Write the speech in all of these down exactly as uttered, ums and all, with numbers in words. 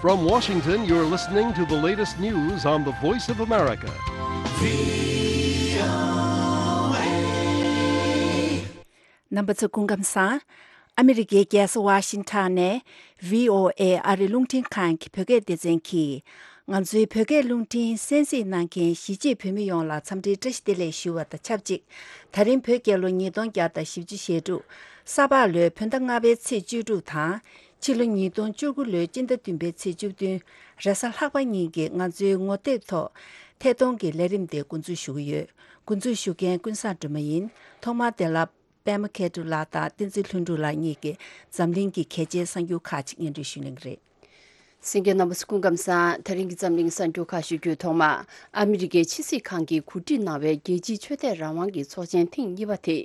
From Washington, you're listening to the latest news on the Voice of America. རྣམ་པ་ཚོ་སྐུ་ཁམས་བཟང་། ཨ་མི་རི་ཀའི་རྒྱལ་ས་ཝ་ཤིང་ཊོན་ནས་བྷི་ཨོ་ཨེ་ཨ་རི་རླུང་འཕྲིན་ཁང་གི་བོད་སྐད་སྡེ་ཚན་གྱིས། ང་ཚོའི་བོད་སྐད་རླུང་འཕྲིན་གསན་གཟིགས་གནང་མཁན་གཞིས་བྱེས་བོད་མི་ཡོངས་ལ་འཚམས་འདྲིའི་བཀྲ་ཤིས་བདེ་ལེགས་ཞུ་བ་དང་ཆབས་ཅིག་ད་རིང་བོད་རྒྱལ་ལོ་ཉིས་སྟོང་བརྒྱ་དང་བཞི་བཅུ་ཞེ་དྲུག་ས་ཕག་ལོའི་བོད་ཟླ་ལྔ་པའི་ཚེས་བཅུ་དྲུག་དང་། ཕྱི་ལོ་ཉིས་སྟོང་བཅུ་དགུ་ལོའི་སྤྱི་ཟླ་བདུན་པའི་ཚེས་བཅུ་བདུན། རེས་གཟའ་ལྷག་པ་ཉིན་གྱི་ང་ཚོའི་ངོ་དེབ་ཐོག་ཐད་གཏོང་གི་ལས་རིམ་དེ་འགོ་འཛུགས་ཞུ་གི་ཡོད། འགོ་འཛུགས་ཞུ་མཁན་ཀུན་བཟང་སྒྲོལ་མ་ཡིན། ཐོག་མར་དེ་ལ། པད་མ་མཁས་གྲུབ་ལགས་དང་བསྟན་འཛིན་ལྷུན་གྲུབ་ལགས་གཉིས་ཀྱིས་འཛམ་གླིང་གི་གལ་ཆེའི་གསར་འགྱུར་ཁག་ཅིག་སྙན་སྒྲོན་ཞུ་གནང་གི་རེད། གསན་མཁན་རྣམ་པ་ཚོ་སྐུ་ཁམས་བཟང་། ད་རིང་གི་འཛམ་གླིང་གསར་འགྱུར་ཁག་ཞུ་རྒྱུའི་ཐོག་མ། ཨ་མི་རི་ཀའི་ཕྱི་སྲིད་ཁང་གིས་གོ་སྒྲིག་གནང་བའི་རྒྱལ་སྤྱིའི་ཆོས་དད་རང་དབང་གི་ཚོགས་ཆེན་ཐེངས་གཉིས་པ་དེ།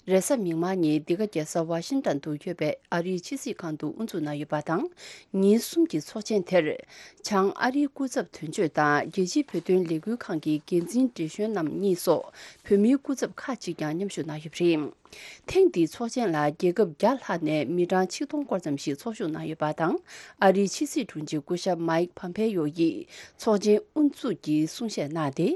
རེས་གཟའ་མིག་དམར་ཉིན་འདི་ག་རྒྱལ་ས་ཝ་ཤིང་ཊོན་དུ་ཡོད་པའི་ཨ་རིའི་ཕྱི་སྲིད་ཁང་དུ་དབུ་འཛུགས་གནང་ཡོད་པ་དང་། ཉིན་གསུམ་གྱི་ཚོགས་ཆེན་དེར། བྱང་ཨ་རིའི་སྐུ་ཚབ་དོན་གཅོད་དང་རྒྱལ་སྤྱིའི་བོད་དོན་ལས་འགུལ་ཁང་གི་འགན་འཛིན་བགྲེས་གཞོན་རྣམ་གཉིས་སོགས་བོད་མིའི་སྐུ་ཚབ་ཁག་ཅིག་ཀྱང་མཉམ་ཞུགས་གནང་ཡོད་པ་རེད། ཐེངས་འདིའི་ཚོགས་ཆེན་ལ་རྒྱལ་ཁབ་བརྒྱ་ལྷག་ནས་མི་གྲངས་ཆིག་སྟོང་སྐོར་ཙམ་ཞིག་ཚོགས་ཞུགས་གནང་ཡོད་པ་དང་། ཨ་རིའི་ཕྱི་སྲིད་དྲུང་ཆེ་སྐུ་ཞབས་མའིག་ཕམ་ཕེ་ཡོ་ཡིས་ཚོགས་ཆེན་དབུ་འཛུགས་ཀྱི་གསུང་བཤད་གནང་སྟེ།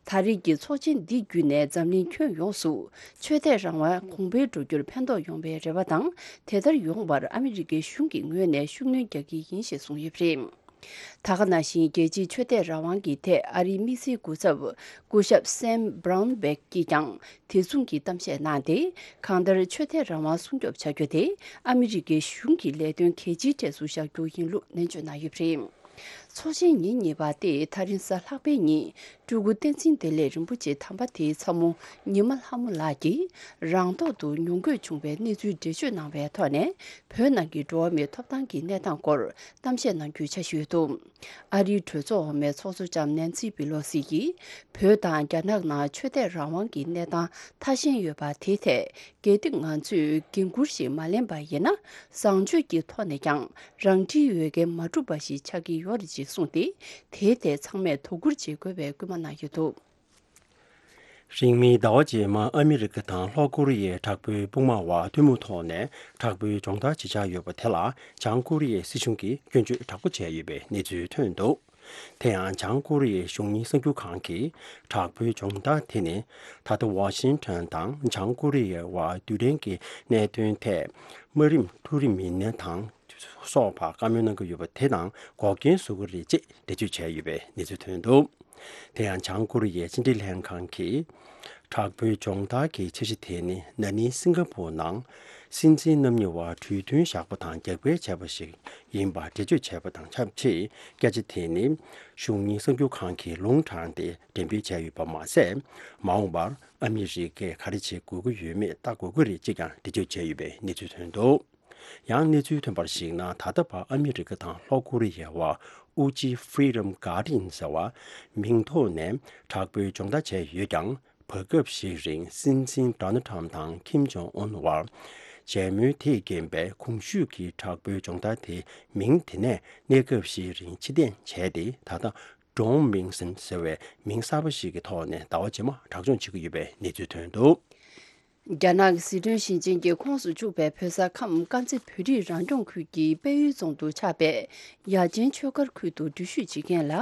ད་རེས་ཀྱི་ཚོགས་ཆེན་འདི་བརྒྱུད་ནས་འཛམ་གླིང་ཁྱོན་ཡོངས་སུ་ཆོས་དད་རང་དབང་གོང་འཕེལ་འགྲོ་རྒྱུར་ཕན་ཐོགས་ཡོང་བའི་རེ་བ་དང་། དེ་ལྟར་ཡོང་བར་ཨ་མི་རི་ཀའི་གཞུང་གི་ངོས་ནས་ཤུགས་སྣོན་རྒྱག་གི་ཡིན་ཞེས་གསུངས་ཡོད་པ་རེད། ད་ག་ནང་བཞིན་རྒྱལ་སྤྱིའི་ཆོས་དད་རང་དབང་གི་ཐད་ཨ་རིའི་དམིགས་བསལ་སྐུ་ཚབ་སྐུ་ཞབས་སེམ་བྷ་རའུན་བྷེག་གིས་ཀྱང་དེ་མཚུངས་ཀྱི་གཏམ་བཤད་གནང་སྟེ། གང་ལྟར་ཆོས་དད་རང་དབང་སྲུང་སྐྱོབ་བྱ་རྒྱུ་དེ་ཨ་མི་རི་ཀའི་གཞུང་གི་ལས་དོན་གལ་ཆེའི་གྲས་སུ་བཞག་རྒྱུ་ཡིན་ལུགས་ནན་བརྗོད་གནང་ཡོད་པ་རེད། ཚོགས་ཆེན་ཉིན་གཉིས་པ་སྟེ་ད་རིང་གཟའ་ལྷག་པའི་ཉིན་སྤྲུལ་སྐུ་བསྟན་འཛིན་བདེ་ལེགས་རིན་པོ་ཆེ་དམ་པ་དེའི་ཚ་མོ་ཉི་མ་ལྷ་མོ་ལགས་ཀྱིས་རང་ཐོག་ཏུ་མྱོང་གོས་བྱུང་བའི་གནས་ཚུལ་འགྲེལ་བརྗོད་གནང་བའི་ཐོག་ནས། བོད་ནང་གི་འགྲོ་བ་མིའི་ཐོབ་ཐང་གི་གནས་སྟངས་སྐོར་གཏམ་བཤད་གནང་རྒྱུའི་འཆར་གཞི་ཡོད་འདུག་ཨ་རིའི་གྲོས་ཚོགས་འོག་མའི་ཚོགས་གཙོ་ལྕམ་ནན་སི་པི་ལོ་སི་ཡིས། བོད་དང་རྒྱ་ནག་ནང་ཆོས་དད་རང་དབང་གི་གནས་སྟངས་ཐ་ཞན་ཡོད་པ་དེའི་ཐད། གལ་ཏེ་ང་ཚོས་འགན་འཁུར་ཞིག་མ་ལེན་པ་ཡིན་ན། བཟང་སྤྱོད་ཀྱི་ཐོག་ནས་ཀྱང་རང་འཁྲིའི་འོས་འགན་མ་འགྲུབ་པ་ཞིག་ཆགས་ཀྱི་ཡོད་རེད་ཅེས་གསུངས་ཏེ། དེའི་ཐད་ཚང་མས་དོ་ཁུར་བྱེད་དགོས་པའི་སྐུལ་མ་གནང་ཡོད་འདུག་རིང་མིན་ཟླ་བ་རྗེས་མ་ཨ་མི་རི་ཀ་དང་ལྷོ་ཀོ་རི་ཡའི་དྲག་པོའི་དཔུང་དམག་དབར་ཐུན་མོང་ཐོག་ནས་དྲག་པོའི་སྦྱོང་བརྡར་བྱེད་འཆར་ཡོད་པ་དེ་ལ་བྱང་ཀོ་རི་ཡའི་སྲིད་གཞུང་གིས་སྐྱོན་བརྗོད་དྲག་པོ་བྱས་ཡོད་པའི་གནས་ཚུལ་ཐོན་འདུག་དེ་ཡང་བྱང་ཀོ་རི་ཡའི་གཞུང་གཉེར་གསར་འགྱུར་ཁང་གིས་དྲག་པོའི་སྦྱོང་བརྡར་དེ་ནི་ད་ལྟ་ཝ་ཤིང་ཊོན་དང་བྱང་ཀོ་རི་ཡའི་དབར་རྡུལ་ཕྲན་གྱི་གནད་དོན་ཐད་དམའ་རིམ་འཕྲོ་རིམ་མི་སྣ་དང་། སོགས་པར་བཀའ་མོལ་གནང་གི་ཡོད་པ་དེ་དང་འགོག་རྐྱེན་བཟོ་གི་རེད་ཅེས་འགྲེལ་བརྗོད་བྱས་ཡོད་པའི་གནས་ཚུལ་ཐོན་འདུག་དེ་ཡང་བྱང་ཀོ་རི་ཡའི་ཕྱི་འབྲེལ་ལྷན་ཁང་གིས། དྲག་པོའི་སྦྱོང་བརྡར་གྱི་འཆར་གཞི་དེ་ནི་ན་ནིང་སིང་ག་པུར་ནང་སྲིད་འཛིན་རྣམ་གཉིས་དབར་གྲོས་མཐུན་བཞག་པ་དང་རྒྱབ་འགལ་བྱས་པ་ཞིག་ཡིན་པར་འགྲེལ་བརྗོད་བྱས་པ་དང་ཆབས་ཅིག་སྐད་ཆ་དེ་ནི་གཞུང་གཉེར་གསར་འགྱུར་ཁང་གིས་ལུང་དྲངས་ཏེ་འགྲེམས་སྤེལ་བྱས་ཡོད་པ་མ་ཟད། མ་འོངས་པར་ཨ་མི་རི་ཀས་ག་རེ་བྱེད་དགོས་ཀྱི་ཡོད་མེད་ལྟ་དགོས་ཀྱི་རེད་ཅེས་ཀྱང་འགྲེལ་བརྗོད་བྱས་ཡོད་པའི་གནས་ཚུལ་ཐོན་འདུག་ཡང་གནས་ཚུལ་ཐོན་པར་གཞིགས་ན། ད་ལྟ་བར་ཨ་མི་རི་ཀ་དང་ལྷོ་ཀོ་རི་ཡའི་དབར་ཨུ་ཅི་Freedom Guardian ཟེར་བ་མིང་ཐོག་ནས་དྲག་པོའི་སྦྱོང་བརྡར་བྱས་ཡོད་ཀྱང་། བར་སྐབས་ཤིག་རིང་སྲིད་འཛིན་ཌོ་ནལ་ཊམ་དང་ཁིམ་ཇོང་ཨུན་དབར་མཇལ་མོལ་དེས་རྐྱེན་པས། གོང་ཞུས་ཀྱི་དྲག་པོའི་སྦྱོང་བརྡར་དེའི་མིང་དེ་ནས་གནས་སྐབས་ཤིག་རིང་ཕྱིར་འཐེན་བྱས་ཏེ། ད་ལྟ་Drone Mason ཟེར་བའི་མིང་གསར་པ་ཞིག་གི་ཐོག་ནས་ཟླ་བ་རྗེས་མ་གྲགས་སྐྱོང་བྱེད་ཀྱི་ཡོད་པའི་གནས་ཚུལ་ཐོན་འདུག་རྒྱ་ནག་གི་ཟི་ཁྲོན་ཞིང་ཆེན་གྱི་ཁོངས་སུ་བཅུག་པའི་བོད་ས་ཁམས་དཀར་མཛེས་བོད་རིགས་རང་སྐྱོང་ཁུལ་གྱི་དཔལ་ཡུལ་རྫོང་དུ་ཆགས་པའི་ཡ་ཆེན་ཆོས་སྒར་ཁུལ་དུ་འགྲུལ་བཞུད་བྱེད་མཁན་ལ་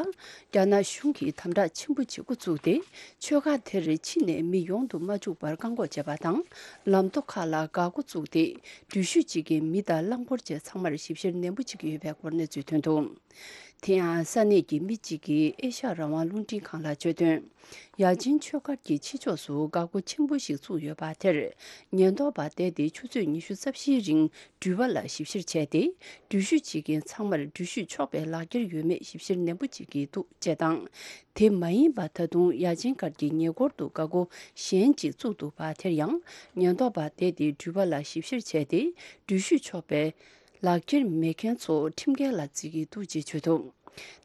རྒྱ་ནག་གཞུང་གིས་དམ་དྲག་ཆེན་པོ་བྱེད་འགོ་བཙུགས་ཏེ། ཆོས་སྒར་དེར་ཕྱི་ནས་མི་ཡོང་དུ་མ་བཅུག་པར་བཀག་འགོག་བྱས་པ་དང་། ལམ་ཐོག་ཁག་ལ་འགག་སྒོ་བཙུགས་ཏེ། འགྲུལ་བཞུད་བྱེད་མཁན་མི་དང་རླངས་འཁོར་བཅས་ཚང་མར་ཞིབ་བཤེར་ནན་པོ་བྱེད་ཀྱི་ཡོད་པའི་སྐོར་གནས་ཚུལ་ཐོན་འདུག་དེ་ཡང་ས་གནས་ཀྱི་མི་གཅིག་གིས་ཨེ་ཤ་ཡ་རང་དབང་རླུང་འཕྲིན་ཁང་ལ་བརྗོད་དོན། ཡ་ཆེན་ཆོས་སྒར་གྱི་ཕྱི་ཕྱོགས་སུ་འགག་སྒོ་ཆེན་པོ་ཞིག་བཙུགས་ཡོད་པ་དེར། ཉེན་རྟོག་པ་བསྡད་དེ་ཆུ་ཚོད་ཉི་ཤུ་རྩ་བཞིའི་རིང་འགྲུལ་པ་ལ་ཞིབ་བཤེར་བྱས་ཏེ། འགྲུལ་བཞུད་བྱེད་མཁན་ཚང་མར་འགྲུལ་བཞུད་ཆོག་པའི་ལག་འཁྱེར་ཡོད་མེད་ཞིབ་བཤེར་ནན་པོ་བྱེད་ཀྱི་འདུག་ཅེས་དང་། དེ་མ་ཡིན་པ་ད་དུང་ཡ་ཆེན་སྒར་གྱི་ཉེ་འཁོར་དུ་འགག་སྒོ་གཞན་གཅིག་བཙུགས་འདུག་པ་དེར་ཡང་། ཉེན་རྟོག་པ་བསྡད་དེ་འགྲུལ་པ་ལ་ཞིབ་བཤེར་བྱས་ཏེ། འགྲུལ་བཞུད་ཆོག་པའི་ལག་འཁྱེར་མེད་མཁན་ཚོ་ཁྲིམས་འགལ་ལ་བརྩི་གི་འདུག་ཅེས་བརྗོད་འདུག་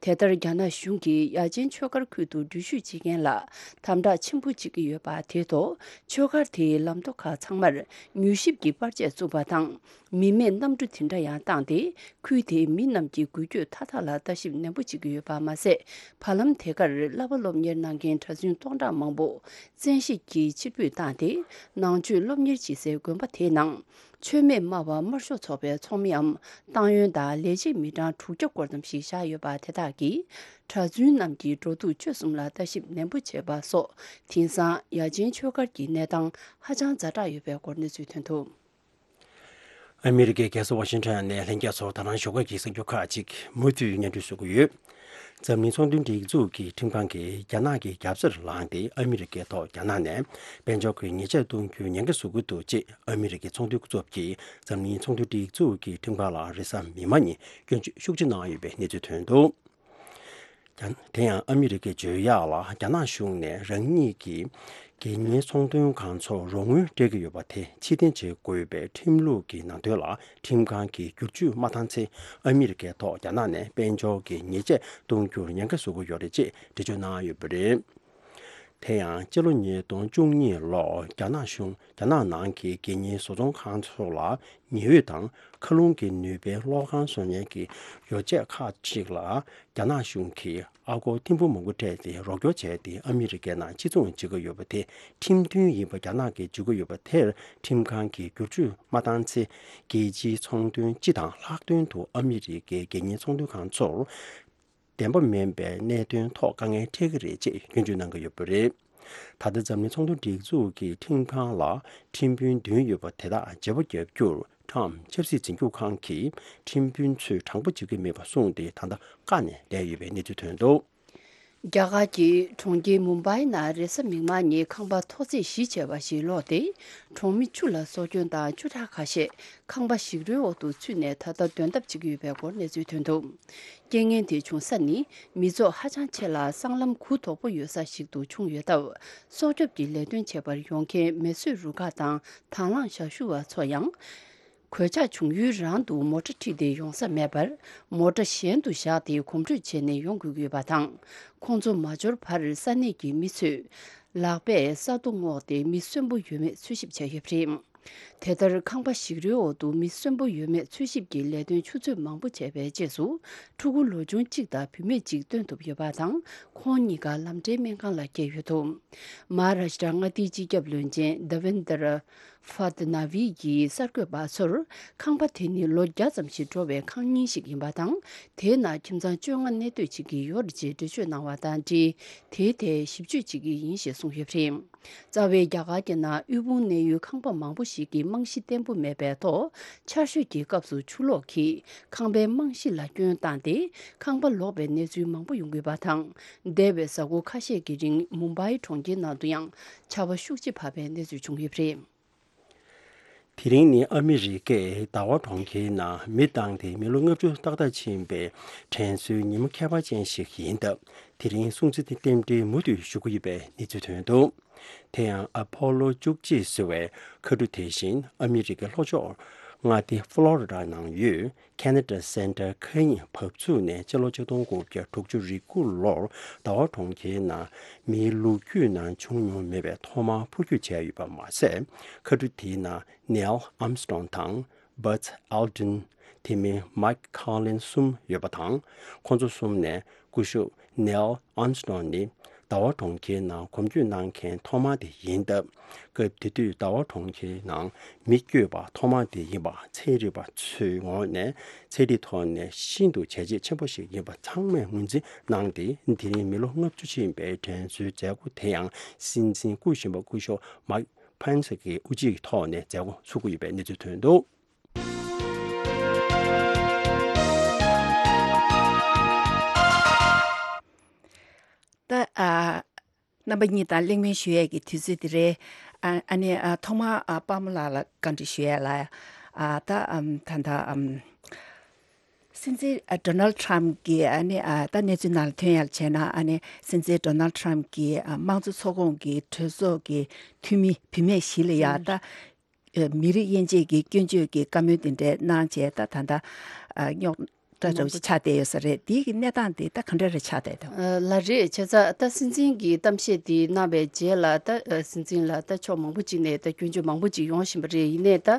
དེ་ལྟར་རྒྱ་ནག་གཞུང་གིས་ཡ་ཆེན་ཆོས་སྒར་ཁུལ་དུ་འགྲུལ་བཞུད་བྱེད་མཁན་ལ་དམ་དྲག་ཆེན་པོ་བྱེད་ཀྱི་ཡོད་པ་དེ་ཐོག་ཆོས་སྒར་དེའི་ལམ་ཐོག་ཁག་ཚང་མར་མྱུལ་ཞིབ་ཀྱི་པར་ཆས་བཙུགས་པ་དང་། མི་མེད་གནམ་གྲུ་དེ་འདྲ་ཡང་བཏང་སྟེ། ཁུལ་དེའི་མི་རྣམས་ཀྱི་འགུལ་སྐྱོད་མཐའ་དག་ལ་ལྟ་ཞིབ་ནན་པོ་བྱེད་ཀྱི་ཡོད་པ་མ་ཟད། བར་ལམ་དེ་གར་གླ་པ་སློབ་གཉེར་གནང་མཁན་གྲྭ་བཙུན་སྟོང་ཕྲག་མང་པོ་བཙན་ཤེད་ཀྱིས་ཕྱིར་འབུད་བཏང་སྟེ། ནང་ཆོས་སློབ་གཉེར་བྱེད་སའི་དགོན་པ་དེའི་ནང་ མཆོད་མེ་དམར་བ་དམར་ཤོག་ཚོགས་པའི་ཚོགས་མིའམ་ཏང་ཡོན་དང་ལས་བྱེད་མི་གྲངས་དྲུག་བརྒྱ་སྐོར་ཙམ་ཞིག་བཞག་ཡོད་པ་དེ་དག་གིས་གྲྭ་བཙུན་རྣམས་ཀྱི་འགྲོ་འདུག་སྤྱོད་གསུམ་ལ་ལྟ་ཞིབ་ནན་པོ་བྱེད་པ་སོགས་དེང་སང་ཡ་ཆེན་ཆོས་སྒར་གྱི་གནས་སྟངས་ཧ་ཅང་ཛ་དྲག་ཡོད་པའི་སྐོར་གནས་ཚུལ་ཐོན་འདུག། ཨ་མི་རི་ཀའི་རྒྱལ་ས་ཝ་ཤིང་ཊོན་ནས་ལྷན་རྒྱས་ཚོར་ད་རང་ཞོགས་ཀ་གི་གསར་འགྱུར་ཁག་ཅིག་མུ་མཐུད་སྙན་སྒྲོན་ཞུ་གི་ཡོད། འཛམ་གླིང་ཚོང་དོན་སྒྲིག་འཛུགས་ཀྱི་ཁྲིམས་ཁང་གིས་རྒྱ་ནག་གི་རྒྱབ་རྩར་ལངས་ཏེ་ཨ་མི་རི་ཀའི་ཐོག་རྒྱ་ནག་ནས་དཔལ་འབྱོར་གྱི་ཉེས་ཆད་གཏོང་རྒྱུའི་ཉེན་ཁ་བཟོ་གི་འདུག་ཅེས་ཨ་མི་རི་ཀའི་ཚོང་དོན་སྐུ་ཚབ་ཀྱིས་འཛམ་གླིང་ཚོང་དོན་སྒྲིག་འཛུགས་ཀྱི་ཁྲིམས་ཁང་ལ་རེས་གཟའ་མིག་དམར་ཉིན་སྐྱོན་བརྗོད་ཤུགས་ཆེ་གནང་ཡོད་པའི་གནས་ཚུལ་ཐོན་འདུག། རྒྱ་དེ་ཡང་ཨ་མི་རི་ཀས་བརྗོད་ཡག་ལ་རྒྱ་ནག་གཞུང་ནས་རང་ཉིད་ཀྱི་དགེ་བསྙེན་ཚོང་དོན་ཁང་ཚོར་རོགས་དངུལ་སྤྲད་ཀྱི་ཡོད་པ་དེ་ཕྱིར་འཐེན་བྱེད་དགོས་པའི་ཁྲིམས་ལུགས་ཀྱི་ནང་དོན་ལ་ཁྲིམས་ཁང་གིས་བསྒྱུར་བཅོས་མ་བཏང་ཚེ་ཨ་མི་རི་ཀའི་ཐོག་རྒྱ་ནག་ནས་དཔལ་འབྱོར་གྱི་ཉེས་ཆད་གཏོང་རྒྱུར་ཉེན་ཁ་བཟོ་གི་ཡོད་རེད་ཅེས་འགྲེལ་བརྗོད་གནང་ཡོད་པ་རེད། དེ་ཡང་སྤྱི་ལོ་ཉིས་སྟོང་བཅུ་གཉིས་ལོར་རྒྱ་ནག་གཞུང་རྒྱ་ནག་ནང་གི་དགེ་བསྙེན་བཟོ་ཚོང་ཁང་ཚོ་ལ་ཉི་འོད་དང་མཁའ་རླུང་གི་ནུས་པའི་གློག་ཁང་བཟོ་མཁན་གྱི་ཡོ་བྱད་ཁག་ཅིག་ལ་རྒྱ་ནག་གཞུང་གིས་ཨ་སྒོར་ཐེར་འབུམ་མང་པོ་སྤྲད་དེ་རོགས་སྐྱོར་བྱས་ཏེ་ཨ་མི་རི་ཀའི་ནང་སྤྱི་བཙུགས་བྱེད་ཀྱི་ཡོད་པ་དེ་ཁྲིམས་མཐུན་ཡིན་པ་རྒྱ་ནག་གིས་བརྗོད་ཀྱི་ཡོད་པ་དེར་ཁྲིམས་ཁང་གིས་བསྒྱུར་བཅོས་མ་བཏང་ཚེ་རྒྱལ་སྤྱིའི་ཚོང་དོན་སྤྱི་དང་ལྷག་དོན་དུ་ཨ་མི་རི་ཀའི་དགེ་བསྙེན་ཚོང་དོན་ཁང་ཚོར་བདེན་པ་མིན་པའི་གནད་དོན་ཐོག་དཀའ་ངལ་འཕྲད་ཀྱི་རེད་ཅེས་སྐྱོན་བརྗོད་གནང་གི་ཡོད་པ་རེད། ད་ལྟ་འཛམ་གླིང་ཚོང་དོན་སྒྲིག་འཛུགས་ཀྱི་ཁྲིམས་ཁང་ལ་ཁྲིམས་དཔོན་བདུན་ཡོད་པ་དེ་དག་བརྗེ་པོ་བརྒྱབ་རྒྱུར་ཁྲམ་ཆབ་སྲིད་འཛིན་སྐྱོང་ཁང་གིས་ཁྲིམས་དཔོན་ཚོས་དྲང་པོ་བྱེད་ཀྱི་མེད་པ་གསུངས་ཏེ་ད་ལྟ་བཀག་ནས་བསྡད་ཡོད་པའི་གནས་ཚུལ་ཐོན་འདུག། རྒྱ་གར་གྱི་གྲོང་ཁྱེར་མུམ་བྷའི་ནང་རེས་གཟའ་མིག་དམར་ཉིན་ཁང་པ་ཐོག་བརྩེགས་བཞི་བྱས་པ་ཞིག་སློག་སྟེ། གྲོང་མི་བཅུ་ལ་སྲོག་སྐྱོན་དང་བཅུ་ཕྲག་ཁ་ཤས་ཁང་པ་ཞིག་རོའི་འོག་ཏུ་ཚུད་ནས་ད་ལྟ་སྡོད་ཐབས་བྱེད་ཀྱི་ཡོད་པའི་སྐོར་གནས་ཚུལ་ཐོན་འདུག། རྐྱེན་ངན་དེ་བྱུང་ས་ནི་མི་ཚོགས་ཧ་ཅང་ཆེ་ལ་སྲང་ལམ་གུ་དོག་པོ་ཡོད་ས་ཞིག་ཏུ་བྱུང་ཡོད་སྟབས། སྲོག་སྐྱོབ་ཀྱི་ལས་དོན་བྱེད་པར་ཡོང་མཁན་མེ་གསོད་རུ་ཁག་དང་དང་བླངས་ཞབས་ཞུ་བ་ཚོ་ཡང་། གོད་ཆག་བྱུང་ཡུལ་རང་དུ་མོ་ཊ་ཁྲིད་དེ་ཡོང་ས་མེད་པར། མོ་ཊ་གཞན་དུ་བཞག་སྟེ་གོམ་བགྲོད་བྱས་ནས་ཡོང་དགོས་ཀྱི་ཡོད་པ་དང་། ཁོང་ཚོ་མ་འབྱོར་བར་ས་གནས་ཀྱི་མི་ཚོས་ལག་པས་ས་རྡོ་བསྔོགས་ཏེ་མི་གསོན་པོ་ཡོད་མེད་འཚོལ་ཞིབ་བྱས་ཡོད་པ་རེད། དེ་ལྟར་ཁང་པ་ཞིག་རོའི་འོག་ཏུ་མི་གསོན་པོ་ཡོད་མེད་འཚོལ་ཞིབ་ཀྱི་ལས་དོན་ཆུ་ཚོད་མང་པོ་བྱས་པའི་རྗེས་སུ། ཕྲུ་གུ་ལོ་ཆུང་གཅིག་དང་བུད་མེད་གཅིག་བཏོན་ཐུབ་ཡོད་པ་དང་། ཁོང་གཉིས་ཀ་ལམ་འབྲས་སྨན་ཁང་ལ་བསྐྱལ་ཡོད་འདུག། མ་ཧཱ་རཱ་ཤི་ཏྲ་མངའ་སྡེའི་སྤྱི་ཁྱབ་བློན་ཆེན་དེ་ཝེན་དྲ་ཕ་དྷ་ན་ཝི་ཡིས་གསར་འགོད་པ་ཚོར། ཁང་པ་དེ་ནི་ལོ་བརྒྱ་ཙམ་ཞིག་འགྲོ་བའི་ཁང་རྙིང་ཞིག་ཡིན་པ་དང་། དེའི་ནང་ཁྱིམ་ཚང་བཅོ་ལྔ་གནས་སྡོད་བྱེད་ཀྱི་ཡོད་རེད་ཅེས་འགྲེལ་བརྗོད་གནང་བ་དང་འབྲེལ། དེའི་ཐད་ཞིབ་དཔྱོད་བྱེད་ཀྱི་ཡིན་ཞེས་གསུངས་ཡོད་པ་རེད། རྩ་བའི་རྒྱ་གར་གྱི་ནང་དབུལ་ཕོངས་གནས་ཡུལ་ཁང་པ་མང་པོ་ཞིག་གི་རྨང་གཞི་བརྟན་པོ་མེད་པའི་ཐོག་ཆར་ཞོད་ཀྱི་སྐབས་སུ་ཆུ་ལོག་གིས་ཁང་པའི་རྨང་གཞི་ལ་སྐྱོན་བཏང་སྟེ། ཁང་པ་ལོག་པའི་གནས་ཚུལ་མང་པོ་ཡོང་གི་ཡོད་པ་དང་། འདས་པའི་གཟའ་འཁོར་ཁ་ཤས་ཀྱི་རིང་མུམ་བྷའི་གྲོང་ཁྱེར་ནང་དུ་ཡང་ཆར་པ་ཤུགས་ཆེ་བབས་པའི་གནས་ཚུལ་བྱུང་ཡོད་པ་རེད། དེ་རིང་ནི་ཨ་མི་རི་ཀའི་ཟླ་བ་གྲོང་ཁྱེར་ནང་མི་བཏང་སྟེ་མི་ལོ་ལྔ་བཅུ་ཏག་ཏག་ཕྱིན་པའི་དྲན་གསོའི་ཉིན་མོ་ཁྱད་པར་ཅན་ཞིག་ཡིན་སྟབས། དེ་རིང་སྲུང་བརྩི་རྟེན་འབྲེལ་མུ་མཐུད་ཞུ་གི་ཡོད་པའི་གནས་ཚུལ་ཐོན་འདུག། དེ་ཡང་ཨ་ཕོ་ལོ་བཅུ་གཅིག་ཟེར་བའི་མཁའ་གྲུ་དེ་བཞིན་ཨ་མི་རི་ཀའི་ལྷོ་ཕྱོགས་མངའ་སྡེ་ཕློ་རི་ཌ་ནང་ཡོད་ཁེ་ན་ཌ་སེན་ཊར་མཁའ་དབྱིངས་བབས་ཚུགས་ནས་སྤྱི་ལོ་ཆིག་སྟོང་དགུ་བརྒྱ་དྲུག་ཅུ་རེ་དགུ་ལོར་ཟླ་བ་གྲོང་ཁྱེར་ནང་མིའི་ལོ་རྒྱུས་ནང་བྱུང་མྱོང་མེད་པའི་ཐོག་མར་འཕུར་སྐྱོད་བྱས་ཡོད་པ་མ་ཟད། མཁའ་གྲུ་དེའི་ནང་ནེལ་ཨམ་སི་ཊོང་དང་། Buzz Aldrin། དེ་མིན་Mike Collins གསུམ་ཡོད་པ་དང་། ཁོང་ཚོ་གསུམ་ནས་སྐུ་ཞབས་Neil Armstrong ནི་ཟླ་བ་གྲོང་ཁྱེར་ནང་གོམ་བསྐྱོད་གནང་མཁན་ཐོག་མ་དེ་ཡིན་སྟབས། སྐབས་དེ་དུས་ཟླ་བ་གྲོང་ཁྱེར་ནང་མི་བསྐྱོད་པ་ཐོག་མ་དེ་ཡིན་པ་ཚན་རིག་པ་ཚོའི་ངོས་ནས་ཚན་རིག་ཐོག་ནས་ཤིན་ཏུ་བྱས་རྗེས་ཆེན་པོ་ཞིག་ཡིན་པ་ཚང་མས་ངོས་འཛིན་གནང་སྟེ། དེ་རིང་མི་ལོ་ལྔ་བཅུ་ཕྱིན་པའི་དྲན་གསོའི་མཛད་སྒོ་དེ་ཡང་སྲིད་འཛིན་སྐུ་གཞོན་པ་སྐུ་ཞབས་Mike Pence གི་དབུ་འབྱེད་ཐོག་ནས་མཛད་སྒོ་ཚུགས་ཀྱི་ཡོད་པའི་གནས་ཚུལ་ཐོན་འདུག། ད་ཨ་རྣམ་པ་གཉིས་དང་གླེང་མོལ་ཞུ་ཡས་ཀྱི་དུས་ཚོད་དེ་རེད། ཨ་ཨ་ནི་ཨ་ཐོག་མར་ཨ་པདྨ་ལགས་ལ་བཀའ་འདྲི་ཞུ་ཡས་ལ། ཨ་ད་ཨམ་ད་ད་ཨམ་སྲིད་འཛིན་ཨ་ཌོ་ནལ་ཌི་ཊམ་གྱི་ཨ་ནི་ཨ་ད་གནས་ཚུལ་ནང་ལ་ཐོན་ཡས་ལ་བྱས་ན། ཨ་ནི་སྲིད་འཛིན་ཌོ་ནལ་ཌི་ཊམ་གྱི་ཨ་དམངས་གཙོ་ཚོགས་ཁོངས་ཀྱི་གྲོས་ཚོགས་ཀྱི་འཐུས་མི་བུད་མེད་བཞི་ལ་ཡ་ད། ཨ་མི་རིགས་དབྱེ་འབྱེད་ཀྱི་སྐྱོན་བརྗོད་ཀྱི་བཀའ་མོལ་དེ་འདྲ་གནང་བྱས། ད་ད་ལྟ་ཨ་རྙོག་དྲ་འདྲ་བོ་ཞིག་ཆགས་བསྡད་ཡོད་ས་རེད། དེའི་གི་གནས་སྟངས་དེ་ད་ག་འདྲ་རེ་ཆགས་བསྡད་འདུག། ཨ་ལགས་རེད། བྱས་ཙང་ད་སྲིད་འཛིན་གྱིས་གཏམ་བཤད་དེ་གནང་བའི་རྗེས་ལ། ད་ཨ་སྲིད་འཛིན་ལ་ད་ཕྱོགས་མང་པོ་ཅིག་ནས་ད་སྐྱོན་བརྗོད་མང་པོ་ཅིག་ཡོང་བཞིན་པ་རེད། ཡིན་ནའི་ད་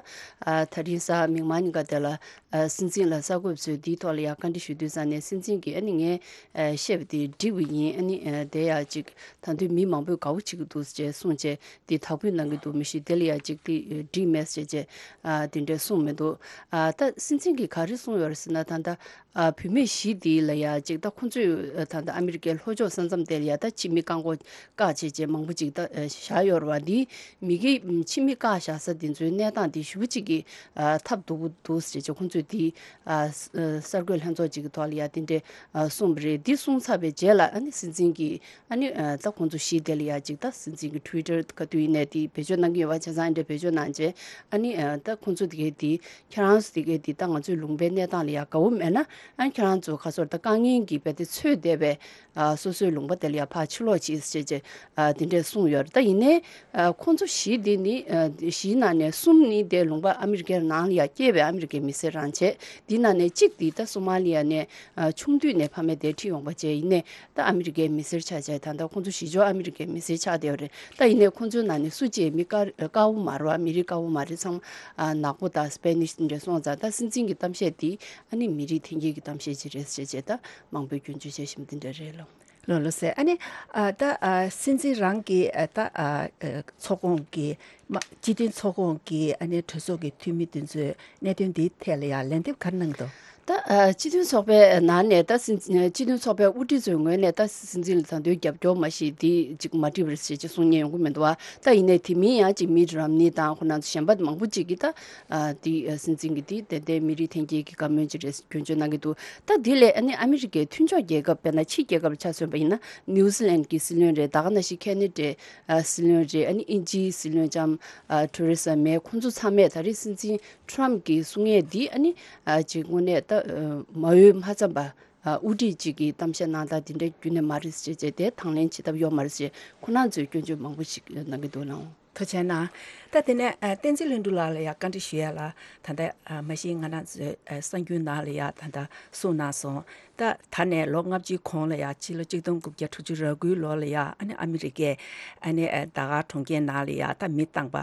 ཨ་དེ་རིང་གཟའ་མིག་དམར་ཉིན་ཀ་དེ་ལ། ཨ་སྲིད་འཛིན་ལ་གསར་འགོད་པ་ཚོས་འདིའི་ཐོག་ལ་ཡང་བཀའ་འདྲི་ཞུ་དུས་ཙང་ནས་སྲིད་འཛིན་གྱིས་ཨ་ནི་ངས་ཨ་བཤད་པ་དེ་འགྲིག་པ་ཡིན། ཨ་ནི་ཨ་དེ་ཡང་ཅིག་ད་དུང་མི་མང་པོས་དགའ་པོ་བྱེད་ཀྱི་འདུག་ཅེས་གསུངས་བྱས་དེ་དག་ཕུད་གནང་གི་འདུག་མི་ཤེས། དེ་ལ་ཡང་ཅིག་དེ་འགྲིག་མེད་ཟེར་བྱས་ཨ་དེ་འདྲས་གསུངས་མི་འདུག་ཨ་ད་སྲིད་འཛིན་གྱིས་ག་རེ་གསུངས་ཡོད་རེད་ཟེར་ན། ད་ལྟ་ཨ་བུད་མེད་བཞི་དེ་ལ་ཡང་ཅིག་ད་ཁོང་ཚོས་ཨ་ད་ལྟ་ཨ་མི་རི་ཀའི་ལྷོ་ཕྱོགས་ས་མཚམས་དེ་ལ་ཡང་ད་ཕྱི་མི་བཀག་འགོག་བཀག་བྱས་བྱས་མང་པོ་ཅིག་ད་ཨ་བཞག་ཡོད་རེད་བ། འདི་མི་གི་ཕྱི་མི་བཀག་བཞག་ས་དེ་ཚོའི་གནས་སྟངས་དེ་ཞེ་པོ་ཅིག་གི་ཨ་ཐབས་སྡུག་པོ་འདུག་ཟེར་བྱས་ཁོང་ཚོས་དེ་ཨ་ས་ཨ་གསར་འགོད་ལྷན་ཚོགས་ཅིག་གི་ཐོག་ལ་ཡང་དེ་འདྲས་ཨ་གསུངས་པ་རེད། འདི་གསུངས་ཚར་བའི་རྗེས་ལ་ཨ་ནི་སྲིད་འཛིན་གྱིས་ཨ་ནི་ཨ་ད་ཁོང་ཚོ་བཞི་དེ་ལ་ཡང་ཅིག་ད་སྲིད་འཛིན་གྱི་ཊུ་ཝི་ཊར་ག་དུས་ཡིན་ནའི་དེ་བེད་སྤྱོད་གནང་གི་ཡོད་པ་བྱས་ཙང་ཨ་འདྲས་བེད་སྤྱོད་གནང་བྱས་ཨ་ནི་ཨ་ད་ཁོང་ཚོ་དེ་གའི་དེ་ཁྱེད་རང་ཚོ་དེ་གའི་དེ་ད་ང་ཚོའི་ལུང་པའི་གནས་སྟངས་ལ་ཡང་དགའ་བོ་མེད་ན་ཨ་ཁྱེད་རང་ཚོ་ག་ཚོད་ད་དཀའ་ངལ་གྱི་རྦད་དེ་ཚོད་བསྡད་པའི་ཨ་སོ་སོའི་ལུང་པ་དེ་ལ་ཡང་ཕར་ཕྱིར་ལོག་བྱེད་ཅེས་བྱས་ཨ་དེ་འདྲས་གསུངས་ཡོད་རེད། ད་ཡིན་ནའི་ཨ་ཁོང་ཚོ་བཞི་དེ་ནི་ཨ་བཞིའི་ནང་ནས་གསུམ་ནི་དེ་ལུང་པ་ཨ་མི་རི་ཀའི་ནང་ལ་ཡང་སྐྱེས་པའི་ཨ་མི་རི་ཀའི་མི་སེར་རང་བྱས། དེའི་ནང་ནས་གཅིག་དེ་ད་སོ་མ་ལི་ཡ་ནས་ཨ་ཆུང་དུས་ནས་ཕ་མས་དེ་ཁྲིད་ཡོང་པ་བྱས། ཡིན་ནའི་ད་ཨ་མི་རི་ཀའི་མི་སེར་ཆགས་བྱས། ད་ལྟ་ཁོང་ཚོ་བཞི་ཆོག་ཨ་མི་རི་ཀའི་མི་སེར་ཆགས་བསྡད་ཡོད་རེད། ད་ཡིན་ནའི་ཁོང་ཚོའི་ནང་ནས་སུ་གཅིག་མི་དཀར་དཀར་པོ་མ་རེད་བ། མི་རིགས་དཀར་པོ་མ་རེད། ཚང་མ་ཨ་ནག་པོ་དང་སྤེ་ནིཤ་དེ་འདྲ་སོང་ཙང་ད་སྲིད་འཛིན་གྱི་གཏམ་བཤད་དེ་ཨ་ནི་མི་རིགས་འཐེན་འཁྱེར་གྱི་གཏམ་བཤད་ཅིག་རེད་ཟེར་བྱས་ད་མང་པོས་སྐྱོན་བརྗོད་བྱས་བཞིན་དེ་འདྲ་རེད་ལོ། ལོ་ལོ་ཟེར། ཨ་ནི་ཨ་ད་ཨ་སྲིད་འཛིན་རང་གི་ཨ་ད་ཨ་ཨ་ཚོགས་ཁོངས་ཀྱི་མ་སྤྱི་མཐུན་ཚོགས་ཁོངས་ཀྱི་ཨ་ནི་གྲོས་ཚོགས་ཀྱི་འཐུས་མི་དེ་ཚོས་གནད་དོན་འདིའི་ཐད་ལ་ཡང་ལན་འདེབས་ག་རེ་གནང་འདུག་ད་ཨ་སྤྱི་མཐུན་ཚོགས་པའི་ནང་ནས་ད་སྲིད་སྤྱི་མཐུན་ཚོགས་པའི་དབུ་ཁྲིད་ཚོའི་ངོས་ནས་ད་སྲིད་འཛིན་ལ་ད་དུང་རྒྱབ་སྐྱོར་མ་ཞིག་འདི་ཅིག་མ་བྲིས་པ་རེད་ཟེར་ཅིག་གསུང་མཁན་ཡོང་གི་མི་འདུག་བ། ད་ཡིན་ནའི་དེ་མིན་ཡང་ཅིག་མིཊ་རོམ་ནི་དང་ཁོ་ན་ཚོ་གཞན་པ་མང་པོ་ཅིག་གིས་ད་ཨ་འདི་ཨ་སྲིད་འཛིན་གྱི་འདི་ཏན་ཏན་མི་རིགས་འཐེན་འཁྱེར་གྱི་བཀའ་མོལ་ཅིག་རེད་སྐྱོན་བརྗོད་གནང་གི་འདུག་ད་འདི་ལས་ཨ་ནི་ཨ་མི་རི་ཀའི་མཐུན་ཕྱོགས་རྒྱལ་ཁབ་དཔེར་ན་ཕྱི་རྒྱལ་ཁབ་ལ་ཆ་མཚོན་པ་ཡིན་ན་ནིའུ་ཛི་ལན་གྱི་སྲིད་བློན་རེད། ད་ག་ནང་བཞིན་ཁེ་ན་ཌའི་ཨ་སྲིད་བློན་རེད། ཨ་ནི་དབྱིན་ཇིའི་སྲིད་བློན་ལྕམ་ཨ་ཐེ་རེ་ས་མེ། ཁོང་ཚོ་ཚང་མས་ད་རེས་སྲིད་འཛིན་ཊརམ་གྱིས་གསུང་ཡས་འདི་ཨ་ནི་ཨ་ཅིག་དངོས་གནས་ད་ཨ་མ་འོས་མ་འཚམས་པ་ཨ་དབུ་ཁྲིད་ཅིག་གིས་གཏམ་བཤད་གནང་སྟངས་འདི་འདྲ་རྒྱུན་ནས་མ་རེད་ཅེས་བྱས་ཏེ་དང་ལེན་བྱེད་ཐབས་ཡོད་མ་རེད་ཅེས་ཁོ་རང་ཚོས་སྐྱོན་བརྗོད་མང་པོ་ཞིག་གནང་གི་འདུག་ལགས། ཐུགས་རྗེ་གནང་། ད་དེ་ནས་ཨ་བསྟན་འཛིན་ལྷུན་གྲུབ་ལགས་ལ་ཡང་བཀའ་འདྲི་ཞུ་ཡ་ལ། ད་ལྟ་ཨ་མ་གཞི་ང་རང་ཚོའི་ཨ་གསར་འགྱུར་ནང་ལ་ཡང་ད་ལྟ་གསུངས་གནང་སོང་། ད་ད་ནས་ལོ་ལྔ་བཅུའི་གོང་ལ་ཡང་ཕྱི་ལོ་གཅིག་སྟོང་དགུ་བརྒྱ་དྲུག་ཅུ་རེ་དགུའི་ལོ་ལ་ཡང་ཨ་ནི་ཨ་མི་རི་ཀའི་ཨ་ནི་ཨ་ད་ག་གྲོང་ཁྱེར་ནང་ལ་ཡང་ད་མི་བཏང་པ་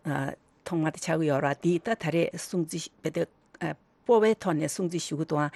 ཨ་ཐོག་མ་དེ་ཆགས་ཀྱི་ཡོད་རེད། དེ་ད་ད་རེས་སྲུང་བརྩི་བྱེད་དུས་ཨ་སྤོབས་པའི་ཐོག་ནས་སྲུང་བརྩི་ཞུ་གི་འདུག་ཨང་།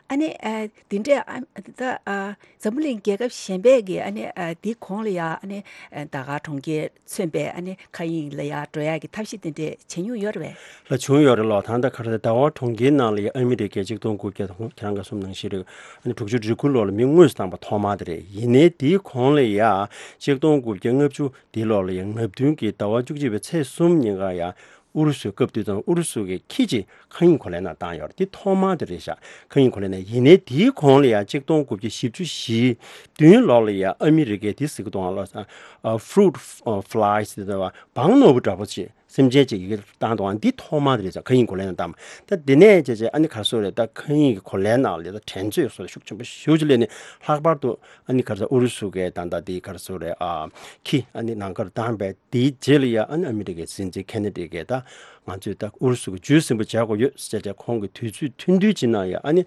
ཨ་ནི་ཨ་དེ་འདྲས་ཨ་ད་ཨ་འཛམ་བུ་གླིང་རྒྱལ་ཁབ་གཞན་པས་ཀྱི་ཨ་ནི་ཨ་དེའི་གོང་ལ་ཡང་ཨ་ནི་ཨ་ད་ག་གྲོང་ཁྱེར་མཚོན་པའི་ཨ་ནི་མཁའ་དབྱིངས་ལ་ཡང་འགྲོ་ཡག་གི་ཐབས་ཤེས་དེ་འདྲས་བྱེད་མྱོང་ཡོད་རེད་པས། ལགས་བྱུང་ཡོད་རེད་ལགས། ད་ལྟ་ག་རེ་ཟླ་བ་གྲོང་ཁྱེར་ནང་ལ་ཡང་ཨ་མི་རི་ཀས་གཅིག་སྟོང་དགུ་བརྒྱ་དང་ཁྱེད་རང་ག་གསུངས་ནང་བཞིན་རེད། ཨ་ནི་དྲུག་ཅུ་རེ་དགུ་ལོ་ལ་མི་དངོས་སུ་བཏང་པ་ཐོག་མ་དེ་རེད། ཡིན་ནའི་དེའི་གོང་ལ་ཡང་གཅིག་སྟོང་དགུ་བརྒྱ་ལྔ་བཅུ་དེའི་ལོ་ལ་ཡང་ལྔ་བདུན་གྱི་ཟླ་བ་བཅུ་གཅིག་པའི་ཚེས་གསུམ་ཉིན་ཀ་ཡང་ཨུ་རུ་སུའི་སྐབས་དུས་དང་ཨུ་རུ་སུ་གི་ཁྱི་གཅིག་མཁའ་དབྱིངས་གོ་ལའི་ནང་བཏང་ཡོད་རེད། དེ་ཐོག་མ་དེ་རེད་ཤག་མཁའ་དབྱིངས་གོ་ལའི་ནང་། ཡིན་ནའི་དེའི་གོང་ལ་ཡང་གཅིག་སྟོང་དགུ་བརྒྱ་བཞི་བཅུ་ཞེ་བདུན་ལོ་ལ་ཡང་ཨ་མི་རི་ཀས་དེ་ཟེར་གི་འདུག་ཨང་ལགས། ཨ་ཕུ་རུཊ་ཨ་ཕུ་ལའི་ཟེར་བ་སྦྲང་ནོར་བུ་འདྲ་པོ་ཅིག་སེམས་ཅན་ཅིག་ཡི་གེ་བཏང་འདུག་ཨང་། འདི་ཐོག་མ་དེ་རེད་ཤག་མཁའ་དབྱིངས་གོ་ལའི་ནང་བཏང་། ད་འདི་ནས་བྱས་བྱས་ཨ་ནི་ག་རེ་ཟེར་རེད། ད་མཁའ་དབྱིངས་ཀྱི་གོ་ལའི་ནང་ལ་ད་འགྲན་རྩོད་སོགས་ཤུགས་ཆེན་པོ་ཞེ་པོ་ཅིག་སླེབས་ནས་ལྷག་པར་དུ་ཨ་ནི་ག་རེ་ཟེར་ཨུ་རུ་སུ་གིས་ད་ལྟ་འདི་ག་རེ་ཟེར་རེད། ཨ་ཁྱི་ཨ་ནི་ནང་ཁར་བཏང་པའི་དེའི་རྗེས་ལ་ཡང་ཨ་ནི་ཨ་མི་རི་ཀའི་སྲིད་འཛིན་ཁེ་ན་ཌི་གིས་ད་ང་ཚོས་ད་ཨུ་རུ་སུ་གི་རྒྱུད་སྲིན་པོ་བྱེད་དགོས་ཡོད་ཟེར་ཏེ་ཁོང་གིས་དུས་ཚོད་ཐུང་ཐུང་ཅིག་ནང་ཡང་ཨ་ནི་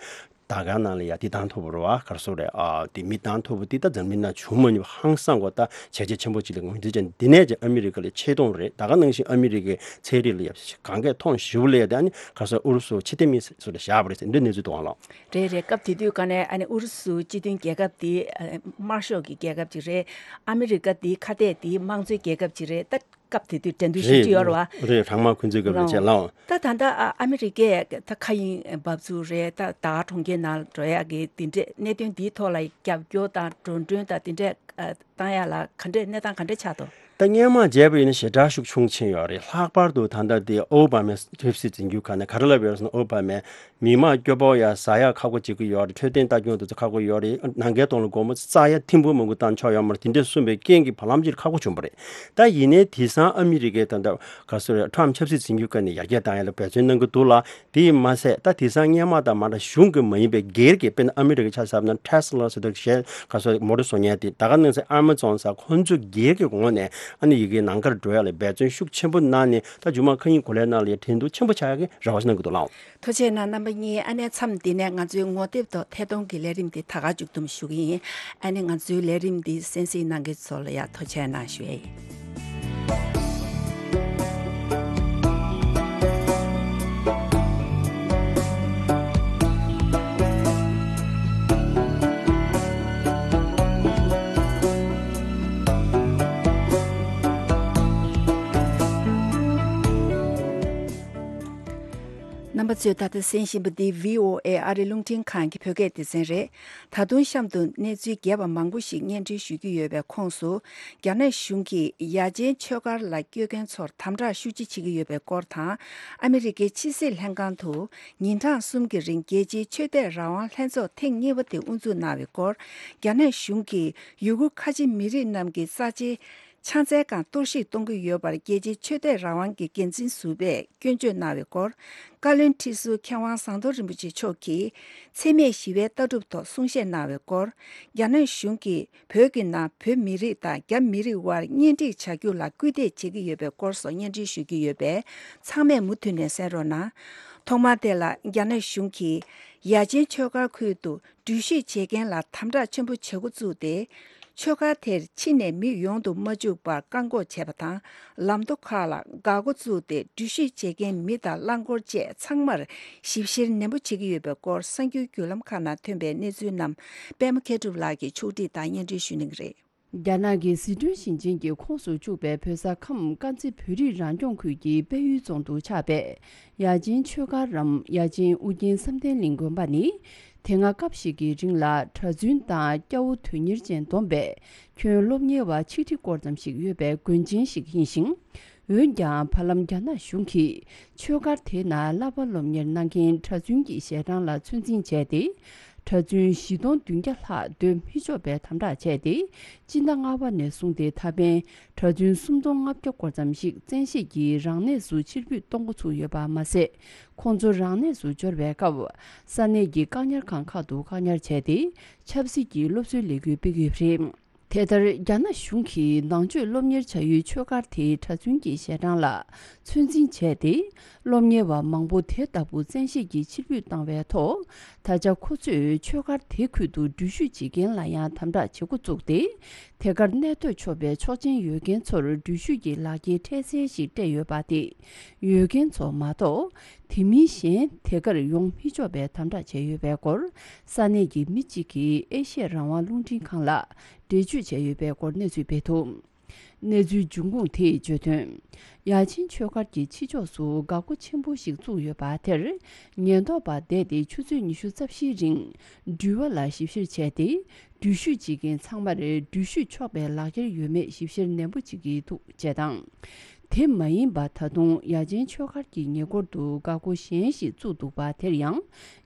ད་ག་ནང་ལ་ཡང་དེ་བཏང་ཐུབ་པ་རེད་བ། ག་རེ་ཟེར་རེད། ཨ་དེ་མི་བཏང་ཐུབ་པ་དེ་ད་འཛམ་གླིང་ནང་བྱུང་མ་མྱོང་བ་ཧང་སང་གོ་ད་བྱས་རྗེས་ཆེན་པོ་ཅིག་ལ་ངོས་འཛིན་བྱས། འདི་ནས་ཀྱང་ཨ་མི་རི་ཀ་ལ་ཆེ་མཐོང་རེད། ད་ག་ནང་བཞིན་ཨ་མི་རི་ཀའི་ཚན་རིག་ལ་ཡང་གང་གས་མཐོང་ཞེ་པོ་སླེབས་ཡ་དེ་ཨ་ནི་ག་རེ་ཟེར་ཨུ་རུ་སུ་ཕྱི་བལྟས་མི་ཟེར་བཞག་པ་རེད་ཟེར་འདི་གནས་ཚུལ་འདུག་ཨང་ལགས། རེད་རེད། སྐབས་དེ་དུས་ཀ་ནས་ཨ་ནི་ཨུ་རུ་སུ་སྤྱི་མཐུན་རྒྱལ་ཁབ་དེ་ཨ་དམར་ཤོག་གི་རྒྱལ་ཁབ་ཅིག་རེད། ཨ་མི་རི་ཀ་དེ་ཁ་གཏད་དེ་དམངས་གཙོའི་རྒྱལ་ཁབ་ཅིག་རེད། ད་སྐབས་དེ་དུས་འགྲན་བསྡུར་ཞེ་པོ་ཅིག་ཡོད་རེད་བ། རེད། གྲང་དམག་འཁོན་འཛིན་སྐབས་ལ་བྱས་ལགས། ད་ད་ལྟ་ཨ་ཨ་མི་རི་ཀས་ད་མཁའ་དབྱིངས་འབབ་ཚུགས་རེད། ད་ད་ག་གྲོང་ཁྱེར་ནང་འགྲོ་ཡག་གི་དེ་འདྲས་གནད་དོན་འདིའི་ཐོག་ལ་རྒྱབ་སྐྱོར་དང་འགྲོ་གྲོན་དང་དེ་འདྲས་ཨ་བཏང་ཡག་ལ་ག་འདྲས་གནས་སྟངས་ག་འདྲས་ཆགས་འདུག་ད་སྔོན་མ་བྱས་པ་ཡིན་ན་ཞེ་དྲག་ཤུགས་ཆུང་ཕྱིན་ཡོད་རེད། ལྷག་པར་དུ་ད་ལྟ་དེ་ཨོ་བྷ་མའི་ཆབ་སྲིད་འཛིན་རྒྱུ་ཁ་ནས་ག་རེ་ལབ་ཡོད་རེད་ཟེར་ན། ཨོ་བྷ་མས་མི་མང་སྐྱོ་པོ་ཡ་ཟ་ཡ་ཁག་པོ་བྱེད་ཀྱི་ཡོད་རེད། འཕྲོད་བསྟེན་ལྟ་སྐྱོང་དེ་ཚོ་ཁག་པོ་ཡོད་རེད། ནམ་མཁའི་སྟེང་ལ་སྒོར་མོ་ཙག་ཡ་ཐེར་འབུམ་མང་པོ་བཏང་ཆོག་ཡོད་མ་རེད། དེ་འདྲས་གསུངས་པའི་རྐྱེན་གྱིས་བར་ལམ་ཅིག་ཁག་པོ་བྱུང་བ་རེད། ད་ཡིན་ནའི་དེང་སང་ཨ་མི་རི་ཀའི་ད་ལྟ་ག་རེ་ཟེར་རེད། ཊརམ་ཆབ་སྲིད་འཛིན་རྒྱུ་ཁ་ནས་ཡར་རྒྱས་བཏང་ཡ་ལ་འབད་བརྩོན་གནང་གི་འདུག་ལ། དེས་མ་ཟད་ད་དེང་སང་སྔོན་མ་དང་མ་འདྲ་གཞུང་གི་མ་ཡིན་པའི་སྒེར་གྱི་དཔེར་ན་ཨ་མི་རི་ཀའི་ཆ་བཞག་ན་ཊེ་སི་ལ་ཟེར་དུས་གཞན་ག་རེ་ཟེར་མོ་ཊ་བཟོ་མཁན་དེ་ད་ག་ནང་བཞིན་ཨ་མ་ཛོན་ཟེར་ཁོང་ཚོའི་སྒེར་གྱི་ངོས་ནས་ཨ་ནི་ཡི་གེ་ནང་ཁར་འགྲོ་ཡ་ལ་འབད་བརྩོན་ཤུགས་ཆེན་པོ་གནང་ནས་ད་མཇུག་མ་མཁའ་དབྱིངས་གོ་ལའི་ནང་ལ་ཡ་འགྲན་བསྡུར་ཆེན་པོ་ཆགས་ཡ་གི་རེ་བ་ཞིག་གནང་གི་འདུག་ལགས། ཐུགས་རྗེ་གནང་རྣམ་པ་གཉིས། ཨ་ནེ་མཚམས་འདི་ནས་ང་ཚོའི་ངོ་དེབ་ཐོག་ཐད་གཏོང་གི་ལས་རིམ་འདི་ད་ག་མཇུག་བསྡོམས་ཞུ་གི་ཡིན། ཨ་ནེ་ང་ཚོའི་ལས་རིམ་འདི་གསན་གཟིགས་གནང་མཁན་ཚོ་ལ་ཡང་ཐུགས་རྗེ་གནང་ཞུ་ཡ་ཡིན། ཚོས་ད་ལྟ་གསན་བཞིན་པ་འདི་བྷི་ཨོ་ཨེ་ཨ་རི་རླུང་འཕྲིན་ཁང་གི་བོད་སྐད་སྡེ་ཚན་རེད། ད་དུང་གཤམ་དུ་གནས་ཚུལ་རྒྱས་པ་མང་པོ་ཞིག་སྙན་སྒྲོན་ཞུ་རྒྱུ་ཡོད་པའི་ཁོངས་སུ། རྒྱ་ནག་གཞུང་གིས་ཡ་ཆེན་ཆོས་སྒར་ལ་སྐྱོད་མཁན་ཚོར་དམ་དྲག་ཤུགས་ཆེ་བྱེད་ཀྱི་ཡོད་པའི་སྐོར་དང་། ཨ་མི་རི་ཀའི་ཕྱི་སྲིད་ལྷན་ཁང་དུ་ཉིན་གྲངས་གསུམ་གྱི་རིང་རྒྱལ་སྤྱིའི་ཆོས་དད་རང་དབང་ལྷན་ཚོགས་ཐེངས་གཉིས་པ་དེ་དབུ་འཛུགས་གནང་བའི་སྐོར། རྒྱ་ནག་གཞུང་གིས་ཡུ་གུར་ཁ་ཆེ་མི་རིགས་རྣམས་ཀྱི་ས་ཆའི་ཆང་རྩའི་སྒང་གཏོར་བཤིག་གཏོང་གི་ཡོད་པར་རྒྱལ་སྤྱིའི་ཆོས་དད་རང་དབང་གི་འགན་འཛིན་ཟུར་པས་སྐྱོན་བརྗོད་གནང་བའི་སྐོར། བཀའ་བློན་ཁྲི་ཟུར་མཁས་དབང་ཟམ་གདོང་རིན་པོ་ཆེ་མཆོག་གིས་འཚེ་མེད་ཞི་བའི་ལྟ་གྲུབ་ཐོག་གསུང་བཤད་གནང་བའི་སྐོར། རྒྱ་ནག་གཞུང་གིས་བོད་ཀྱི་ནང་བོད་མི་རིགས་དང་རྒྱ་མི་རིགས་དབར་གཉེན་སྒྲིག་བྱ་རྒྱུ་ལ་སྐུལ་འདེད་བྱེད་ཀྱི་ཡོད་པའི་སྐོར་སོགས་སྙན་སྒྲོན་ཞུ་རྒྱུ་ཡོད་པས། ཚང་མས་མུ་མཐུད་ནས་གསན་རོགས་གནང་། ཐོག་མར་དེ་ལ་རྒྱ་ནག་གཞུང་གིས་ཡ་ཆེན་ཆོས་སྒར་ཁུལ་དུ་འགྲུལ་བཞུད་བྱེད་མཁན་ལ་དམ་དྲག་ཆེན་པོ་བྱེད་འགོ་བཙུགས་ཏེ། ཆོས་སྒར་དེར་ཕྱི་ནས་མི་ཡོང་དུ་མ་བཅུག་པར་བཀག་འགོག་བྱས་པ་དང་། ལམ་མདོ་ཁག་ལ་འགག་སྒོ་བཙུགས་ཏེ། འགྲུལ་བཞུད་བྱེད་མཁན་མི་དང་རླངས་འཁོར་བཅས་ཚང་མར་ཞིབ་བཤེར་ནན་པོ་བྱེད་ཀྱི་ཡོད་པའི་སྐོར། གསར་འགྱུར་བརྒྱུད་ལམ་ཁག་ནང་ཐོན་པའི་གནས་ཚུལ་རྣམས་པད་མ་མཁས་གྲུབ་ལགས་ཀྱིས་ཕྱོགས་སྒྲིག་དང་སྙན་སྒྲོན་ཞུ་གནང་གི་རེད། རྒྱ་ནག་གི་ཟི་ཁྲོན་ཞིང་ཆེན་གྱི་ཁོངས་སུ་བཅུག་པའི་བོད་ས་ཁམས་དཀར་མཛེས་བོད་རིགས་རང་སྐྱོང་ཁུལ་གྱི་དཔལ་ཡུལ་རྫོང་དུ་ཆགས་པའི་ཡ་ཆེན་ཆོས་སྒར་རམ། ཡ་ཆེན་ཨུ་རྒྱན་བསམ་གཏན་གླིང་དགོན་པ་ནི། དེ་སྔ་སྐབས་ཤིག་གི་རིང་ལ་གྲྭ་བཙུན་དང་སྐྱ་བོ་དོན་གཉེར་ཅན་བསྡོམས་པས་ཁྱོན་སློབ་གཉེར་བ་ཆིག་ཁྲི་སྐོར་ཙམ་ཞིག་ཡོད་པའི་དགོན་ཆེན་ཞིག་ཡིན་ཞིང་། འོན་ཀྱང་། བར་ལམ་རྒྱ་ནག་གཞུང་གིས་ཆོས་སྒར་དེའི་ནང་བསླབ་པ་སློབ་གཉེར་གནང་མཁན་གྲྭ་བཙུན་གྱི་ཞལ་གྲངས་ལ་ཚོད་འཛིན་བྱས་ཏེ། གྲྭ་བཙུན་བཞི་སྟོང་བདུན་བརྒྱ་ལྷག་སྡོད་མི་ཆོག་པའི་དམ་དྲག་བྱས་ཏེ། སྤྱི་ཟླ་ལྔ་པ་ནས་བཟུང་སྟེ་ད་ཕན་གྲྭ་བཙུན་སུམ་སྟོང་ལྔ་བརྒྱ་སྐོར་ཙམ་ཞིག་བཙན་ཤེད་ཀྱིས་རང་གནས་སུ་ཕྱིར་འབུད་གཏོང་འགོ་ཚུགས་ཡོད་པ་མ་ཟད། ཁོང་ཚོ་རང་གནས་སུ་འབྱོར་བའི་སྐབས། ས་གནས་ཀྱི་བཀག་ཉར་ཁང་ཁག་ཏུ་བཀག་ཉར་བྱས་ཏེ། ཆབ་སྲིད་ཀྱི་སློབ་གསོའི་ལས་འགུལ་སྤེལ་གྱི་ཡོད་པ་རེད། དེ་ལྟར། རྒྱ་ནག་གཞུང་གིས་ནང་ཆོས་སློབ་གཉེར་བྱ་ཡུལ་ཆོས་སྒར་དེའི་གྲྭ་བཙུན་གྱི་ཞལ་གྲངས་ལ་ཚོད་འཛིན་བྱས་ཏེ། སློབ་གཉེར་བ་མང་པོ་དེ་ལྟ་བུ་བཙན་ཤེད་ཀྱིས་ཕྱིར་འབུད་བཏང་བའི་ཐོག་ད་ཆ་ཁོ་ཚོས་ཆོས་སྒར་དེ་ཁུལ་དུ་འགྲུལ་བཞུད་བྱེད་མཁན་ལ་ཡང་དམ་དྲག་བྱེད་འགོ་བཙུགས་ཏེ། དེ་གར་གནས་སྡོད་ཆོག་པའི་ཆོག་མཆན་ཡོད་མཁན་ཚོར་འགྲུལ་བཞུད་ཀྱི་ལག་འཁྱེར་འཕྲལ་སེལ་ཞིག་སྤྲད་ཡོད་པ་དེ། ཡོད་མཁན་ཚོ་མ་གཏོགས། དེ་མིན་གཞན་དེ་གར་ཡོང་མི་ཆོག་པའི་དམ་དྲག་བྱས་ཡོད་པའི་སྐོར། ས་གནས་ཀྱི་མི་གཅིག་གིས་ཨེ་ཤེ་ཡ་རང་དབང་རླུང་འཕྲིན་ཁང་ལ་འགྲེལ་བརྗོད་བྱས་ཡོད་པའི་སྐོར་གནས་ཚུལ་སྤེལ་འདུག་གནས་ཚུལ་འབྱུང་ཁུངས་དེས་བརྗོད་དོན། ཡ་ཆེན་ཆོས་སྒར་གྱི་ཕྱི་ཕྱོགས་སུ་འགག་སྒོ་ཆེན་པོ་ཞིག་བཙུགས་ཡོད་པ་དེར། ཉེན་རྟོག་པ་བསྡད་དེ་ཆུ་ཚོད་ཉི་ཤུ་རྩ་བཞིའི་རིང་འགྲུལ་པ་ལ་ཞིབ་བཤེར་བྱས་ཏེ། འགྲུལ་བཞུད་བྱེད་མཁན་ཚང་མར་འགྲུལ་བཞུད་ཆོག་པའི་ལག་འཁྱེར་ཡོད་མེད་ཞིབ་བཤེར་ནན་པོ་བྱེད་ཀྱི་འདུག་ཅེས་དང་། དེ་མ་ཡིན་པ་ད་དུང་ཡ་ཆེན་ཆོས་སྒར་གྱི་ཉེ་འཁོར་དུ་འགག་སྒོ་གཞན་ཞིག་བཙུགས་འདུག་པ་དེར་ཡང་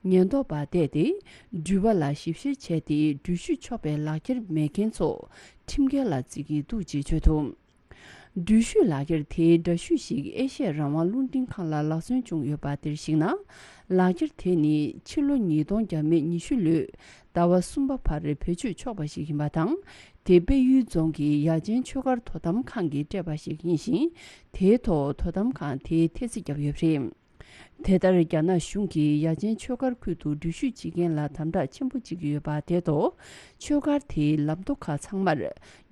ཉེན་རྟོག་པ་བསྡད་དེ་འགྲུལ་པ་ལ་ཞིབ་བཤེར་བྱས་ཏེ་འགྲུལ་བཞུད་ཆོག་པའི་ལག་འཁྱེར་མེད་མཁན་ཚོ་ཁྲིམས་འགལ་ལ་བརྩི་གི་འདུག་ཅེས་བརྗོད་འདུག་འགྲུལ་བཞུད་ལག་འཁྱེར་དེའི་འདྲ་བཤུས་ཤིག་ཨེ་ཤེ་ཡ་རང་དབང་རླུང་འཕྲིན་ཁང་ལ་ལག་སོན་བྱུང་ཡོད་པ་དེར་གཞིགས་ན། ལག་འཁྱེར་དེ་ནི་ཕྱི་ལོ་ཉིས་སྟོང་བརྒྱ་མེད་ཉི་ཤུ་ལོའི་ཟླ་བ་གསུམ་པ་བར་བེད་སྤྱོད་ཆོག་པ་ཞིག་ཡིན་པ་དང་། དེ་དཔལ་ཡུལ་རྫོང་གི་ཡ་ཆེན་ཆོས་སྒར་དོ་དམ་ཁང་གིས་སྤྲད་པ་ཞིག་ཡིན་ཞིང་། དེའི་ཐོག་དོ་དམ་ཁང་དེས་ཐེ་ཚིག་བརྒྱབ་ཡོད་པ་རེད། དེ་ལྟར། རྒྱ་ནག་གཞུང་གིས་ཡ་ཆེན་ཆོས་སྒར་ཁུལ་དུ་འགྲུལ་བཞུད་བྱེད་མཁན་ལ་དམ་དྲག་ཆེན་པོ་བྱེད་ཀྱི་ཡོད་པ་དེ་ཐོག་ཆོས་སྒར་དེའི་ལམ་མདོ་ཁག་ཚང་མར་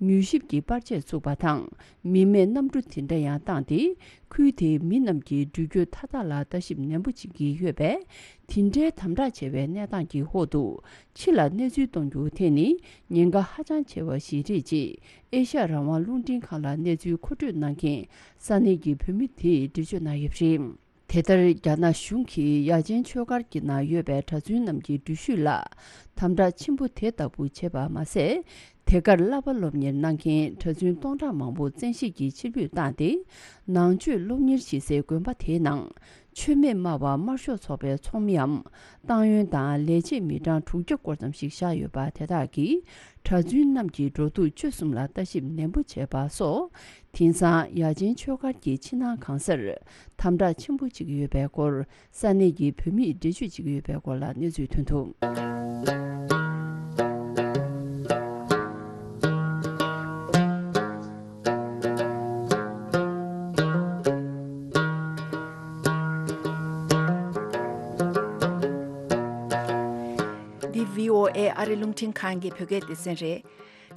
མྱུལ་ཞིབ་ཀྱི་པར་ཆས་བཙུགས་པ་དང་། མི་མེད་གནམ་གྲུ་དེ་འདྲ་ཡང་བཏང་སྟེ། ཁུལ་དེའི་མི་རྣམས་ཀྱི་འགྲུལ་སྐྱོད་མཐའ་དག་ལ་ལྟ་ཞིབ་ནན་པོ་བྱེད་ཀྱི་ཡོད་པས། དེ་འདྲའི་དམ་དྲག་ཆེ་བའི་གནས་སྟངས་ཀྱི་འོག་ཏུ། ཕྱི་ལ་གནས་ཚུལ་གཏོང་རྒྱུ་དེ་ནི་ཉེན་ཁ་ཧ་ཅང་ཆེ་བ་ཞིག་རེད་ཅེས། ཨེ་ཤ་ཡ་རང་དབང་རླུང་འཕྲིན་ཁང་ལ་གནས་ཚུལ་མཁོ་སྤྲོད་གནང་མཁན་ས་གནས་ཀྱི་བོད་མི་དེས་འགྲེལ་བརྗོད་གནང་ཡོད་པ་རེད། དེ་ལྟར། རྒྱ་ནག་གཞུང་གིས་ཡ་ཆེན་ཆོས་སྒར་གྱི་ནང་ཡོད་པའི་གྲྭ་བཙུན་རྣམས་ཀྱི་འགྲུལ་བཞུད་ལ་དམ་དྲག་ཆེན་པོ་དེ་ལྟ་བུ་བྱས་པ་མ་ཟད། དེ་གར་བསླབ་པ་སློབ་གཉེར་གནང་མཁན་གྲྭ་བཙུན་སྟོང་ཕྲག་མང་པོ་བཙན་ཤེད་ཀྱིས་ཕྱིར་འབུད་བཏང་སྟེ། ནང་ཆོས་སློབ་གཉེར་བྱེད་སའི་དགོན་པ་དེའི་ནང་། ཆོས་མེད་སྨྲ་བ་དམར་ཤོག་ཚོགས་པའི་ཚོགས་མིའམ། ཏང་ཡོན་དང་ལས་བྱེད་མི་གྲངས་དྲུག་བརྒྱ་སྐོར་ཙམ་ཞིག་བཞག་ཡོད་པ་དེ་དག་གིས། གྲྭ་བཙུན་རྣམས་ཀྱི་འགྲོ་འདུག་སྤྱོད་གསུམ་ལ་ལྟ་ཞིབ་ནན་པོ་བྱས་པ་སོགས། དེང་སང་ཡ་ཆེན་ཆོས་སྒར་གྱི་ཕྱི་ནང་གང་སར་དམ་དྲག་ཆེན་པོ་བྱེད་ཀྱི་ཡོད་པའི་སྐོར། ས་གནས་ཀྱི་བོད་མིས་འགྲེལ་བརྗོད་བྱེད་ཀྱི་ཡོད་པའི་སྐོར་ལ་གནས་ཚུལ་ཐོན་འདུག་འདི་བྷི་ཨོ་ཨེ་ཨ་རི་རླུང་འཕྲིན་ཁང་གི་བོད་སྐད་སྡེ་ཚན་རེད།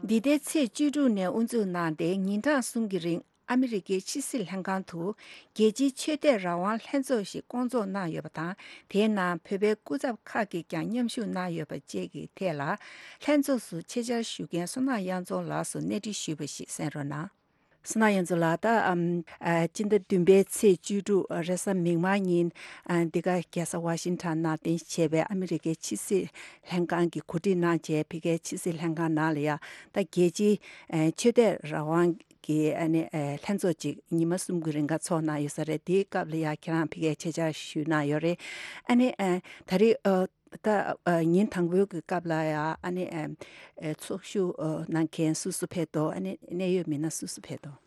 འདི་ཟླའི་ཚེས་བཅུ་དྲུག་ནས་དབུ་འཛུགས་གནང་སྟེ་ཉིན་གྲངས་གསུམ་གྱི་རིང་ཨ་མི་རི་ཀའི་ཕྱི་སྲིད་ལྷན་ཁང་དུ་རྒྱལ་སྤྱིའི་ཆོས་དད་རང་དབང་ལྷན་ཚོགས་ཤིག་བསྐོང་ཚོགས་གནང་ཡོད་པ་དང་། དེའི་ནང་བོད་པའི་སྐུ་ཚབ་ཁག་གིས་ཀྱང་མཉམ་ཞུགས་གནང་ཡོད་པ་བཅས་ཀྱི་ཐད་ལ། ལྷན་ཚོགས་སུ་ཆེད་བཅར་ཞུ་མཁན་བསོད་ནམས་གཡང་རྫོང་ལགས་སུ་གནས་འདྲི་ཞུས་པ་ཞིག་གསན་རོགས་གནང་། སོ་ན་ཡོན་ཚོ་ལགས། ད་ཨམ་ཨ་སྤྱི་ཟླ་བདུན་པའི་ཚེས་བཅུ་དྲུག་རེས་གཟའ་མིག་དམར་ཉིན་ཨ་འདི་ག་རྒྱལ་ས་ཝ་ཤིང་ཊོན་ནང་རྟེན་གཞི་བྱས་པའི་ཨ་མི་རི་ཀའི་ཕྱི་སྲིད་ལྷན་ཁང་གིས་གོ་སྒྲིག་གནང་བྱས། ཕ་གིའི་ཕྱི་སྲིད་ལྷན་ཁང་ནང་ལ་ཡ་ད་རྒྱལ་སྤྱིའི་ཨ་ཆོས་དད་རང་དབང་གི་ཨ་ནི་ཨ་ལྷན་ཚོགས་ཅིག་ཉི་མ་གསུམ་གྱི་རིང་ག་ཚོགས་གནང་ཡོད་ས་རེད། དེའི་སྐབས་ལ་ཡ་ཁྱེད་རང་ཕ་གིའི་ཆེད་བཅར་ཞུས་གནང་ཡོད་རེད། ཨ་ནི་ཨ་ད་རེས་ཨ། ད་ཨ་ཉིན་དང་པོའི་གི་སྐབས་ལ་ཡ་ཨ་ནི་ཨ་ཨ་ཚོགས་ཞུགས་ཨ་གནང་མཁན་སུ་སུ་ཕེབས་འདུག་ཨ་ནི་གནད་ཡོད་མི་སྣ་སུ་སུ་ཕེབས་འདུག་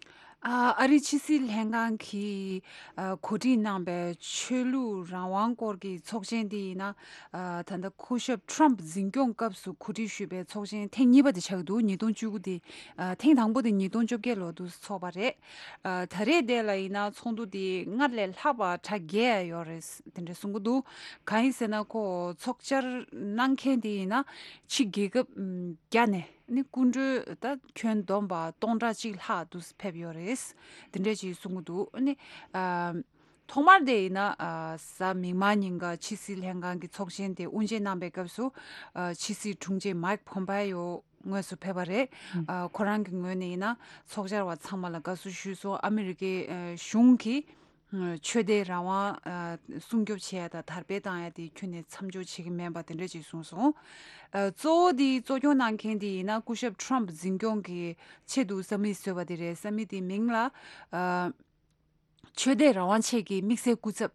ཨ་ཨ་རིའི་ཕྱི་སྲིད་ལྷན་ཁང་གིས་ཨ་གོ་སྒྲིག་གནང་པའི་ཆོས་ལུགས་རང་དབང་སྐོར་གྱི་ཚོགས་ཆེན་དེ་ཡིན་ན། ཨ་ད་ལྟ་སྐུ་ཞབས་ཊམ་འཛིན་སྐྱོང་སྐབས་སུ་གོ་སྒྲིག་ཞུས་པའི་ཚོགས་ཆེན་ཐེངས་གཉིས་པ་དེ་ཆགས་ཀྱི་འདུག་ཉིས་སྟོང་བཅུ་དགུ་དེ། ཨ་ཐེངས་དང་པོ་དེ་ཉིས་སྟོང་བཅོ་བརྒྱད་ལོ་དུ་ཚོགས་པ་རེད། ཨ་ད་རེས་དེ་ལ་ཡིན་ན་ཚོགས་འདུ་དེ་སྔར་ལས་ལྷག་པ་གྲ་རྒྱས་ཡོད་རེད། དེ་འདྲ་གསུང་གི་འདུག་གང་ཡིན་ཟེར་ན་ཁོ་ཚོགས་བཅར་གནང་མཁན་དེ་ཡིན་ན་ཕྱི་རྒྱལ་ཁབ་ཨམ་བརྒྱ་ནས་ནི་སྐུ་མགྲོན་ད་ཁྱོན་བསྡོམས་པ་སྟོང་ཕྲག་གཅིག་ལྷག་དུ་ཕེབས་ཡོད་རེད། དེ་འདྲ་ཅིག་གསུང་གི་འདུག་ཨ་ནི་ཨ་ཐོག་མར་དེ་ཡིན་ན་ཨ་གཟའ་མིག་དམར་ཉིན་ག་ཕྱི་སྲིད་ལྷན་ཁང་གི་ཚོགས་ཆེན་དེ་དབུ་འབྱེད་གནང་པའི་སྐབས་སུ་ཨ་ཕྱི་སྲིད་དྲུང་ཆེ་མའིག་ཕོམ་པེ་ཡོ་དངོས་སུ་ཕེབས་པ་རེད། ཨ་ཁོ་རང་གི་ངོས་ནས་ཡིན་ན་ཚོགས་བཅར་བ་ཚང་མ་ལ་དགའ་བསུ་ཞུས་སོང་། ཨ་མི་རི་ཀའི་ཨ་གཞུང་གིས་ཨ་ཆོས་དད་རང་དབང་ཨ་སྲུང་སྐྱོབ་བྱེད་ཡ་དང་དར་སྤེལ་བཏང་ཡ་དེ་ཁྱོན་ནས་མཚམས་འཇོག་བྱེད་ཀྱི་མིན་པ་དེ་འདྲ་ཅིག་གསུངས་སོང་། ཨ་གཙོ་བོ་དེ་གཙོ་སྐྱོང་གནང་མཁན་དེ་ཡིན་ན་སྐུ་ཞབས་ཊམ་འཛིན་སྐྱོང་གི་ཆེད་དུ་ས་མིག་བཟོས་པ་དེ་རེད། ས་མིག་དེའི་མིང་ལ་ཨ་ཆོས་དད་རང་དབང་ཆེད་ཀྱི་དམིགས་བསལ་སྐུ་ཚབ་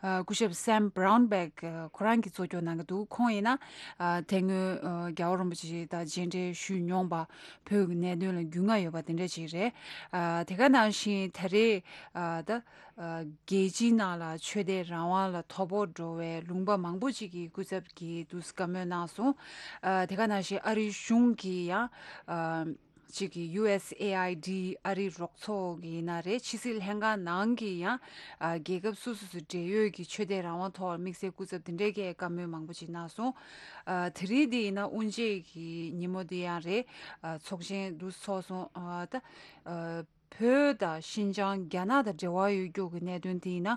ཨ་སྐུ་ཞབས་སེམ་བྷ་རའུན་བྷེག་ཨ་ཁོ་རང་གིས་གཙོ་སྐྱོང་གནང་གི་འདུག་ཁོང་ཡིན་ན་ཨ་དེ་སྔོན་ཨ་རྒྱལ་བ་རིན་པོ་ཆེ་དང་མཇལ་འཕྲད་ཞུས་མྱོང་པ། བོད་ཀྱི་གནད་དོན་ལ་རྒྱུས་མངའ་ཡོད་པ་དེ་འདྲ་ཅིག་རེད། ཨ་དེ་ག་ནང་བཞིན་ད་རེས་ཨ་ད་ཨ་རྒྱལ་སྤྱིའི་ནང་ལ་ཆོས་དད་རང་དབང་ལ་དོ་ཕོག་འགྲོ་བའི་ལུང་པ་མང་པོ་ཅིག་གི་སྐུ་ཚབ་ཀྱིས་དུ་བཀའ་མོལ་གནང་སོང་། ཨ་དེ་ག་ནང་བཞིན་ཨ་རིའི་གཞུང་གིས་ཡང་ཨ་གཅིག་གི་ཡུ་ཨེས་ཨེ་ཨའི་ཌི། ཨ་རིའི་རོགས་ཚོགས་ཀྱི་ཡིན་ན་རེད། ཕྱི་སྲིད་ལྷན་ཁང་ནང་གི་ཡང་ཨ་རྒྱལ་ཁབ་སོ་སོ་སོའི་འབྲེལ་ཡོད་ཀྱི་ཆོས་དད་རང་དབང་ཐོག་དམིགས་བསལ་སྐུ་ཚབ་དེ་འདྲའི་གིས་བཀའ་མོལ་མང་པོ་ཅིག་གནང་སོང་། ཨ་དེ་རིང་འདི་ཡིན་ན་དབུ་འབྱེད་ཀྱི་ཉིན་མོ་འདི་ཡང་རེད། ཨ་ཚོགས་ཆེན་འདུ་ཚོགས་སོང་། ཨ་ད་ཨ་བོད་དང་ཤིན་ཅང་རྒྱ་ནག་དང་འབྲེལ་བ་ཡོད་རྒྱུ་གི་གནད་དོན་དེ་ཡིན་ན།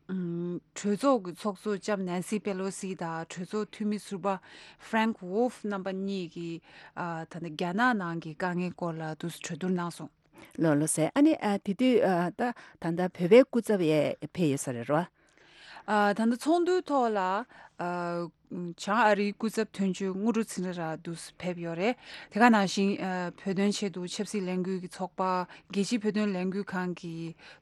ཨུམ་གྲོས་ཚོགས་ཀྱི་ཚོགས་གཙོ་ལྕམ་ནན་སི་པེ་ལོ་སི་དང་གྲོས་ཚོགས་འཐུས་མི་ཟུར་པ་ཧྥ་རེང་ཝོལ་ཧྥ་རྣམ་པ་གཉིས་ཀྱིས་ཨ་ད་ལྟ་རྒྱ་ནག་ནང་གི་དཀའ་ངལ་སྐོར་ལ་དུ་གྲོས་བསྡུར་གནང་སོང་། ལགས་ལགས་སོ། ཨ་ནི་ཨ་དེ་དུས་ཨ་ད་ད་ལྟ་བོད་པའི་སྐུ་ཚབ་ཡས་ཕེབས་ཡོད་ས་རེད་རོ། ཨ་ད་ལྟ་ཚོགས་འདུའི་ཐོག་ལ་ཨ་བྱང་ཨ་རིའི་སྐུ་ཚབ་དོན་གཅོད་དངོས་གྲུབ་ཚེ་རིང་ལགས་དུ་ཕེབས་ཡོད་རེད། དེ་ག་ནང་བཞིན་ཨ་བོད་དོན་ཆེད་དུ་ཆབ་སྲིད་ལས་འགུལ་གྱི་ཚོགས་པ། རྒྱལ་སྤྱིའི་བོད་དོན་ལས་འགུལ་ཁང་གི་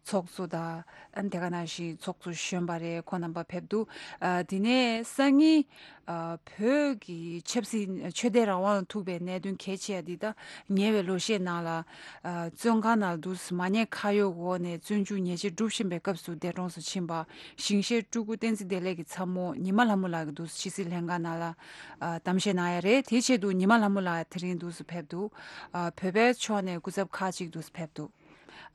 ཚོགས་གཙོ་དང་། ཨ་ནི་དེ་ག་ནང་བཞིན་ཚོགས་གཙོ་གཞོན་པ་རེད། ཁོང་རྣམ་པ་ཕེབས་འདུག་ཨ་དེ་ནས་སང་ཉིན་ཨ་བོད་ཀྱི་ཆབ་སྲིད་ཆོས་དད་རང་དབང་ལ་ཐུག་པའི་གནད་དོན་གལ་ཆེ་བ་འདི་ད་ཉེ་བའི་ལོ་ཤས་ནང་ལ་ཨ་བཙོན་ཁང་ནང་དུ་མ་ཉེས་ཁ་གཡོགས་འོག་ནས་བཙོན་འཇུག་ཉེས་ཆད་སྒྲུབ་བཞིན་པའི་སྐབས་སུ་འདས་གྲོངས་སུ་ཕྱིན་པ་ཞིང་གཤེགས་སྤྲུལ་སྐུ་བསྟན་འཛིན་བདེ་ལེགས་ཀྱི་ཚ་མོ་ཉི་མ་ལྷ་མོ་ལགས་ཀྱིས་འདུག་ཕྱི་སྲིད་ལྷན་ཁང་ནང་ལ་ཨ་གཏམ་བཤད་གནང་ཡ་རེད། དེའི་ཆེད་དུ་ཉི་མ་ལྷ་མོ་ལགས་དེ་རིང་འདུག་སུ་ཕེབས་འདུག་ཨ་བོད་པའི་ཕྱོགས་ནས་སྐུ་ཚབ་ཁག་ཅིག་འདུག་སུ་ཕེབས་འདུག་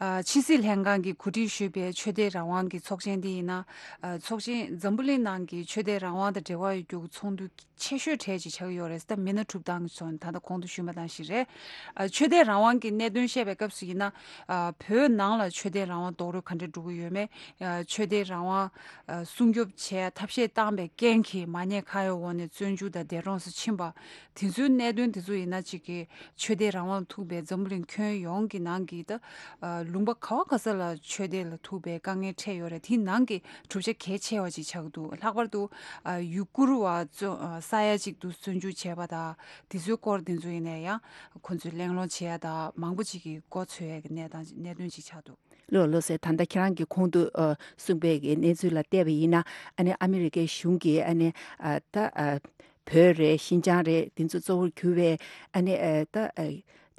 ཨ་ཕྱི་སྲིད་ལྷན་ཁང་གིས་གོ་སྒྲིག་ཞུས་པའི་ཆོས་དད་རང་དབང་གི་ཚོགས་ཆེན་འདི་ཡིན་ན། ཨ་ཚོགས་ཆེན་འཛམ་བུ་གླིང་ནང་གི་ཆོས་དད་རང་དབང་དང་འབྲེལ་བ་ཡོད་རྒྱུ་གི་ཚོགས་འདུ་ཆེ་ཤོས་གྲས་ཅིག་ཆགས་ཀྱི་ཡོད་རེད། ད་མི་སྣ་གྲུབ་སྟངས་ཀྱི་ཕྱོགས་ནས་ད་ལྟ་གོང་དུ་ཞུས་པ་དང་ཞིག་རེད། ཨ་ཆོས་དད་རང་དབང་གི་གནད་དོན་བཤད་པའི་སྐབས་སུ་ཡིན་ན། ཨ་བོད་ནང་ལ་ཆོས་དད་རང་དབང་རྡོག་རོལ་ག་འདྲ་འགྲོ་གི་ཡོད་མེད། ཨ་ཆོས་དད་རང་དབང་ཨ་སྲུང་སྐྱོབ་བྱས་ཐབས་ཤེས་བཏང་པའི་རྐྱེན་གྱིས་མ་ཉེས་ཁ་གཡོགས་འོག་ནས་བཙོན་འཇུག་དང་འདས་གྲོངས་སུ་ཕྱིན་པ། དེ་ཚོའི་གནད་དོན་དེ་ཚོ་ཡིན་ན་གཅིག་གི་ཆོས་དད་རང་དབང་ཐུག་པའི་འཛམ་བུ་གླིང་ཁྱོན་ཡོངས་ཀྱི་ནང་གི་ད་ཨ་ལུང་པ་ག་བ་ག་ས་ལ་ཆོས་དད་ལ་ཐུག་པའི་དཀའ་ངལ་འཕྲད་ཡོད་རེད། དེའི་ནང་གི་གྲུབ་ཆ་གལ་ཆེ་བ་ཅིག་ཆགས་འདུག་ལྷག་པར་དུ་ཨ་ཡུ་གུར་བ་བཙོན་ཨ་ས་ཡ་གཅིག་ཏུ་བཙོན་འཇུག་བྱས་པ་དང་དེ་ཚོའི་སྐོར་དེ་ཚོ་ཡིན་ན་ཡང་ཁོ་ཚོས་གླེང་སློང་བྱེད་ཡ་དང་མང་པོ་ཅིག་གི་མགོ་ཚོས་ཡ་གི་གནས་སྟངས་གནད་དོན་ཅིག་ཆགས་འདུག་ལགས་ལགས་སེ། ད་ལྟ་ཁྱེད་རང་གིས་གོང་དུ་ཨ་གསུངས་པའི་གི་གནས་ཚུལ་ལ་བལྟས་པ་ཡིན་ན། ཨ་ནི་ཨ་མི་རི་ཀའི་གཞུང་གིས་ཨ་ནི་ཨ་ད་ཨ་བོད་རེད། ཤིན་ཅང་རེད། དེ་ཚོ་གཙོ་བོར་གྱུར་བའི་ཨ་ནི་ཨ་ད་ཨ་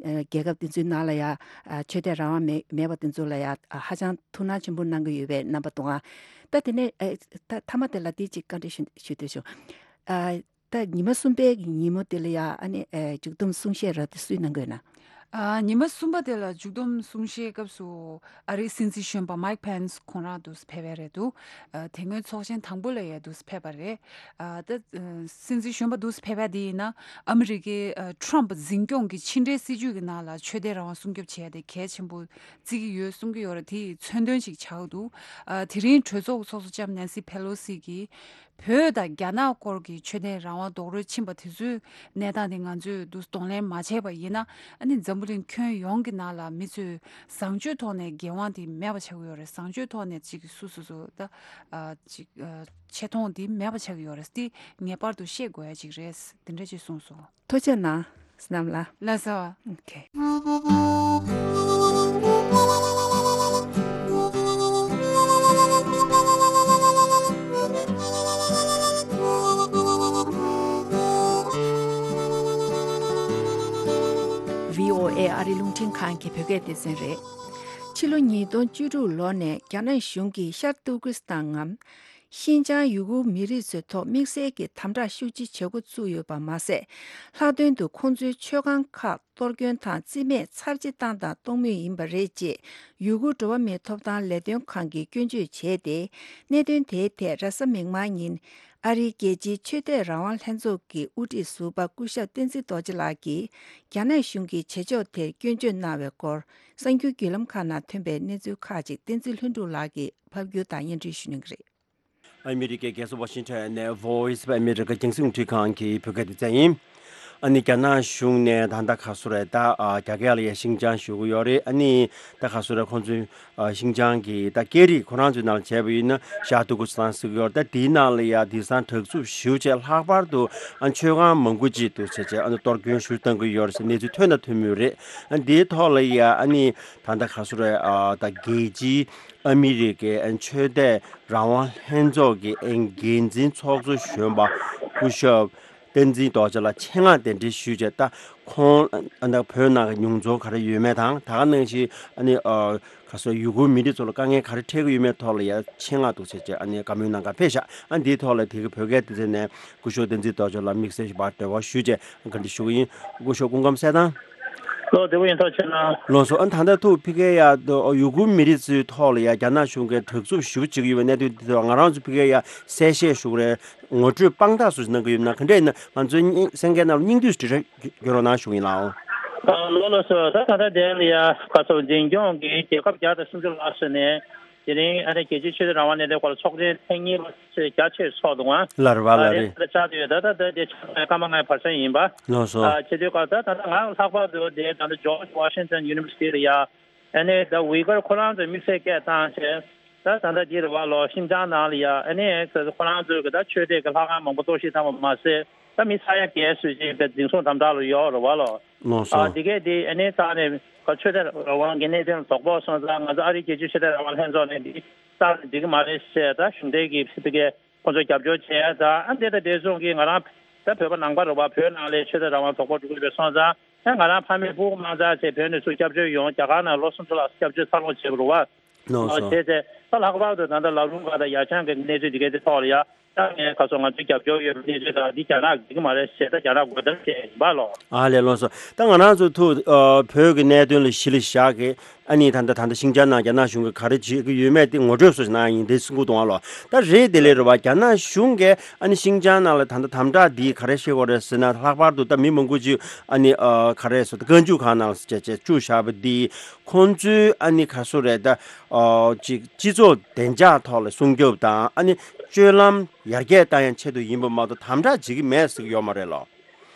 ཨ་རྒྱལ་ཁབ་དེ་ཚོའི་ནང་ལ་ཡ་ཨ་ཆོས་དད་རང་དབང་མེད་མེད་པ་དེ་ཚོ་ལ་ཡ་ཨ་ཧ་ཅང་ཐུགས་སྣང་ཆེན་པོ་གནང་གི་ཡོད་པའི་རྣམ་པ་འདུག་ཨ་ད་དེ་ནས་ཨ་ད་མཐའ་མ་དེ་ལ་དེ་གཅིག་བཀའ་འདྲི་ཞུ་ཞུ་འདོད་བྱུང་། ཨ་ད་ཉི་མ་གསུམ་པའི་གི་ཉིན་མོ་དེ་ལ་ཡ་ཨ་ནི་ཨ་མཇུག་བསྡོམས་གསུང་བཤད་རབ་དེ་སུས་གནང་དགོས་ན། ཨ་ཉི་མ་གསུམ་པ་དེ་ལ་མཇུག་བསྡོམས་གསུང་བཤད་སྐབས་སུ་ཨ་རིའི་སྲིད་འཛིན་གཞོན་པ་མའིག་ཕེན་སི་ཁོང་རང་འདུག་སེ་ཕེབས་པ་རེད་འདུག་ཨ་དེ་སྔོན་ཚོགས་ཆེན་དང་པོ་ལ་ཡ་འདུག་སེ་ཕེབས་པ་རེད། ཨ་ད་ཨ་སྲིད་འཛིན་གཞོན་པ་འདུག་སེ་ཕེབས་པ་དེ་ཡིན་ན་ཨ་མི་རི་ཀའི་ཨ་ཊམ་འཛིན་སྐྱོང་གི་ཕྱི་འབྲེལ་སྲིད་ཇུས་ཀྱི་ནང་ལ་ཆོས་དད་རང་དབང་སྲུང་སྐྱོབ་བྱས་ཏེ་གལ་ཆེན་པོ་བརྩི་གི་ཡོད་གསུང་གི་ཡོད་རེད། དེའི་མཚོན་དོན་ཞིག་ཆགས་འདུག་ཨ་དེ་རིང་གྲོས་ཚོགས་ཚོགས་གཙོ་ལྕམ་ནན་སི་ཕེ་ལོ་སི་གིས་ བོད་དང་རྒྱ་ནག་སྐོར་གྱི་ཆོས་དད་རང་དབང་རྡོག་རོལ་ཕྱིན་པ་དེ་ཚོའི་གནས་སྟངས་དེ་ང་ཚོས་འདུག་གདོང་ལེན་མ་བྱས་པ་ཡིན་ན། ཨ་ནི་འཛམ་བུ་གླིང་ཁྱོན་ཡོངས་ཀྱི་ནང་ལ་མི་ཚོས་བཟང་སྤྱོད་ཐོག་ནས་འགན་དབང་དེ་མེད་པ་ཆགས་ཀྱི་ཡོད་རེད། བཟང་སྤྱོད་ཐོག་ནས་ཅིག་སུ་སུ་སུ་ད་ཨ་ཅིག་ཨ་ཆེ་མཐོང་དེ་མེད་པ་ཆགས་ཀྱི་ཡོད་རེད། དེ་ངེས་པར་དུ་ཤེས་དགོས་ཡ་ཅིག་རེད། དེ་འདྲ་ཅིག་གསུངས་སོང་། ཐུགས་རྗེ་གནང་། བསོད་ནམས་ལགས། ལགས་སོ། ཨོ་ཁེ། བྷི་ཨོ་ཨེ་ཨ་རི་རླུང་འཕྲིན་ཁང་གི་བོད་སྐད་སྡེ་ཚན་རེད། ཕྱི་ལོ་ཉིས་སྟོང་བཅུ་དྲུག་ལོ་ནས་རྒྱ་ནག་གཞུང་གིས་ཤར་ཏུར་ཀི་སི་ཐན་ངམ། ཤིན་ཅང་ཡུ་གུར་མི་རིགས་ཚོའི་ཐོག་དམིགས་བསལ་གྱི་དམ་དྲག་ཤུགས་ཆེ་བྱེད་འགོ་བཙུགས་ཡོད་པ་མ་ཟད། ལྷག་དོན་དུ་ཁོང་ཚོའི་མཆོད་ཁང་ཁག་གཏོར་སྐྱོན་དང་རྩིས་མེད་ཚར་གཅིག་བཏང་དང་གཏོང་མུས་ཡིན་པ་རེད་ཅེས་ཡུ་གུར་འགྲོ་བ་མིའི་ཐོབ་ཐང་ལས་དོན་ཁང་གིས་སྐྱོན་བརྗོད་བྱས་ཏེ། གནད་དོན་དེའི་ཐད་རེས་གཟའ་མིག་དམར་ཉིན་ཨ་རིའི་རྒྱལ་སྤྱིའི་ཆོས་དད་རང་དབང་ལྷན་ཚོགས་ཀྱི་དབུ་ཁྲིད་ཟུར་པ་སྐུ་ཞབས་བསྟན་འཛིན་རྡོ་རྗེ་ལགས་ཀྱིས་རྒྱ་ནག་གཞུང་གི་བྱེད་ཕྱོགས་དེར་སྐྱོན་བརྗོད་གནང་བའི་སྐོར་གསར་འགྱུར་བརྒྱུད་ལམ་ཁག་ནང་ཐོན་པའི་གནས་ཚུལ་ཁག་ཅིག་བསྟན་འཛིན་ལྷུན་གྲུབ་ལགས་ཀྱིས་ཕབ་སྒྱུར་དང་སྙན་སྒྲོན་ཞུ་གནང་གི་རེད། ཨ་མི་རི་ཀའི་རྒྱལ་ས་ཝ་ཤིང་ཊོན་ནས་Voice of America་རྒྱང་སྲིང་རླུང་འཕྲིན་ཁང་གི་བོད་སྐད་སྡེ་ཚན་ཡིན། ཨ་ནི་རྒྱ་ནག་གཞུང་ནས་ད་ལྟ་ག་སུ་རེད་ད། ཨ་རྒྱ་སྐད་ལ་ཡ་ཤིང་ཅང་ཞུ་གི་ཡོད་རེད། ཨ་ནི་ད་ག་སུ་རེད་ཁོང་ཚོའི་ཨ་ཤིང་ཅང་གི་ད་སྐད་རིགས་ཁོ་རང་ཚོའི་ནང་ལ་བྱས་པ་ཡིན་ན་ཤར་ཏུར་ཀི་སི་ཐན་ཟེར་གི་ཡོད་རེད། ད་དེའི་ནང་ལ་ཡ་དེང་སང་དྲག་རྩུབ་ཞེ་པོ་ཅིག་ལྷག་པར་དུ་ཨ་མཆོད་ཁང་མང་པོ་ཅིག་འདུག་ཟེར་བྱས་ཨ་ནི་གཏོར་སྐྱོན་ཞེ་པོ་བཏང་གི་ཡོད་རེད་ཟེར་གནས་ཚུལ་ཐོན་དང་ཐོན་མུས་རེད། ཨ་དེའི་ཐོག་ལ་ཡ་ཨ་ནི་ད་ལྟ་ག་སུ་རེད། ཨ་ད་རྒྱལ་སྤྱིའི་ཨ་མི་རི་ཀའི་ཨ་ཆོས་དད་རང་དབང་ལྷན་ཚོགས་ཀྱི་ཨ་འགན་འཛིན་ཚོགས་གཙོ་གཞོན་པ་སྐུ་ཞབས་བསྟན་འཛིན་རྡོ་རྗེ་ལགས་ཆེད་མངགས་གདན་འདྲེན་ཞུས་བྱས། ད་ཁོང་ཨ་ད་བོད་ནང་གི་མྱོང་ཚོར་ག་རེ་ཡོད་མེད་དང་། ད་ག་ནང་བཞིན་ཨ་ནི་ཨ་ག་སོ་ཡུ་གུར་མི་རིགས་ཚོ་ལ་དཀའ་ངལ་ག་རེ་འཕྲད་ཀྱི་ཡོད་མེད་ཐོག་ལ་ཡ་ཆེད་མངགས་འདུག་ཟེར་བྱས་ཨ་ནི་བཀའ་མོལ་གནང་གར་ཕེབས་ཤག་ཨ་འདིའི་ཐོག་ལ་དེ་གི་བོད་སྐད་སྡེ་ཚན་ནས་སྐུ་ཞབས་བསྟན་འཛིན་རྡོ་རྗེ་ལགས་དམིགས་བསལ་ཞིག་བར་འབྲེལ་བ་ཞུས་བྱས་བཀའ་འདྲི་ཞུ་གི་ཡིན། སྐུ་ཞབས་སྐུ་ཁམས་གསལ་ཐང་། ལོ་བདེ་པོ་ཡིན། ཐུགས་རྗེ་ཆེ་གནང་། ལགས་སོ། ཨ་ད་ལྟ་ཐུག་ཕ་གི་ཡ་ཡུ་གུར་མི་རིགས་ཚོའི་ཐོག་ལ་ཡ་རྒྱ་ནག་གཞུང་གིས་དྲག་རྩུབ་ཞེ་པོ་བྱེད་ཀྱི་ཡོད་པའི་གནད་དོན་འདི་ཐོག་ང་རང་ཚོ་ཕ་གི་ཡ་གསལ་བཤད་ཞུ་གི་རེད། ངོ་སྤྲོད་དཔང་རྟགས་སུ་གནང་གི་ཡོད་ན་ག་འདྲས་ཡིན་ན་ང་ཚོའི་སེང་གེ་ནང་ལ་སྙིང་བསྡུས་སུ་འབྲི་རེ་དགོས་རོགས་གནང་ཞུ་གི་ཡིན་ལགས། ལོ་ལགས་སོ། ད་ད་ལྟ་དེ་ལ་ཡ་ག་ཚོད་འཛིན་སྐྱོང་གི་རྒྱལ་ཁབ་བརྒྱ་དང་སུམ་ཅུ་ལྷག་ཙམ་ནས་དེ་རིང་ཨ་ནི་རྒྱལ་སྤྱིའི་ཆོས་དད་རང་དབང་གནད་དོན་སྐོར་ལ་ཚོགས་ཆེན་ཐེངས་གཉིས་པ་རྒྱ་ཆེར་ཚོགས་འདུག་ཨང་། ལར་བ་ལ་རེད། ད་ཆགས་བསྡད་ཡོད། ད་ད་ད་དེ་ཆགས་པའི་སྐར་མ་ལྔའི་བར་མཚམས་ཡིན་པ། ལགས་སོ། ཨ་བྱེད་དུས་སྐབས་ད་ད་ད་ང་ལྷག་པར་དུ་དེ་ད་ལྟ་George Washington University་ལ་ཡ་ཨ་ནི་ད་ཝི་གར་ཁོ་རང་ཚོས་དམིགས་བསལ་སྐད་བཏང་བྱས། ད་ད་ལྟ་འདི་རེད་བ་ལོ། ཤིན་ཅང་ནང་ལ་ཡ་ཨ་ནི་ཁོ་རང་ཚོས་གི་ད་ཆོས་དད་ཀྱི་ལྷ་ཁང་མང་པོ་གཏོར་བཤིག་བཏང་བ་མ་ཟད། ད་མི་ས་ཡ་བརྒལ་ཙམ་ཅིག་དེ་འཛིན་བཟུང་དམ་དྲག་ལ་ཡོད་རེད་བ་ལོ། ལགས་སོ། ཨ་དེ་གས་དེ་ཨ་ནི་རྩ་ནས་ཆོས་དད་རང་དབང་གི་གནད་དོན་ལ་དོགས་པ་སོང་ཙང་ང་ཚོ་ཨ་རིའི་རྒྱལ་སྤྱིའི་ཆོས་དད་རང་དབང་ལྷན་ཚོགས་ནས་འདི་རྩ་ནས་འགྲིག་གི་མ་རེད་ཟེར། ད་གཞུང་འབྲེལ་གྱི་ཕ་གི་ཁོ་ཚོ་རྒྱབ་སྐྱོར་བྱས། ད་ཨ་འདི་ད་དེ་སོང་གི་ང་རང་ད་བོད་པ་ནང་པ་རེད་བ། བོད་ནང་ལ་ཆོས་དད་རང་དབང་དོགས་པ་འགྲོ་གི་རེད་པས་སོང་ཙང་། ཨ་ང་རང་ཕ་མས་སྤུ་གུ་མང་ཙང་བྱས་བོད་ནས་ཚུར་སྐྱབས་བཅོལ་ཡོང་། རྒྱ་གར་ནང་ལོ་གསུམ་ཅུ་ལྷག་སྐྱབས་བཅོལ་འཚར་ལོངས་བྱས་པ་རེད་བ། ལགས་སོ། བྱས་ཚེ་ད་ལྷག་པར་དུ་ད་ལྟ་ལ་རུང་ག་དང་ཡ་ཆང་གི་གནས་ཚུལ་འདི་གའི་དེ་ཐོག་ལ་ཡ། ད་ངས་ཁ་སང་ང་ཚོའི་རྒྱབ་སྐྱོར་ཡོད་པའི་གནས་ཚུལ་དང་འདི་རྒྱ་ནག་གིས་འགྲིག་གི་མ་རེད་ཟེར། ད་རྒྱ་ནག་རྒོལ་གཏམ་བྱས་ཡིན་པ་ལོ། ཨ་ལས། ལགས་སོ། ད་ང་རང་ཚོ་ཐུག་ཨ་བོད་ཀྱི་གནད་དོན་ལ་གཞི་ལ་བཞག་གི་ཨ་ནི་ད་ལྟ་ད་ལྟ་ཤིང་ཅང་ནང་རྒྱ་ནག་གཞུང་གིས་ག་རེ་བྱེད་ཀྱི་ཡོད་མེད་དེ་ངོ་སྤྲོད་སོགས་ཤིག་གནང་ཡ་ཡིན། དེ་སེམས་ཁུར་གཏོང་བ་ལོ། ད་རེད་དེ་ལས་རེད་བ། རྒྱ་ནག་གཞུང་གིས་ཨ་ནི་ཤིང་ཅང་ནང་ལ་ད་ལྟ་དམ་དྲག་འདི་ག་རེ་བྱེད་དགོས་རེད་ཟེར་ན། ལྷག་པར་དུ་ད་མི་མང་པོ་ཅིག་ཨ་ནི་ཨ་ག་རེ་ཟེར་ད་བཀའ་འཇུག་ཁང་ནང་ལ་བཅུག་བཅུག་བཞག་པ་འདི་ཁོང་ཚོའི་ཨ་ནི་ག་སུ་རེད་ད། ཨ་ཅིག་སྤྱི་ཚོགས་བདེ་འཇགས་ཐོག་ལ་སྲུང་སྐྱོབ་དང་ཨ་ནི་སྤྱོད་ལམ་ཡར་རྒྱས་བཏང་ཡ་ཆེད་དུ་ཡིན་པ་མ་གཏོགས་དམ་དྲག་བྱེད་ཀྱི་མེད་ཟེར་གྱི་ཡོད་མ་རེད་ལོ།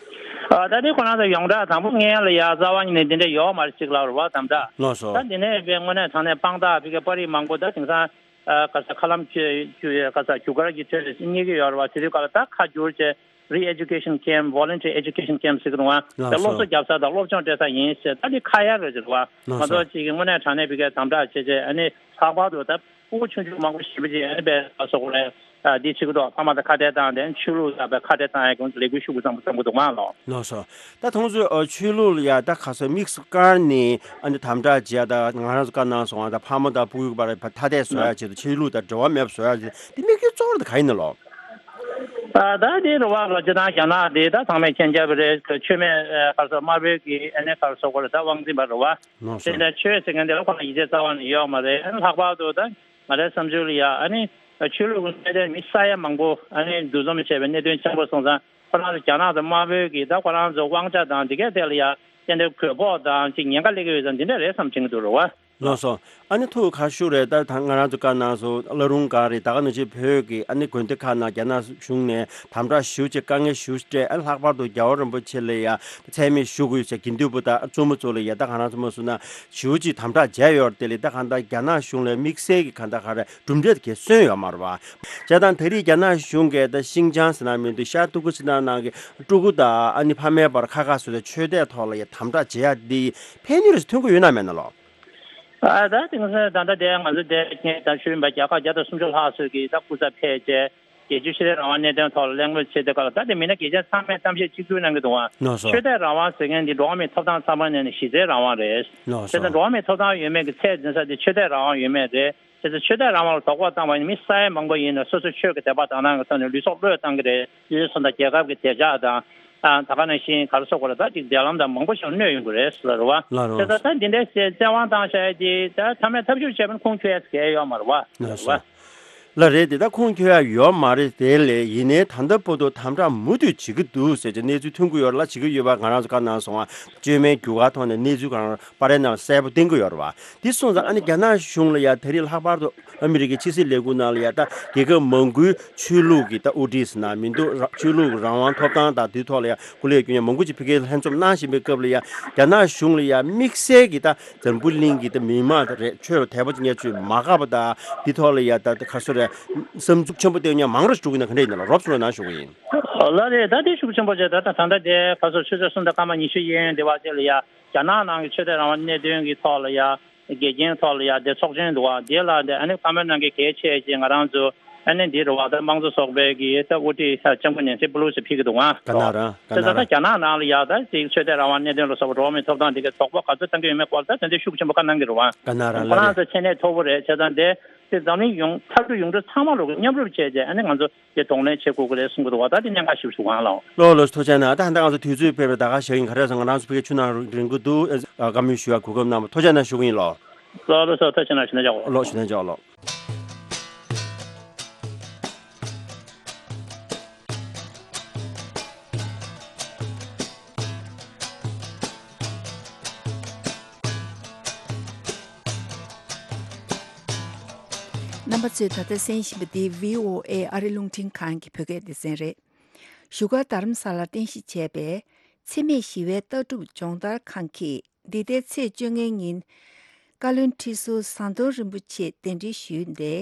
ཨ་ད་དེ་ཁོ་རང་ཚོ་ཡོངས་གྲགས་དང་པོ་སྔོན་ལ་ཡ་རྩ་བ་ཉིད་ནས་འདི་འདྲ་ཡོད་མ་རེད་ཅིག་ལབ་རེད་བ། དམ་དྲག་ལགས་སོ། ད་འདི་ནས་དཔེ་དངོས་གནས་དྲང་གནས་དཔང་རྟགས་ཕ་གི་པར་རིས་མང་པོ་ད་དེང་སང་ཨ་ག་ས་མཁའ་ལམ་ཆུ་ཆུ་ག་ས་རྒྱུ་སྐར་གྱི་ཁྲོད་ལ་རྙེད་ཀྱི་ཡོད་རེད་བ། དེ་དུས་སྐབས་ལ་ད་ཁ་བསྒྱུར་བྱས་re-education camp, voluntary education camp་ཟེར་གི་རེད་བ། ལགས་སོ། ད་སློབ་གསོ་རྒྱག་ས་དང་སློབ་སྦྱོང་སྤྲད་ས་ཡིན་ཟེར། ད་འདི་ཁ་ཡ་རེད་ཟེར་བ། ལགས་སོ། ང་ཚོ་ཅིག་གི་དངོས་གནས་དྲང་གནས་ཕ་གི་དམ་དྲག་བྱས་བྱས་ཨ་ནི་ལྷག་པར་དུ་ད་ཕྲུ་གུ་ཆུང་ཆུང་མང་པོ་ཞེ་པོ་ཅིག་ཨ་ནི་དཔེ་ག་སོ་གོ་རེད། ཨ་འདི་བྱེད་ཀྱི་འདུག་ཕ་མ་དང་ཁ་བྲལ་བཏང་སྟེ་ཆོས་ལུགས་དང་དཔེ་ཁ་བྲལ་བཏང་ཡ་གི་ལས་འགུལ་ཤུགས་ཆེན་པོ་བརྩམས་ཀྱི་འདུག་མ་ལོ། ལགས་སོ། ད་ཁོང་ཚོས་ཨ་ཆོས་ལུགས་ལ་ཡ་ད་ག་སོ་དམིགས་སུ་བཀར་ནས་ཨ་ནི་དམ་དྲག་བྱེད་ཡ། ད་ང་རང་ཚོ་བཀའ་གནང་སོང་བ། ད་ཕ་མ་དང་ཕྲུ་གུ་བར་ཐ་དད་བཟོ་ཡ་ཆེད་དུ་ཆོས་ལུགས་དང་འབྲེལ་བ་མེད་པ་བཟོ་ཡ་ཆེད་དུ་དམིགས་ཡུལ་གཙོ་བོ་དེ་ག་ཡིན་ན་ལོ། ཨ་ད་དེ་རེད་བ་ལོ། སྤྱིར་བཏང་རྒྱ་ནག་དེ་ད་ཚང་མས་མཁྱེན་རྒྱ་བོད་རེད། ཆོས་མེད་ཨ་ག་སོ་དམར་པོའི་གི་ཨ་ནི་ག་སོ་གོ་རེད། ད་དབང་འཛིན་པ་རེད་བ། ལགས་སོ། དེ་འདྲ་ཆོས་ཟེར་མཁན་དེ་ལ་ཁོ་ན་ཡིད་ཆེས་རྩ་བ་ནས་ཡོད་མ་རེད། ཨ་ནི་ལྷག་པར་དུ་ད་ང་རའི་བསམ་ཚུལ་ལ་ཡ་ཨ་ནི་ཆོས་ལུགས་ཀྱི་གནད་དོན་མི་ས་ཡ་མང་པོ་ཨ་ནི་འདུ་འཛོམས་བྱས་པའི་གནད་དོན་ཆེན་པོ་སོང་ཙང་ཁོ་རང་ཚོ་རྒྱ་ནག་དང་དམར་པོའི་གི་ད་ཁོ་རང་ཚོ་དབང་ཆ་དང་དེ་གའི་ཐད་ལ་ཡ་ཏན་ཏན་གུས་ཕོག་དང་ཅིག་ཉེན་ཁ་སླེབས་ཀྱི་ཡོད་ཙང་འདི་འདྲ་རེད་བསམ་དྲན་གྱི་འདུག་རེད་བ། ལགས་སོ། ཨ་ནི་ཐུགས་ཁ་ཤུགས་རེད། ད་ད་ང་རང་ཚོ་བཀའ་གནང་སོང་། བླ་རུང་སྒང་རེད། ད་ག་ནང་བཞིན་བོད་ཀྱི་ཨ་ནི་དགོན་སྡེ་ཁག་ནང་རྒྱ་ནག་གཞུང་ནས་དམ་དྲག་ཞེ་པོ་ཅིག་དཀའ་ངལ་ཞེ་པོ་ཅིག་སྤྲད། ཨ་ནི་ལྷག་པར་དུ་རྒྱལ་བ་རིན་པོ་ཆེ་ལ་ཡ་མཚན་སྨད་ཞུ་དགོས་ཟེར། དགེ་འདུན་པ་དང་བཙུན་མ་ཚོ་ལ་ཡ་ད་ག་རང་ཚོ་མ་སུ་ན་ཞེ་པོ་ཅིག་དམ་དྲག་བྱས་ཡོད་རེད། དེ་ལས་ད་གང་ལྟར་རྒྱ་ནག་གཞུང་ལ་དམིགས་བསལ་གྱི་གང་ལྟར་ག་རེ་གྲུབ་འབྲས་དེ་གས་སོན་ཡོད་མ་རེད་བ། བྱས་ཙང་ད་རེས་རྒྱ་ནག་གཞུང་གིས་ད་ཤིན་ཅང་ཟེར་ན་མི་འདུག་ཤར་ཏུར་ཀི་སི་ཐན་ནང་གི་ཀྲུ་གུ་དང་ཨ་ནི་ཕ་མེས་བར་ཁ་ཁ་སོ་སོའི་ཆོས་དད་ཐོག་ལ་ཡ་དམ་དྲག་བྱེད་ཡ་འདི་ཕན་ནུས་རེ་ཐོན་གི་ཡོད་ན་མེད་ན་ལོ། ཨ་ད་དེང་སང་ད་ལྟ་དེ་ང་ཚོ་དེ་ངས་ད་ཞུས་པ་བརྒྱ་ཁ་བརྒྱ་དང་སུམ་ཅུ་ལྷག་ཙམ་གྱིས་ད་སྐུ་ཚབ་ཕེབས་བྱས་རྒྱལ་སྤྱིའི་ཆོས་དད་རང་དབང་གནད་དོན་ཐོག་ལ་གླེང་མོལ་བྱེད་དུས་སྐབས་ལ། ད་དེ་མི་སྣ་གལ་ཆེན་ཚང་མས་གཏམ་བཤད་གཅིག་གྱུར་གནང་གི་འདུག་ཨ། ལགས་སོ། ཆོས་དད་རང་དབང་ཟེར་མཁན་འདི་འགྲོ་བ་མིའི་ཐོབ་ཐང་ཚང་མ་ནས་ནི་གཞི་རྩའི་རང་དབང་རེད། ལགས་སོ། བྱས་ཙང་འགྲོ་བ་མིའི་ཐོབ་ཐང་ཡོད་མེད་ཀྱི་ཚད་འཛིན་ས་དེ་ཆོས་དད་རང་དབང་ཡོད་མེད་རེད། བྱས་ཙང་ཆོས་དད་རང་དབང་ལ་དོགས་པ་བཏང་བ་ཡིན་ན་མི་ས་ཡ་མང་པོ་ཡིན་ན་སོ་སོའི་ཆོས་ཀྱི་དད་པ་དག་སྣང་གི་ཐོག་ནས་ལུས་སྲོག་བློས་བཏང་གི་རེད། ཡུལ་སོང་དང་རྒྱལ་ཁབ་ཀྱི་བདེ་འཇགས་དང་། ཨ་ད་ག་ནང་བཞིན་ག་རེ་ཟེར་དགོས་རེད། ད་ཅིག་འབྲེལ་ལམ་དང་མང་པོ་ཞིག་གནོད་ཡོང་གི་རེད་ཟེར་བ་རེད་བ། ལགས་རེད། བྱས་ཙང་ད་འདི་འདྲའི་བཙན་དབང་བཏང་བཞག་ཡ་དེ་ད་མཐའ་མའི་ཐབས་ཤེས་བྱས་པ་ན་ཁུངས་འཁྱོལ་ཡ་གལ་ཡོད་མ་རེད་བ། ལགས་རེད་བ། སོ། ལགས་རེད། དེ་ད་ཁུངས་འཁྱོལ་ཡ་ཡོད་མ་རེད། དེ་ལས་ཡིན་ནའི་ད་ལྟ་བར་དུ་དམ་དྲག་མུ་མཐུད་བྱེད་ཀྱི་འདུག་ཟེར་གྱི་གནས་ཚུལ་ཐོན་གྱི་ཡོད་རེད་ལ། བྱེད་ཀྱི་ཡོད་པ་ང་རང་ཚོ་བཀའ་གནང་སོང་ང་། བཅོས་མའི་རྒྱུ་སྐར་ཐོག་ནས་གནས་ཚུལ་གང་པར་ནང་གསལ་པོ་བསྟན་གྱི་ཡོད་རེད་བ། དེ་སོང་ཙང་ཨ་ནི་རྒྱ་ནག་གཞུང་ལ་ཡ་ད་རེས་ལྷག་པར་དུ་ཨ་མི་རི་ཀའི་ཕྱི་སྲིད་ལས་ཁུངས་ནང་ལ་ཡ་ད་རྒྱལ་ཁབ་མང་པོའི་ཆོས་ལུགས་ཀྱི་ད་དབུ་ཁྲིད་ཟེར་ན་མི་འདུག་ར་ཆོས་ལུགས་རང་དབང་ཐོབ་ཐང་དང་དེ་ཐོག་ལ་ཡ་སྐུ་ལས་བསྐྱོན་མཁན་མང་པོ་ཅིག་ཕ་གིར་ལྷན་འཛོམས་གནང་བཞིན་པའི་སྐབས་ལ་ཡ་རྒྱ་ནག་གཞུང་ལ་ཡ་དམིགས་བསལ་གྱི་ད་འཛམ་བུ་གླིང་གི་ད་མི་མང་རེད། ཆོས་ལ་དད་པ་ཅིག་ཉར་ཚུལ་མ་དགའ་བ་དང་དེ་ཐོག་ལ་ཡ་ད་ག་རེ་ཟེར་རེད། བསམ་ཚུགས་ཆེན་པོ་བསྟན་མཁན་མང་རུ་འགྲོ་གི་ན་ག་འདྲ་ཡིན་ན་ལ་རོབ་ཚུར་ལ་གནང་ཞུ་གི་ཡིན། ལགས་རེད། ད་དེ་ཤུགས་ཆེན་པོ་བྱས། ད་ད་ད་ལྟ་དེ་ག་རེ་ཟེར་ཆུ་ཚོད་གསུམ་དང་སྐར་མ་ཉི་ཤུ་ཡན་ཡོལ་དེ་བར་དེ་ལ་ཡ་རྒྱ་ནག་ནང་གི་ཆོས་དད་རང་དབང་གནད་དོན་གྱི་ཐོག་ལ་ཡ་འགལ་རྐྱེན་ཐོག་ལ་ཡ་དེ་ཚོགས་ཆེན་འདུག་བ། དེ་ལ་དེ་ཨ་ནི་བཀའ་མོལ་གནང་མཁན་གལ་ཆེ་ཅེས་ང་རང་ཚོ་ཨ་ནི་འདི་རུ་བ་ད་དམངས་གཙོ་ཚོགས་པའི་གི་ད་དབུ་ཁྲིད་ལྕམ་སྐུ་ནེན་སི་པེ་ལོ་སི་ཕེབས་ཀྱི་འདུག་ཨ། ག་ན་ར་ག་དེ་ན་ད་ད་ར། རྒྱ་ནག་ནང་ལ་ཡ་ད་དེ་ཆོས་དད་རང་དབང་གནད་དོན་ལ་སོགས་པ་འགྲོ་བ་མིའི་ཐོབ་ཐང་དེ་གའི་དོགས་པ་ག་ཚོད་བཏང་གི་ཡོད་མེད་སྐོར་ད་དེ་འདྲའི་ཤུགས་ཆེན་པོ་བཀའ་གནང་གི་རེད་བ། ག་ན་ར། ཁོ་ལ་རང་རེད། ཚོ་མཁྱེན་གནས་མཐོ་པོ་རེད། བྱས་ཙང་དེ་དེ་འཛམ་གླིང་ཡོངས་མཐར་ཐུག་ཡོངས་གྲགས་ཚང་མ་ལོག་གི་མཉམ་རུབ་བྱས་རྗེས་ཨ་ནི་ང་ཚོ་དེ་གདོང་ལེན་བྱེད་དགོས་ཀྱི་རེད་གསུང་གི་འདུག་བ། ད་དེ་གནད་འགག་ཞིག་ཞུ་གང་ལགས། ལགས་ལགས་སོ། ཐུགས་རྗེ་གནང་། ད་ཧན་ད་ང་ཚོ་དུས་ཚོད་ཕེབས་པའི་ད་ག་ཞག་ཡིན། ག་རེ་ཟེར་ང་རང་ཚོ་ཕ་གི་ཆུ་ནང་རིང་གི་འདུག་ཨ་བཀའ་མོལ་ཞུ་ཡ་གོ་སྐབས་གནང་བ་ཐུགས་རྗེ་གནང་ཞུ་གི་ཡིན་ལགས། ལགས་ལགས་སོ། ཐུགས་རྗེ་གནང་། ཞུ་ན་འཇོག་ལགས། ཞུ་ན་འཇོག་ལགས། རྣམ་པ་ཚོས་ད་ལྟ་གསན་བཞིན་པ་འདི་བྷི་ཨོ་ཨེ་ཨ་རི་རླུང་འཕྲིན་ཁང་གི་བོད་སྐད་སྡེ་ཚན་རེད། བཞུགས་སྒར་རྡ་རམ་ས་ལར་རྟེན་གཞི་བྱས་པའི་འཚེ་མེད་ཞི་བའི་ལྟ་གྲུབ་སྦྱོང་བརྡར་ཁང་གིས་འདི་ཟླའི་ཚེས་བཅོ་ལྔའི་ཉིན་བཀའ་བློན་ཁྲི་ཟུར་ཟམ་གདོང་རིན་པོ་ཆེ་གདན་འདྲེན་ཞུས་ཏེ།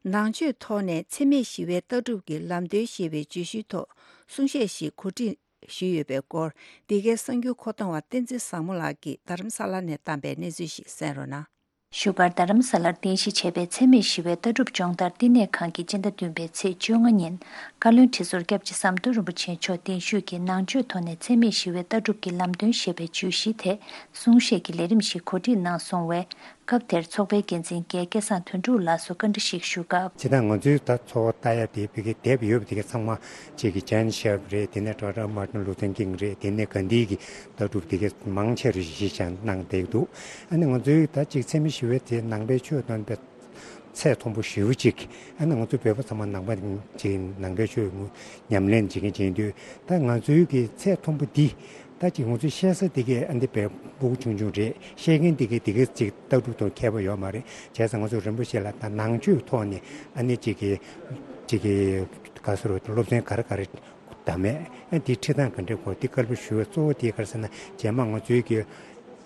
ནང་ཆོས་ཐོག་ནས་འཚེ་མེད་ཞི་བའི་ལྟ་གྲུབ་ཀྱི་ལམ་སྟོན་ཞེས་པའི་བརྗོད་གཞིའི་ཐོག་གསུང་བཤད་ཞིག་གོ་སྒྲིག་ཞུས་ཡོད་པའི་སྐོར། འདི་གའི་གསར་འགྱུར་མཁོ་གཏོང་བ་བསྟན་འཛིན་བཟང་མོ་ལགས་ཀྱིས་རྡ་རམ་ས་ལ་ནས་བཏང་པའི་གནས་ཚུལ་ཞིག་གསན་རོགས་གནང་། བཞུགས་སྒར་རྡ་རམ་ས་ལར་རྟེན་གཞི་བྱས་པའི་འཚེ་མེད་ཞི་བའི་ལྟ་གྲུབ་སྦྱོང་བརྡར་བསྟི་གནས་ཁང་གིས་སྤྱི་ཟླ་བདུན་པའི་ཚེས་བཅོ་ལྔ་ཉིན་བཀའ་བློན་ཁྲི་ཟུར་སྐྱབས་རྗེ་ཟམ་གདོང་རིན་པོ་ཆེ་མཆོག་གདན་ཞུས་ཀྱིས་ནང་ཆོས་ཐོག་ནས་འཚེ་མེད་ཞི་བའི་ལྟ་གྲུབ་ཀྱི་ལམ་སྟོན་ཞེས་པའི་བརྗོད་གཞིའི་ཐད་གསུང་བཤད་ཀྱི་ལས་རིམ་ཞིག་གོ་སྒྲིག་གནང་སོང་བས། སྐབས་དེར་ཚོགས་པའི་འགན་འཛིན་རྒན་སྐལ་བཟང་དོན་གྲུབ་ལགས་སུ་བཀའ་འདྲི་ཞིག་ཞུ་སྐབས། སྤྱིར་བཏང་ང་ཚོའི་ད་ཚོགས་པ་ལྟ་ཡ་དེ་ཕ་གི་དེབ་ཡོད་པ་དེ་ག་ཚང་མ་གཅིག་གི་ཇན་ཤེབ་རེད། དེ་ནས་ཌོག་ཊར་མར་ཊིན་ལུ་ཐར་ཀིང་རེད། དེ་ནས་གྷན་དྷི་གི་ལྟ་གྲུབ་དེ་ག་མང་ཆེ་རུ་གཞི་བཞག་གནང་བསྡད་འདུག་ཨ་ནི་ང་ཚོའི་ད་གཅིག་འཚེ་མེད་ཞི་བའི་དེ་ནང་པའི་ཆོས་སྟོན་པའི་ཚད་མཐོན་པོ་ཞེ་པོ་ཅིག་ཨ་ནི་ང་ཚོ་བོད་པ་ཚང་མ་ནང་པ་ཅིག་ནང་པའི་ཆོས་ཉམས་ལེན་བྱེད་མཁན་བྱེད་དུས། ད་ང་ཚོའི་གི་ཚད་མཐོན་པོ་འདི་ད་ཅིག་ང་ཚོའི་བཤད་ས་དེ་གའི་ཨ་འདི་བས་སྤུ་གུ་ཆུང་ཆུང་རེད། བཤད་མཁན་དེ་གའི་དེ་གའི་ཅིག་ལྟ་གྲུབ་དང་མཁས་པོ་ཡོད་མ་རེད། བྱས་ཙང་ང་ཚོ་རིན་པོ་ཆེ་ལ་ད་ནང་ཆོས་ཐོག་ནས་ཨ་ནི་ཅིག་གི་ཅིག་གི་ག་ཟེར་རོ། སློབ་ཚན་ག་རེ་ག་རེ་བདམས་མེད། ཨ་འདི་ཁྲིད་སྟངས་ག་འདྲ་གོ་འདི་བཀའ་སློབ་ཞུ་བའི་གཙོ་བོ་དེ་ག་རེ་ཟེར་ན། རྗེས་མ་ང་ཚོའི་གི་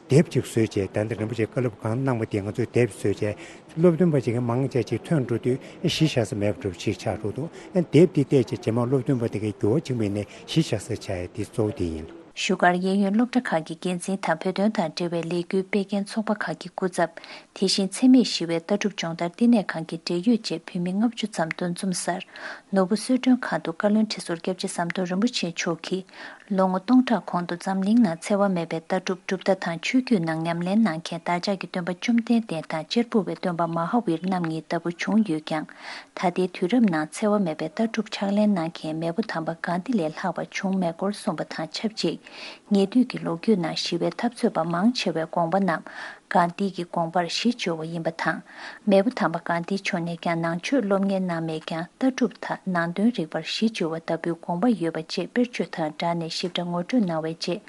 དེབ་ཅིག་བཟོས་བྱས། ད་འདི་རིན་པོ་ཆེ་བཀའ་སློབ་གང་གནང་པ་དེ་ང་ཚོས་དེབ་བཟོས་བྱས། སློབ་སྟོན་པ་ཅིག་གི་མང་ཆེ་ཅིག་ཐོན་འགྲོ་དུས་ཨེ་གཞི་བཞག་ས་མེད་པ་འདྲ་པོ་ཅིག་ཆགས་འགྲོ་འདུག་ཨ་དེབ་འདི་བལྟས་བྱས་རྗེས་མ་སློབ་སྟོན་པ་དེ་གའི་འགྱུར་བ་ཕྱིན་པ་ཡིན་ནའི་གཞི་བཞག་ས་ཆགས་ཡ་འདི་གཙོ་བོ་དེ་ཡིན། བཞུགས་སྒར་གཡས་གཡོན་སློབ་གྲྭ་ཁག་གི་འགན་འཛིན་དང་བོད་དོན་དང་འབྲེལ་བའི་ལས་འགུལ་སྤེལ་མཁན་ཚོགས་པ་ཁག་གི་སྐུ་ཚབ། དེ་བཞིན་འཚེ་མེད་ཞི་བའི་ལྟ་གྲུབ་སྦྱོང་བརྡར་བསྟི་གནས་ཁང་གི་འབྲེལ་ཡོད་བཅས་བོད་མི་ལྔ་བཅུ་ཙམ་འདུ་འཛོམས་སར། ནོར་བུ་གསོལ་མགྲོན་ཁང་དུ་བཀའ་བློན་ཁྲི་ཟུར་སྐྱབས་རྗེ་ཟམ་གདོང་རིན་པོ་ཆེ་མཆོག་གིས། ལོ་ངོ་སྟོང་ཕྲག་གོང་དུ་འཛམ་གླིང་ནང་འཚེ་བ་མེད་པའི་ལྟ་གྲུབ་གྲུབ་མཐའ་དང་ཆོས་བརྒྱུད་ནང་ཉམས་ལེན་གནང་མཁན་བདག་ཅག་གི་སྟོན་པ་བཅོམ་ལྡན་འདས་དང་གཅེར་བུ་པའི་སྟོན་པ་མ་ཧཱ་ཝིར་རྣམ་གཉིས་ལྟ་བུ་བྱུང་ཡོད་ཀྱང་། ད་ལྟའི་དུས་རབས་ནང་འཚེ་བ་མེད་པའི་ལྟ་གྲུབ་ཕྱག་ལེན་གནང་མཁན་མེས་པོ་དམ་པ་གྷན་དྷི་ལས་ལྷག་པ་བྱུང་མེད་སྐོར་གསུངས་པ་དང་ཆབས་ཅིག་ཉེ་དུས་ཀྱི་ལོ་རྒྱུས་ནང་ཞི་བའི་འཐབ་རྩོད་པ་མང་ཆེ་བའི་དགོངས་པ་རྣམས་གྷན་དྷི་གི་དགོངས་པར་གཞི་བཅོལ་བ་ཡིན་པ་དང་། མེས་པོ་དམ་པ་གྷན་དྷི་མཆོག་ནས་ཀྱང་ནང་ཆོས་སློབ་གཉེར་གནང་མེད་ཀྱང་ལྟ་གྲུབ་དང་ནང་དོན་རིག་པར་གཞི་བཅོལ་བ་ལྟ་བུའི་དགོངས་པ་ཡོད་པ་བཅས་དཔེར་བརྗོད་དང་སྦྲགས་ནས་ཞིབ་ཕྲ་ངོ་སྤྲོད་གནང་བའི་རྗེས།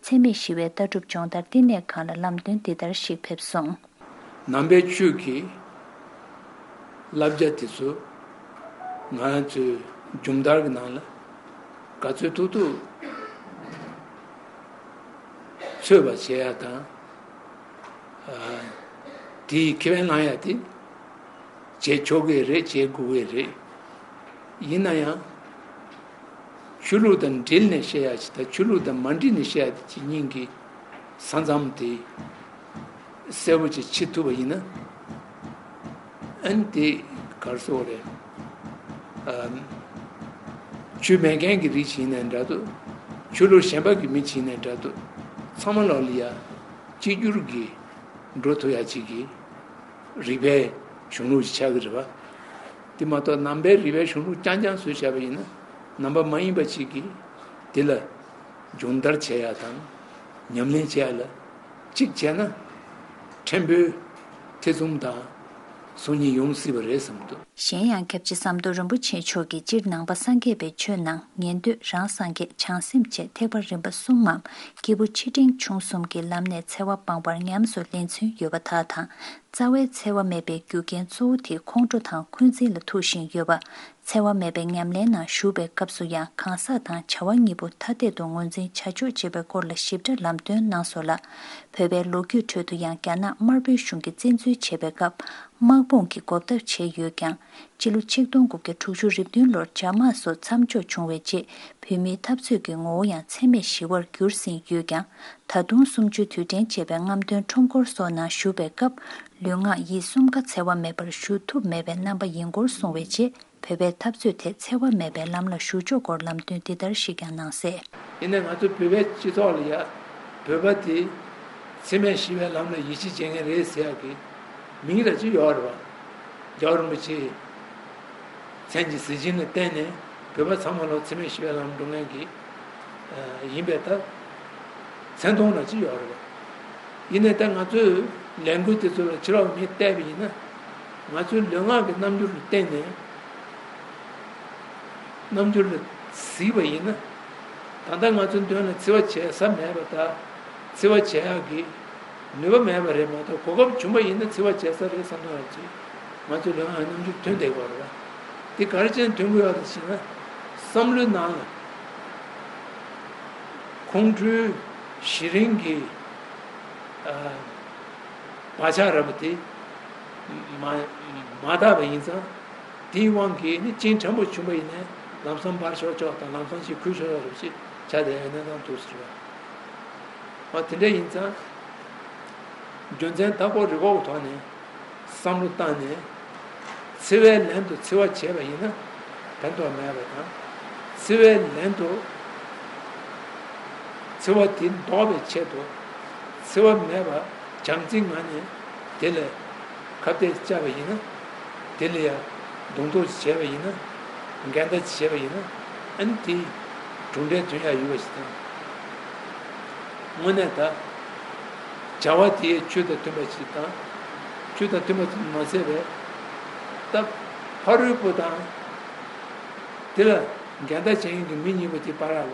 འཚེ་མེད་ཞི་བའི་ལྟ་གྲུབ་སྦྱོང་བརྡར་བསྟི་གནས་ཁང་ལ་ལམ་སྟོན་འདི་ལྟར་ཞིག་ཕེབས་སོང་། ནང་པའི་ཆོས་ཀྱི་བསླབ་བྱ་དེ་ཚོ་ང་རང་ཚོའི་སྦྱོང་བརྡར་གྱི་ནང་ལ་ག་ཚོད་ཐུབ་ཐུབ་ཚུད་པ་བྱེད་ཡ་དང་། ཨ། དེའི་ཁེ་ཕན་བླང་ཡ་དེ་བྱེད་ཆོག་གི་རེད། བྱེད་དགོས་ཀྱི་རེད། ཡིན་ན་ཡང་ཆོས་ལུགས་དང་འབྲེལ་ནས་བཤད་ཡ་ཅིག་དང་ཆོས་ལུགས་དང་མ་འབྲེལ་ནས་བཤད་ཡ་དེ་གཉིས་ཀྱི་ས་མཚམས་དེ་གསལ་པོ་ཅིག་ཕྱེ་ཐུབ་པ་ཡིན་ན། ཨ་ནི་དེ་ག་རེ་ཟེར་དགོས་རེད། ཨ། ཆོས་མེད་མཁན་གྱི་རིགས་ཅིག་ཡིན་ནའི་འདྲ་འདུག་ཆོས་ལུགས་གཞན་པ་གི་མི་ཅིག་ཡིན་ནའི་འདྲ་འདུག་ཚང་མ་ལོག་ལ་ཡ་གཅིག་གྱུར་གྱི་འགྲོ་ཐུབ་ཡ་ཅིག་གི་རིག་པའི་གཞུང་ལུགས་ཤིག་ཆགས་ཀྱི་རེད་པ། དེ་མ་གཏོགས་ནང་པའི་རིག་པའི་གཞུང་ལུགས་རྐྱང་རྐྱང་བཟོས་བཞག་པ་ཡིན་ན། ནང་པ་མ་ཡིན་པ་ཅིག་གིས་དེ་ལ་སྦྱོང་བརྡར་བྱེད་ཡ་དང་ཉམས་ལེན་བྱེད་ཡ་ལ་གཅིག་བྱས་ན་ཕྲན་བུ་ཐེ་ཚོམ་དང་སོམ་ཉི་ཡོང་སྲིད་པ་རེད་བསམ་འདུག་གཞན་ཡང་སྐྱབས་རྗེ་ཟམ་གདོང་རིན་པོ་ཆེ་མཆོག་གིས་སྤྱིར་ནང་པ་སངས་རྒྱས་པའི་ཆོས་ནང་ཉན་ཐོས་རང་སངས་རྒྱས་བྱང་སེམས་བཅས་ཐེག་པ་རིམ་པ་གསུམ་མམ་སྐྱེས་བུ་ཆེ་འབྲིང་ཆུང་གསུམ་གྱི་ལམ་ནས་འཚེ་བ་སྤངས་པར་ཉམས་སུ་ལེན་ཚུལ་ཡོད་པ་དག་དང་། རྩ་བའི་འཚེ་བ་མེད་པའི་རྒྱུ་རྐྱེན་གཙོ་བོ་དེ་ཁོང་ཁྲོ་དང་འཁོན་འཛིན་ལ་ཐུག་བཞིན་ཡོད་པ། འཚེ་བ་མེད་པའི་ཉམས་ལེན་ནང་ཞུགས་པའི་སྐབས་སུ་ཡང་གང་ཟག་དང་བྱ་བ་གཉིས་པོ་ཐ་དད་དུ་ངོས་འཛིན་བྱ་ཆོག་ཅེས་པའི་སྐོར་ལ་ཞིབ་ཕྲ་ལམ་སྟོན་གནང་སོང་ལ། བོད་པའི་ལོ་རྒྱུས་ཁྲོད་དུ་ཡང་རྒྱ་ནག་དམར་པོའི་གཞུང་གིས་བཙན་འཛུལ་བྱེད་པའི་སྐབས་དམག་དཔུང་གིས་འགོག་ཐབས་བྱས་ཡོད་ཀྱང་། སྤྱི་ལོ་ཆིག་སྟོང་དགུ་བརྒྱ་དྲུག་ཅུ་རེ་བདུན་ལོར་རྒྱ་དམག་སོགས་མཚམས་འཇོག་བྱུང་བའི་རྗེས་བོད་མིའི་འཐབ་རྩོད་ཀྱི་ངོ་བོ་ཡང་འཚེ་མེད་ཞི་བར་གྱུར་ཟིན་ཡོད་ཀྱང་། ད་དུང་གསུམ་བཅུའི་དུས་དྲན་བཅས་པའི་རྔམ་སྟོན་ཁྲོམ་སྐོར་སོགས་ནང་ཞུགས་པའི་སྐབས་ལུས་ངག་ཡིད་གསུམ་ཀ་འཚེ་བ་མེད་པར་ཞུ་ཐུབ་མེད་པའི་རྣམ་པ་ཡིན་སྐོར་གསུངས་པའི་རྗེས་བོད་པའི་འཐབ་རྩོད་དེ་འཚེ་བ་མེད་པའི་ལམ་ལ་ཞུགས་ཆོག་སྐོར་ལམ་སྟོན་འདི་ལྟར་ཞིག་ཀྱང་གནང་གསལ། ཡིན་ནའི་ང་ཚོ་བོད་པའི་སྤྱི་ཚོགས་ལ་ཡ་བོད་པ་དེ་འཚེ་མེད་ཞི་བའི་ལམ་ལ་ཡིད་ཆེས་བྱེད་མཁན་རེད་ཟེར་ཡག་གི་མིང་ར་ཅིག་ཡོད་རེད་བ། རྒྱལ་བ་རིན་པོ་ཆེའི་མཚན་གྱི་གཟི་བྱིན་ལ་བརྟེན་ནས་བོད་པ་ཚང་མ་ལོ་འཚེ་མེད་ཞི་བའི་ལམ་འགྲོ་མཁན་གྱི་ཡིན་པའི་ཐད་མཚན་མཐོང་ར་ཅིག་ཡོད་རེད་བ། ཡིན་ནའི་ད་ང་ཚོས་ལས་འགུལ་དེ་ཚོ་ལ་ཕྱི་ལོགས་མི་བལྟས་པ་ཡིན་ན། ང་ཚོའི་ལུས་ངག་གི་རྣམ་འགྱུར་ལ་བརྟེན་ནས། རྣམ་འགྱུར་ལ་གཟིགས་པ་ཡིན་ན། ད་ལྟ་ང་ཚོའི་མདུན་ལ་འཚེ་བ་བྱེད་ས་མེད་པ་དང་། འཚེ་བ་བྱེད་ཡག་གི་ནུས་པ་མེད་པ་རེད་མ་གཏོགས། གོ་སྐབས་བྱུང་པ་ཡིན་ན་འཚེ་བ་བྱེད་ས་རེད་བསམ་བསམ་ཡག་ཅིག་ང་ཚོའི་ལུས་ངག་གི་རྣམ་འགྱུར་ཐོན་བསྡད་ཀྱི་ཡོད་རེད་བ། དེ་ག་རེ་བྱས་ནས་ཐོན་གྱི་ཡོད་རེད་ཟེར་ན། བསམ་བློའི་ནང་ལ་ཁོང་ཁྲོའི་གཞི་རིམ་གྱི་ཨ་བག་ཆགས་ར་བ་དེ་མ་མ་དག་པ་ཡིན་ཙང་། དེའི་དབང་གིས་ནི་གཅིན་ཕྲན་བུ་བྱུང་བ་ཡིན་ནའི་ལམ་སང་འབར་ཤོར་ཆོག་དང་། ལམ་སང་ཅིག་ཁུལ་ཤོར་ཡོད་རེད་ཅེས་བྱ་དེ་ཡང་གནས་སྟངས་འདུག་ཟེར་བ། འོ་དེ་འདྲ་ཡིན་ཙང་། རྒྱུ་མཚན་ད་ཁོ་རི་ཁོག་ཐོག་ནས་བསམ་བློ་བཏང་ནས། འཚེ་བའི་ལན་དུ་འཚེ་བ་བྱས་པ་ཡིན་ན་ཕན་ཐོགས་མེད་པ་དང་། འཚེ་བའི་ལན་དུ་འཚེ་བ་དེ་ཟློག་པའི་ཆེད་དུ་འཚེ་བ་མེད་པ་བྱམས་བརྩེའི་ངང་ནས་དེ་ལ་ཁ་གཏད་བཅག་པ་ཡིན་ན། དེ་ལ་ཡང་གདོང་ཐུག་བྱས་པ་ཡིན་ན། འགལ་ཟླ་བྱས་པ་ཡིན་ན། ཨ་ནི་དེའི་གྲུབ་འབྲས་ཐོན་ཡག་ཡོད་པ་ཞིག་དང་། དངོས་གནས་ད་བྱ་བ་དེའི་ཆོས་དང་མཐུན་པ་ཞིག་དང་། ཆོས་དང་མཐུན་པ་མ་ཟད་པའི་ད་ཕ་རོལ་པོ་དང་དེ་ལ་འགལ་ཟླ་བྱེད་མཁན་གྱི་མི་གཉིས་པོ་དེ་བར་ལ་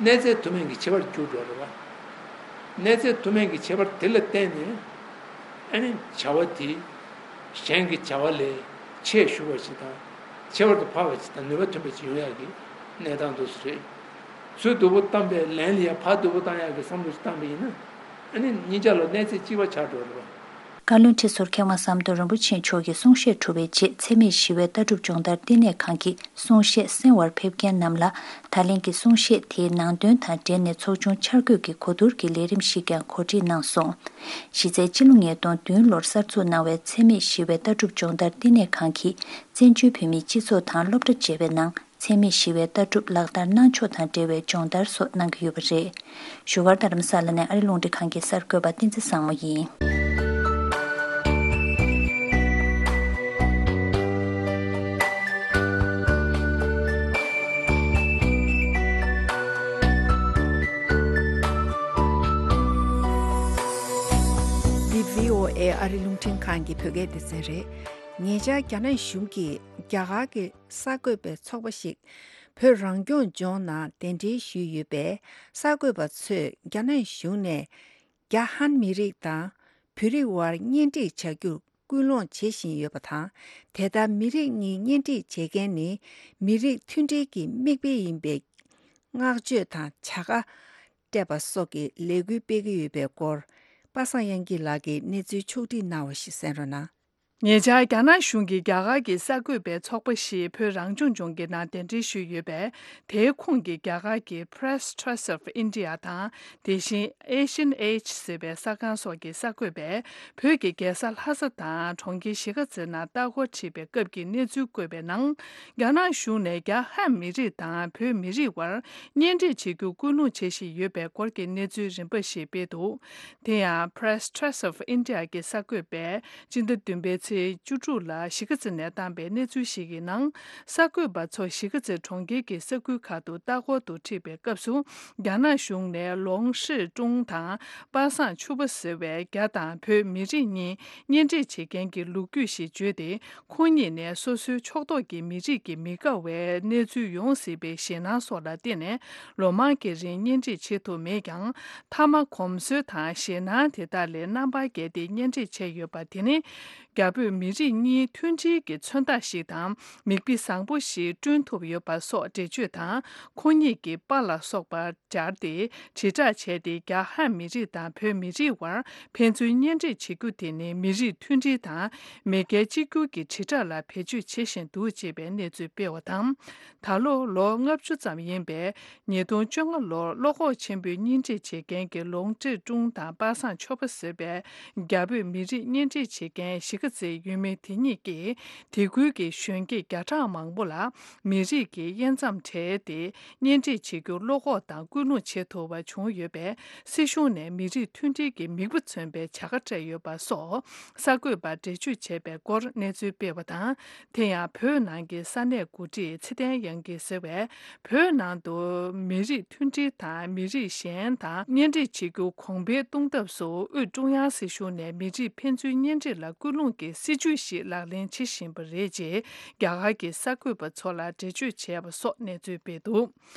གནས་ཚད་དུ་མིན་གྱི་ཁྱད་པར་གྱུར་འགྲོ་རེད་བ། གནས་ཚད་དུ་མིན་གྱི་ཁྱད་པར་དེ་ལ་བརྟེན་ནས། ཨ་ནི་བྱ་བ་དེ་གཞན་གྱི་བྱ་བ་ལས་ཆེས་ཞུ་བ་ཞིག་དང་། ཁྱད་པར་དུ་འཕགས་པ་ཞིག་དང་ནུས་པ་ཐོན་པ་ཞིག་ཡོང་ཡག་གི་གནས་སྟངས་འདུག་སེ་རེད། ཚུར་སྡུག་པོ་བཏང་པའི་ལན་ལ་ཡང་ཕར་སྡུག་པོ་བཏང་ཡག་གི་བསམ་བློ་ཞིག་བཏང་པ་ཡིན་ན། ཨ་ནི་གཉིས་ཆ་ལ་གནས་ཚད་གཅིག་པ་ཆགས་འགྲོ་རེད་བ། བཀའ་བློན་ཁྲི་ཟུར་མཁས་དབང་ཟམ་གདོང་རིན་པོ་ཆེ་མཆོག་གི་གསུང་བཤད་གྲུབ་པའི་རྗེས་འཚེ་མེད་ཞི་བའི་ལྟ་གྲུབ་སྦྱོང་བརྡར་བསྟི་གནས་ཁང་གི་གསུང་བཤད་གསན་པར་ཕེབས་མཁན་རྣམས་ལ་ད་ལན་གྱི་གསུང་བཤད་དེའི་ནང་དོན་དང་འབྲེལ་ནས་ཚོགས་ཆུང་འཆར་འགོད་ཀྱི་གོ་བསྡུར་གྱི་ལས་རིམ་ཞིག་ཀྱང་གོ་སྒྲིག་གནང་སོང་། གཞི་རྩའི་སྤྱི་ལོ་ཉིས་སྟོང་བདུན་ལོར་གསར་འཛུགས་གནང་བའི་འཚེ་མེད་ཞི་བའི་ལྟ་གྲུབ་སྦྱོང་བརྡར་བསྟི་གནས་ཁང་གིས་བཙན་བྱོལ་བོད་མིའི་སྤྱི་ཚོགས་དང་སློབ་གྲྭ་བཅས་པའི་ནང་འཚེ་མེད་ཞི་བའི་ལྟ་གྲུབ་ལག་བསྟར་གནང་ཕྱོགས་དང་འབྲེལ་བའི་སྦྱོང་བརྡར་སོགས་གནང་གི་ཡོད་པ་རེད། བཞུགས་སྒར་རྡ་རམ་ས་ལ་ནས་ཨ་རི་རླུང་འཕྲིན་ཁང་གི་གསར་འགོད་པ་བསྟན་འཛིན་བཟང་མོ་ཡིན། འདི་བྷི་ཨོ་ཨེ་ཨ་རི་རླུང་འཕྲིན་ཁང་གི་བོད་སྐད་སྡེ་ཚན་རེད། ཉེ་ཆར་རྒྱ་ནག་གཞུང་གིས་རྒྱ་གར་གྱི་གསར་འགོད་པའི་ཚོགས་པ་ཞིག་བོད་རང་སྐྱོང་ལྗོངས་ནང་གདན་འདྲེན་ཞུས་ཡོད་པས། གསར་འགོད་པ་ཚོས་རྒྱ་ནག་གཞུང་ནས་རྒྱ་ཧན་མི་རིགས་དང་ བོད་རིགས་དབར་གཉེན་སྒྲིག་བྱ་རྒྱུར་སྐུལ་སློང་བྱེད་བཞིན་ཡོད་པ་དང་། དེ་ལྟར་མི་རིགས་གཉིས་གཉེན་སྒྲིག་བྱེད་མཁན་ནི་མི་རིགས་མཐུན་སྒྲིལ་གྱི་མིག་དཔེ་ཡིན་པའི་བསྔགས་བརྗོད་དང་བྱ་དགའ་སྤྲད་པ་སོགས་ཀྱི་ལས་འགུལ་སྤེལ་གྱི་ཡོད་པའི་སྐོར། པ་སངས་དབྱངས་སྐྱིད་ལགས་ཀྱིས་གནས་ཚུལ་ཕྱོགས་བསྒྲིགས་གནང་བ་ཞིག་གསན་རོགས་གནང་། ཉེ་ཆར་རྒྱ་ནག་གཞུང་གིས་རྒྱ་གར་གྱི་གསར་འགོད་པའི་ཚོགས་པ་ཞིག་བོད་རང་སྐྱོང་ལྗོངས་ཀྱི་ནང་གདན་འདྲེན་ཞུས་ཡོད་པས། དེའི་ཁོངས་ཀྱི་རྒྱ་གར་གྱི་Press Trust of India དང་། དེ་བཞིན་Asian Age ཟེར་བའི་གསར་ཁང་སོགས་ཀྱི་གསར་འགོད་པས། བོད་ཀྱི་རྒྱལ་ས་ལྷ་ས་དང་གྲོང་ཁྱེར་གཞིས་ཀ་རྩེའི་ནང་ལྟ་སྐོར་ཁྲིད་པའི་སྐབས་ཀྱི་གནས་ཚུལ་བཀོད་པའི་ནང་། རྒྱ་ནག་གཞུང་ནས་རྒྱ་ཧན་མི་རིགས་དང་བོད་མི་རིགས་དབར་གཉེན་སྒྲིག་བྱེད་རྒྱུ་སྐུལ་སློང་བྱེད་བཞིན་ཡོད་པའི་སྐོར་གྱི་གནས་ཚུལ་རིམ་པ་ཞིག་སྤེལ་འདུག་དེ་ཡང་Press Trust of India གྱི་གསར་འགོད་པས་སྤྱི་ཟླ་བདུན་པའི་ཚེས་བཅུ་དྲུག་ལ་གཞིས་ཀ་རྩེ་ནས་བཏང་པའི་གནས་ཚུལ་ཞིག་གི་ནང་། གསར་འགོད་པ་ཚོ་གཞིས་ཀ་རྩེ་གྲོང་ཁྱེར་གྱི་ས་ཁུལ་ཁག་ཏུ་ལྟ་སྐོར་དུ་ཁྲིད་པའི་སྐབས་སུ། རྒྱ་ནག་གཞུང་ནས་ལོང་ཧྲི་ཀྲུང་དང་པ་སངས་ཆུ་པ་ཟེར་བའི་རྒྱ་དང་བོད་མི་རིགས་གཉིས་གཉེན་སྒྲིག་བྱེད་མཁན་གྱི་ལོ་རྒྱུས་ཤིག་བརྗོད་དེ། ཁོང་གཉིས་ནས་སོ་སོའི་ཕྱོགས་གཏོགས་ཀྱི་མི་རིགས་ཀྱི་མི་དགའ་བའི་གནས་ཚུལ་ཡོང་སྲིད་པའི་ཞེད་སྣང་སོགས་ལ་བརྟེན་ནས། ལོ་མང་གི་རིང་གཉེན་སྒྲིག་བྱེད་ཐུབ་མེད་ཀྱང་། མཐའ་མ་གོམས་སྲོལ་དང་ཞེད་སྣང་དེ་དག་ལས་རྣམ་པར་རྒྱལ་ཏེ་གཉེན་སྒྲིག་བྱས་ཡོད་པ་དེ་ནི། རྒྱ་བོད་མི་རིགས་གཉིས་མཐུན་སྒྲིལ་གྱི་མཚོན་རྟགས་ཤིག་དང་། མིག་དཔེ་བཟང་པོ་ཞིག་བསྐྲུན་ཐུབ་ཡོད་པ་སོགས་འགྲེལ་བརྗོད་དང་། ཁོང་གཉིས་ཀྱི་པར་ལ་སོགས་པ་སྦྱར་ཏེ་དྲིལ་བསྒྲགས་བྱས་ཏེ། རྒྱ་ཧན་མི་རིགས་དང་བོད་མི་རིགས་དབར་ཕན་ཚུན་གཉེན་སྒྲིག་བྱེད་རྒྱུ་དེ་ནི་མི་རིགས་མཐུན་སྒྲིལ་དང་མེས་རྒྱལ་གཅིག་གྱུར་གྱི་དྲིལ་བསྒྲགས་ལ་བེད་སྤྱོད་བྱེད་བཞིན་འདུག་ཅེས་པའི་གནས་ཚུལ་སྤེལ་བ་དང་། ད་ལོ་ལོ་ལྔ་བཅུ་ཙམ་ཡིན་པའི་ཉིས་སྟོང་བཅོ་ལྔ་ལོར་བློ་ཁོག་ཆེན་པོས་གཉེན་སྒྲིག་བྱེད་མཁན་གྱི་ལོང་ཀྲི་ཀྲུང་དང་པ་སངས་ཆོས་པ་ཟེར་བའི་རྒྱ་བོད་མི་རིགས་གཉེན་སྒྲིག་བྱེད་མཁན་གཞིས་ཀ་རྩེའི་ཡུལ་མི་དེ་གཉིས་ཀྱིས། དེ་ཁུལ་གྱི་གཞོན་སྐྱེས་བརྒྱ་ཕྲག་མང་པོ་ལ་མི་རིགས་ཀྱི་དབྱེ་མཚམས་བྲལ་ཏེ་གཉེན་སྒྲིག་བྱེད་རྒྱུར་བློ་ཁོག་དང་སྐུལ་སློང་བྱེད་ཐུབ་པ་བྱུང་ཡོད་པས། སྲིད་གཞུང་ནས་མི་རིགས་མཐུན་སྒྲིལ་གྱི་མིག་དཔེ་མཚོན་པའི་བྱ་དགའ་སྤྲད་ཡོད་པ་སོགས་གསར་འགོད་པར་འགྲེལ་བརྗོད་བྱས་པའི་སྐོར་གནས་ཚུལ་སྤེལ་བ་དང་། དེ་ཡང་བོད་ནང་གི་ས་གནས་འགོ་ཁྲིད་ཚེ་བརྟན་དབྱངས་སྐྱིད་ཟེར་བས། བོད་ནང་དུ་མི་རིགས་མཐུན་སྒྲིལ་དང་མི་རིགས་གཞན་དང་གཉེན་སྒྲིག་བྱེད་རྒྱུ་གོང་འཕེལ་གཏོང་ཐབས་སུ། དབུས་ཀྲུང་དབྱང་སྲིད་གཞུང་ནས་མི་རིགས་ཕན་ཚུན་གཉེན་སྒྲིག་ལ་སྐུལ་སློང་གི་སྲིད་ཇུས་ཤིག་ལག་ལེན་བྱེད་བཞིན་པ་རེད། ཅེས་རྒྱ་གར་གྱི་གསར་འགོད་པ་ཚོ་ལ་འགྲེལ་བརྗོད་བྱས་པ་སོགས་གནས་ཚུལ་སྤེལ་འདུག་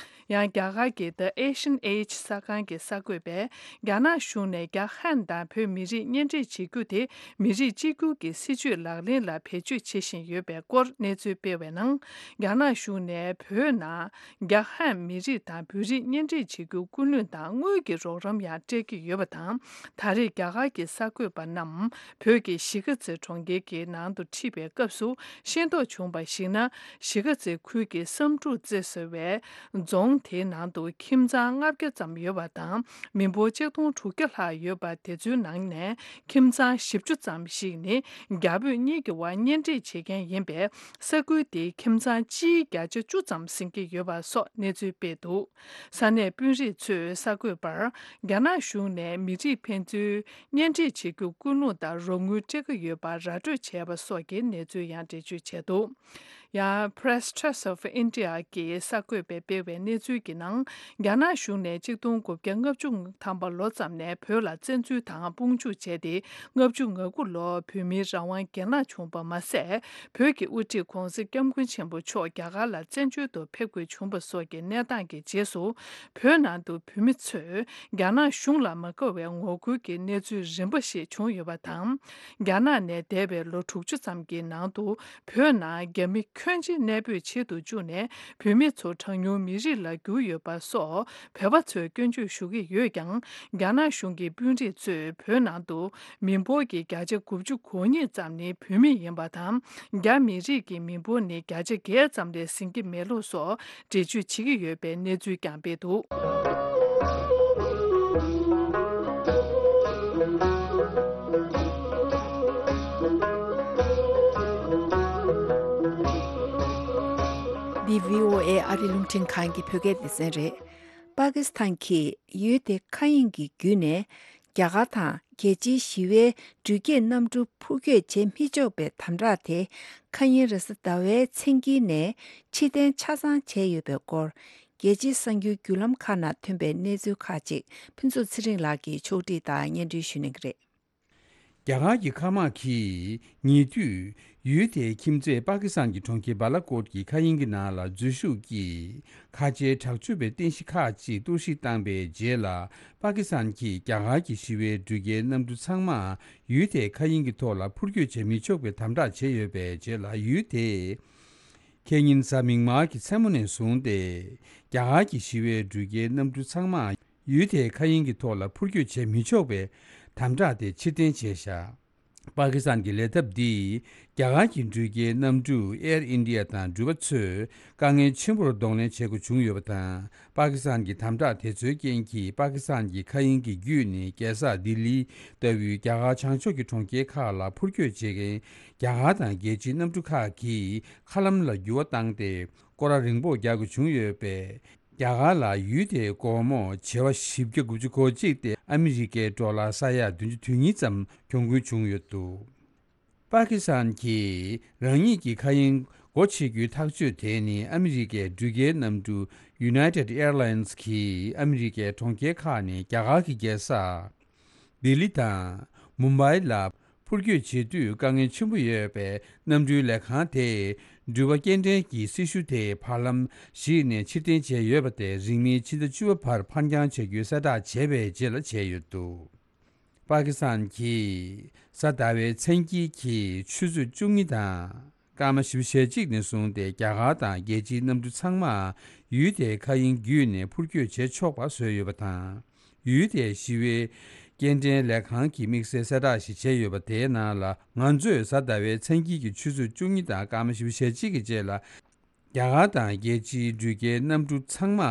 ཡང་རྒྱ་གར་གྱི་The Asian Age གསར་ཁང་གི་གསར་འགོད་པས། རྒྱ་ནག་གཞུང་ནས་རྒྱ་ཧན་དང་བོད་མི་རིགས་གཉེན་སྒྲིག་བྱེད་རྒྱུ་དེ་མི་རིགས་གཅིག་གྱུར་གྱི་སྲིད་ཇུས་ལག་ལེན་ལ་བེད་སྤྱོད་བྱེད་བཞིན་ཡོད་པའི་སྐོར་གནས་ཚུལ་སྤེལ་བའི་ནང་། རྒྱ་ནག་གཞུང་ནས་བོད་ནང་རྒྱ་ཧན་མི་རིགས་དང་བོད་རིགས་གཉེན་སྒྲིག་བྱེད་རྒྱུ་སྐུལ་སློང་དང་དངུལ་གྱི་རོགས་རམ་ཡང་སྤྲད་ཀྱི་ཡོད་པ་དང་། ད་རེས་རྒྱ་གར་གྱི་གསར་འགོད་པ་རྣམས་བོད་ཀྱི་གཞིས་ཀ་རྩེ་གྲོང་ཁྱེར་གྱི་ནང་དུ་ཁྲིད་པའི་སྐབས་སུ་ཤེས་རྟོགས་བྱུང་བར་གཞིགས་ན། གཞིས་ཀ་རྩེ་ཁུལ་གྱི་བསམ་གྲུབ་རྩེ་ཟེར་བའི་རྫོང་དེའི་ནང་དུ་ཁྱིམ་ཚང་ལྔ་བརྒྱ་ཙམ་ཡོད་པ་དང་། མི་འབོར་ཆིག་སྟོང་དྲུག་བརྒྱ་ལྷག་ཡོད་པ་དེ་ཚོའི་ནང་ནས་ཁྱིམ་ཚང་བཞི་བཅུ་ཙམ་ཞིག་ནི་རྒྱ་བོད་གཉིས་ཀྱི་དབར་གཉེན་སྒྲིག་བྱེད་མཁན་ཡིན་པས། ས་ཁུལ་དེའི་ཁྱིམ་ཚང་སྤྱིའི་བརྒྱ་ཆ་བཅུ་ཙམ་ཟིན་གྱི་ཡོད་པ་སོགས་གནས་ཚུལ་སྤེལ་འདུག་ས་གནས་དཔོན་རིགས་ཚོས་གསར་འགོད་པར། རྒྱ་ནག་གཞུང་ནས་མི་རིགས་ཕན་ཚུན་གཉེན་སྒྲིག་བྱེད་རྒྱུར་སྐུལ་སློང་དང་རོགས་དངུལ་སྤྲད་ཀྱི་ཡོད་པ་ར་སྤྲོད་བྱས་པ་སོགས་ཀྱི་གནས་ཚུལ་ཡང་འགྲེལ་བརྗོད་བྱས་འདུག་ཡང་Press Trust of India གྱི་གསར་འགོད་པས་སྤེལ་བའི་གནས་ཚུལ་གྱི་ནང་། རྒྱ་ནག་གཞུང་ནས་གཅིག་སྟོང་དགུ་བརྒྱ་ལྔ་བཅུ་ཐམ་པ་ལོ་ཙམ་ནས་བོད་ལ་བཙན་འཛུལ་དང་དཔུང་འཇུག་བྱས་ཏེ། ལྔ་བཅུ་ང་དགུ་ལོར་བོད་མིའི་རང་དབང་གྱེན་ལངས་བྱུང་བ་མ་ཟད། བོད་ཀྱི་དབུ་ཁྲིད་༧གོང་ས་༧སྐྱབས་མགོན་ཆེན་པོ་མཆོག་རྒྱ་གར་ལ་བཙན་བྱོལ་དུ་ཕེབས་དགོས་བྱུང་བ་སོགས་ཀྱི་གནས་སྟངས་ཀྱི་རྗེས་སུ། བོད་ནང་དུ་བོད་མི་ཚོས་རྒྱ་ནག་གཞུང་ལ་མ་དགའ་བའི་ངོ་རྒོལ་གྱི་གནས་ཚུལ་རིམ་པ་ཞིག་བྱུང་ཡོད་པ་དང་། རྒྱ་ནག་ནས་འདས་པའི་ལོ་དྲུག་ཅུ་ཙམ་གྱི་ནང་དུ། བོད་ནང་རྒྱ་མི་ཁྱོན་ཆེ་གནས་སྤོས་བྱེད་དུ་བཅུག་ནས། བོད་མི་ཚོ་གྲངས་ཉུང་མི་རིགས་ལ་གྱུར་ཡོད་པ་སོགས་བོད་པ་ཚོས་སྐྱོན་བརྗོད་ཞུ་གི་ཡོད་ཀྱང་། རྒྱ་ནག་གཞུང་གི་དཔོན་རིགས་ཚོས་བོད་ནང་དུ་མི་འབོར་གྱི་བརྒྱ་ཆ་དགུ་བཅུ་གོ་གཉིས་ཙམ་ནི་བོད་མི་ཡིན་པ་དང་། རྒྱ་མི་རིགས་ཀྱི་མི་འབོར་ནི་བརྒྱ་ཆ་བརྒྱད་ཙམ་ལས་ཟིན་གྱི་མེད་ལུགས་སོགས་འགྲེལ་བརྗོད་བྱེད་ཀྱི་ཡོད་པའི་གནས་ཚུལ་ཀྱང་སྤེལ་འདུག་འདི་བྷི་ཨོ་ཨེ་ཨ་རི་རླུང་འཕྲིན་ཁང་གི་བོད་སྐད་སྡེ་ཚན་རེད། པ་ཀི་སི་ཐན་གྱིས་ཡུལ་དེ་མཁའ་དབྱིངས་ཀྱི་བརྒྱུད་ནས་རྒྱ་གར་དང་རྒྱལ་སྤྱིའི་ཞི་བའི་འགྲུལ་སྐྱེལ་གནམ་གྲུ་འཕུར་སྐྱོད་བྱེད་མི་ཆོག་པའི་དམ་དྲག་དེ་ཁ་ཉིན་རེས་གཟའ་ཟླ་བའི་མཚན་དཀྱིལ་ནས་ཕྱིར་འཐེན་ཆ་ཚང་བྱས་ཡོད་པའི་སྐོར། རྒྱལ་སྤྱིའི་གསར་འགྱུར་བརྒྱུད་ལམ་ཁག་ནང་ཐོན་པའི་གནས་ཚུལ་ཁག་ཅིག་ཕུན་ཚོགས་ཚེ་རིང་ལགས་ཀྱིས་ཕྱོགས་སྒྲིག་དང་སྙན་སྒྲོན་ཞུ་གནང་གི་རེད། རྒྱ་གར་གྱི་མཁའ་དམག་གིས་ཉེ་དུས་ཡུལ་དེའི་ཁྱིམ་མཚེས་པ་ཀི་སི་ཐན་གྱི་གྲོང་ཁྱེར་སྦ་ལ་ཀོཊ་ཀྱི་མཁའ་དབྱིངས་ཀྱི་ནང་ལ་འཛུལ་ཞུགས་ཀྱིས་ཁ་ཆེའི་དྲག་སྤྱོད་པའི་རྟེན་གཞི་ཁག་ཅིག་གཏོར་བཤིག་བཏང་པའི་རྗེས་ལ། པ་ཀི་སི་ཐན་གྱིས་རྒྱ་གར་གྱི་ཞི་བའི་འགྲུལ་སྐྱེལ་གནམ་གྲུ་ཚང་མ་ཡུལ་དེའི་མཁའ་དབྱིངས་ཀྱི་ཐོག་ལ་འཕུར་སྐྱོད་བྱེད་མི་ཆོག་པའི་དམ་དྲག་བྱས་ཡོད་པའི་རྗེས་ལ། ཡུལ་དེའི་ཁེ་ཉིན་གཟའ་མིག་དམར་གྱི་མཚན་མོ་ནས་བཟུང་སྟེ། རྒྱ་གར་གྱི་ཞི་བའི་འགྲུལ་སྐྱེལ་གནམ་གྲུ་ཚང་མ་ཡུལ་དེའི་མཁའ་དབྱིངས་ཀྱི་ཐོག་ལ་འཕུར་སྐྱོད་བྱེད་མི་ཆོག་པའི་དམ་དྲག་དེ་ཕྱིར་འཐེན་བྱས་བཞག་པ་ཀི་སི་ཐན་གྱི་ལས་ཐབས་འདིས་རྒྱ་གར་གྱི་འགྲུལ་སྐྱེལ་གནམ་གྲུ་ཨེར་ཨིན་ཌི་ཡ་དང་འགྲུལ་པ་ཚོས་དཀའ་ངལ་ཆེན་པོར་གདོང་ལེན་བྱེད་དགོས་བྱུང་ཡོད་པ་དང་། པ་ཀི་སི་ཐན་གྱི་དམ་དྲག་དེ་ཚོའི་རྐྱེན་གྱིས། པ་ཀི་སི་ཐན་གྱི་མཁའ་དབྱིངས་ཀྱི་བརྒྱུད་ནས་རྒྱལ་ས་ལྡི་ལི་ལྟ་བུའི་རྒྱ་གར་བྱང་ཕྱོགས་ཀྱི་གྲོང་ཁྱེར་ཁག་ལ་འཕུར་སྐྱོད་བྱེད་མཁན་རྒྱ་གར་དང་རྒྱལ་སྤྱིའི་གནམ་གྲུ་ཁག་གིས་མཁའ་ལམ་ལ་འགྱུར་བ་བཏང་སྟེ། སྐོར་ར་རིང་པོ་རྒྱག་དགོས་བྱུང་ཡོད་པས། རྒྱ་གར་ལ་ཡུལ་དེའི་སྒོར་མོ་བྱེ་བ་བཞི་བརྒྱ་དགུ་བཅུ་གོ་གཅིག་སྟེ་ཨ་མི་རི་ཀའི་ཌོ་ལར་ས་ཡ་བདུན་ཅུ་དོན་གཉིས་ཙམ་གྱོང་གུན་བྱུང་ཡོད་འདུག་པ་ཀི་སི་ཐན་གྱིས་རང་ཉིད་ཀྱི་མཁའ་དབྱིངས་སྒོ་ཕྱེ་རྒྱུའི་ཐག་གཅོད་དེ་ནི། ཨ་མི་རི་ཀའི་འགྲུལ་སྐྱེལ་གནམ་གྲུ་United Airlines གིས་ཨ་མི་རི་ཀའི་གྲོང་ཁྱེར་ཁག་ནས་རྒྱ་གར་གྱི་རྒྱལ་ས་ལྡི་ལི་དང་མུམ་བྷའི་ལ་འཕུར་སྐྱོད་བྱེད་དུས་དཀའ་ངལ་ཆེན་པོ་ཡོད་པས། གནམ་གྲུའི་ལས་ཁང་དེས་འགྲུལ་པ་སྐྱེལ་འདྲེན་གྱི་སྲི་ཞུ་དེ་བར་ལམ་ཞིག་ནས་ཕྱིར་འཐེན་བྱས་ཡོད་པ་དེ་རིང་མིན་ཕྱི་ཟླ་བཅུ་པ་བར་ཕར་འགྱངས་བྱ་རྒྱུའི་གསལ་བསྒྲགས་བྱས་པའི་རྗེས་ལ་བྱས་ཡོད་འདུག་པ་ཀི་སི་ཐན་གྱིས་གཟའ་ཟླ་བའི་མཚན་དཀྱིལ་གྱི་ཆུ་ཚོད་བཅུ་གཉིས་དང་སྐར་མ་བཞི་བཅུ་ཞེ་གཅིག་ནས་བཟུང་སྟེ། རྒྱ་གར་དང་རྒྱལ་སྤྱིའི་གནམ་གྲུ་ཚང་མ་ཡུལ་དེའི་མཁའ་དབྱིངས་བརྒྱུད་ནས་འཕུར་སྐྱོད་བྱེད་ཆོག་པ་བཟོས་ཡོད་པ་དང་། ཡུལ་དེའི་ཞི་བའི་སྐྱེལ་འདྲེན་ལས་ཁང་གིས་དམིགས་བསལ་གསལ་བསྒྲགས་ཤིག་བྱས་ཡོད་པ་དེའི་ནང་ལ། ང་ཚོས་གཟའ་ཟླ་བའི་མཚན་དཀྱིལ་གྱི་ཆུ་ཚོད་བཅུ་གཉིས་དང་སྐར་མ་བཞི་བཅུ་ཞེ་གཅིག་གི་རྗེས་ལ། རྒྱ་གར་དང་རྒྱལ་སྤྱིའི་འགྲུལ་སྐྱེལ་གནམ་གྲུ་ཚང་མ་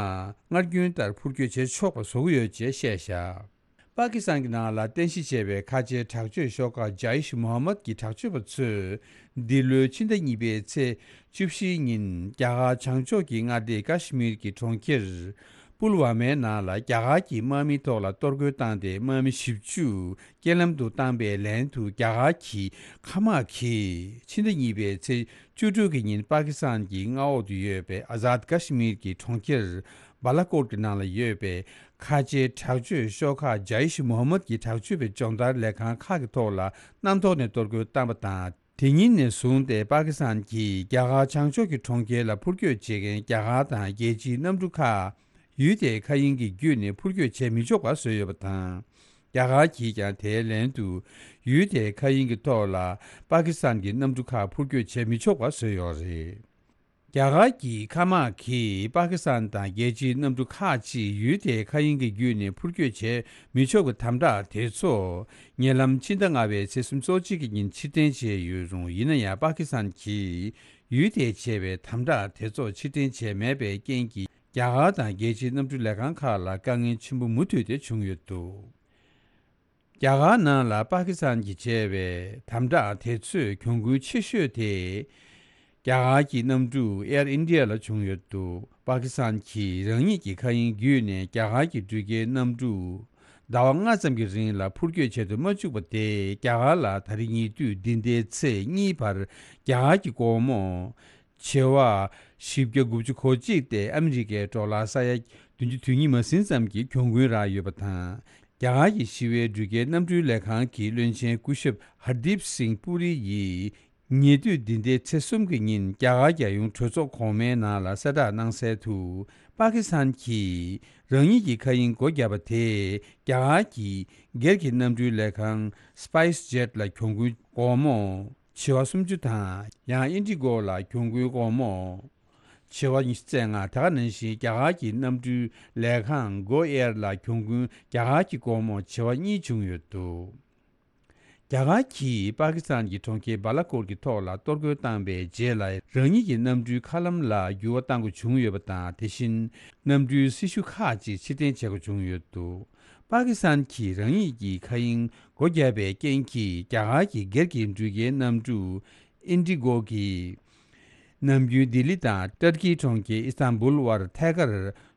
སྔར་རྒྱུན་ལྟར་འཕུར་སྐྱོད་བྱེད་ཆོག་པ་བཟོ་གི་ཡོད་ཅེས་བཤད་བཞག་པ་ཀི་སི་ཐན་གྱི་ནང་ལ་རྟེན་གཞི་བྱས་པའི་ཁ་ཆེའི་དྲག་སྤྱོད་ཤོག་ཁག་ཇཱིཤ་མུ་ཧམ་མད་ཀྱི་དྲག་སྤྱོད་པ་ཚོས་འདི་ལོའི་ཕྱི་ཟླ་གཉིས་པའི་ཚེས་བཅུ་བཞིའི་ཉིན། རྒྱ་གར་བྱང་ཕྱོགས་ཀྱི་མངའ་སྡེ་ཀ་ཤི་མིར་གྱི་གྲོང་ཁྱེར་པུལ་ཝ་མའི་ནང་ལ་རྒྱ་གར་གྱི་དམག་མིའི་ཐོག་ལ་གཏོར་རྒོལ་བཏང་སྟེ། དམག་མི་བཞི་བཅུ་རྐྱེན་ལམ་དུ་བཏང་པའི་ལན་དུ། རྒྱ་གར་གྱི་མཁའ་དམག་གིས་ཕྱི་ཟླ་གཉིས་པའི་ཚེས་བཅུ་དྲུག་གི་ཉིན་པ་ཀི་སི་ཐན་གྱི་མངའ་འོག་ཏུ་ཡོད་པའི་ཨ་ཛཱད་ཀ་ཤི་མིར་གྱི་གྲོང་ཁྱེར་སྦ་ལ་ཀོཊ་ཀྱི་ནང་ལ་ཡོད་པའི་ཁ་ཆེའི་དྲག་སྤྱོད་ཤོག་ཁག་ཇཱིཤ་མུ་ཧམ་མད་ཀྱི་དྲག་སྤྱོད་པའི་སྦྱོང་བརྡར་ལས་ཁང་ཁག་གི་ཐོག་ལ་གནམ་ཐོག་ནས་གཏོར་རྒོལ་བཏང་པ་དང་། དེ་ཉིན་ནས་བཟུང་སྟེ་པ་ཀི་སི་ཐན་གྱིས་རྒྱ་གར་བྱང་ཕྱོགས་ཀྱི་གྲོང་ཁྱེར་ལ་འཕུར་སྐྱོད་བྱེད་མཁན་རྒྱ་གར་དང་རྒྱལ་སྤྱིའི་གནམ་གྲུ་ཁག་ཡུལ་དེའི་མཁའ་དབྱིངས་ཀྱི་བརྒྱུད་ནས་འཕུར་སྐྱོད་བྱེད་མི་ཆོག་པ་བཟོས་ཡོད་པ་དང་། རྒྱ་གར་གྱིས་ཀྱང་དེའི་ལན་དུ་ཡུལ་དེའི་མཁའ་དབྱིངས་ཀྱི་ཐོག་ལ་པ་ཀི་སི་ཐན་གྱི་གནམ་གྲུ་ཁག་འཕུར་སྐྱོད་བྱེད་མི་ཆོག་པ་བཟོས་ཡོད་རེད། རྒྱ་གར་གྱི་མཁའ་དམག་གིས་པ་ཀི་སི་ཐན་དང་རྒྱལ་སྤྱིའི་གནམ་གྲུ་ཁག་ཅིག་ཡུལ་དེའི་མཁའ་དབྱིངས་ཀྱི་བརྒྱུད་ནས་འཕུར་སྐྱོད་བྱེད་མི་ཆོག་པའི་དམ་དྲག་དེ་ཚོ་ཉེ་ལམ་ཕྱི་ཟླ་ལྔ་པའི་ཚེས་སུམ་ཅུ་སོ་གཅིག་གི་ཉིན་ཕྱིར་འཐེན་བྱས་ཡོད་རུང་། ཡིན་ན་ཡང་པ་ཀི་སི་ཐན་གྱིས་ཡུལ་དེས་བྱས་པའི་དམ་དྲག་དེ་ཚོ་ཕྱིར་འཐེན་བྱས་མེད་པའི་རྐྱེན་གྱིས། རྒྱ་གར་དང་རྒྱལ་སྤྱིའི་གནམ་གྲུ་ལས་ཁང་ཁག་ལ་དཀའ་ངལ་ཆེན་པོ་མུ་མཐུད་དེ་བྱུང་ཡོད་འདུག་རྒྱ་གར་ནང་ལ་པ་ཀི་སི་ཐན་གྱིས་བྱས་པའི་དམ་དྲག་དེ་ཚོས་གྱོང་གུན་ཆེ་ཤོས་དེ། རྒྱ་གར་གྱི་གནམ་གྲུ་ཨེར་ཨིན་ཌི་ཡ་ལ་བྱུང་ཡོད་འདུག་པ་ཀི་སི་ཐན་གྱིས་རང་ཉིད་ཀྱི་མཁའ་དབྱིངས་བརྒྱུད་ནས་རྒྱ་གར་གྱི་འགྲུལ་སྐྱེལ་གནམ་གྲུ་ཟླ་བ་ལྔ་ཙམ་གྱི་རིང་ལ་འཕུར་སྐྱོད་བྱེད་དུ་མ་བཅུག་པ་དེས། རྒྱ་གར་ལ་ད་རེས་ཉེ་དུས་འདི་ཟླའི་ཚེས་གཉིས་བར་རྒྱ་གར་གྱི་སྒོར་མོ་བྱེ་བ་བཞི་བརྒྱ་དགུ་བཅུ་གོ་གཅིག་སྟེ་ཨ་མི་རི་ཀའི་ཌོ་ལར་ས་ཡ་བདུན་ཅུ་དོན་གཉིས་མ་ཟིན་ཙམ་གྱི་གྱོང་གུན་རག་ཡོད་པ་དང་། རྒྱ་གར་གྱི་ཞི་བའི་འགྲུལ་སྐྱེལ་གནམ་གྲུའི་ལས་ཁང་གི་བློན་ཆེན་སྐུ་ཞབས་ཧར་དིབ་སིང་པུ་རི་ཡིས། ཉེ་དུས་འདི་ཟླའི་ཚེས་གསུམ་གྱི་ཉིན་རྒྱ་གར་རྒྱལ་ཡོངས་གྲོས་ཚོགས་གོང་མའི་ནང་ལ་གསལ་བསྒྲགས་གནང་གསལ་དུ། པ་ཀི་སི་ཐན་གྱིས་རང་ཉིད་ཀྱི་མཁའ་དབྱིངས་སྒོ་བརྒྱབ་པ་དེས། རྒྱ་གར་གྱི་སྒེར་གྱི་གནམ་གྲུའི་ལས་ཁང་སི་པའེ་སི་ཇེཊ་ལ་གྱོང་གུན་སྒོར་མོ་བྱེ་བ་སུམ་ཅུ་དང་། ཡང་ཨིན་ཌི་གོ་ལ་གྱོང་གུན་སྒོར་མོ་བྱེ་བ་ཉི་ཤུ་རྩ་ལྔ། དེ་ག་ནང་བཞིན་རྒྱ་གར་གྱི་གནམ་གྲུའི་ལས་ཁང་གོ་ཨེར་ལ་གྱོང་གུན་རྒྱ་གར་གྱི་སྒོར་མོ་བྱེ་བ་གཉིས་བྱུང་ཡོད་འདུག་རྒྱ་གར་གྱིས་པ་ཀི་སི་ཐན་གྱི་གྲོང་ཁྱེར་སྦ་ལ་ཀོཊ་ཀྱི་ཐོག་ལ་གཏོར་རྒོལ་བཏང་པའི་རྗེས་ལ། རང་ཉིད་ཀྱི་གནམ་གྲུའི་མཁའ་ལམ་ལ་འགྱུར་བ་གཏང་དགོས་བྱུང་ཡོད་པ་དང་། དེ་བཞིན་གནམ་གྲུའི་སྲི་ཞུ་ཁག་ཅིག་ཕྱིར་འཐེན་བྱེད་དགོས་བྱུང་ཡོད་འདུག་པ་ཀི་སི་ཐན་གྱིས་རང་ཉིད་ཀྱི་མཁའ་དབྱིངས་སྒོ་བརྒྱབ་པའི་རྐྱེན་གྱིས། རྒྱ་གར་གྱི་སྒེར་གྱི་འགྲུལ་སྐྱེལ་གནམ་གྲུ་ཨིན་ཌི་གོ་གིས་ནམ་རྒྱུན་ལྡི་ལི་དང་ཏར་ཀིའི་གྲོང་ཁྱེར་ཨི་སྟན་བུལ་བར་ཐད་ཀར་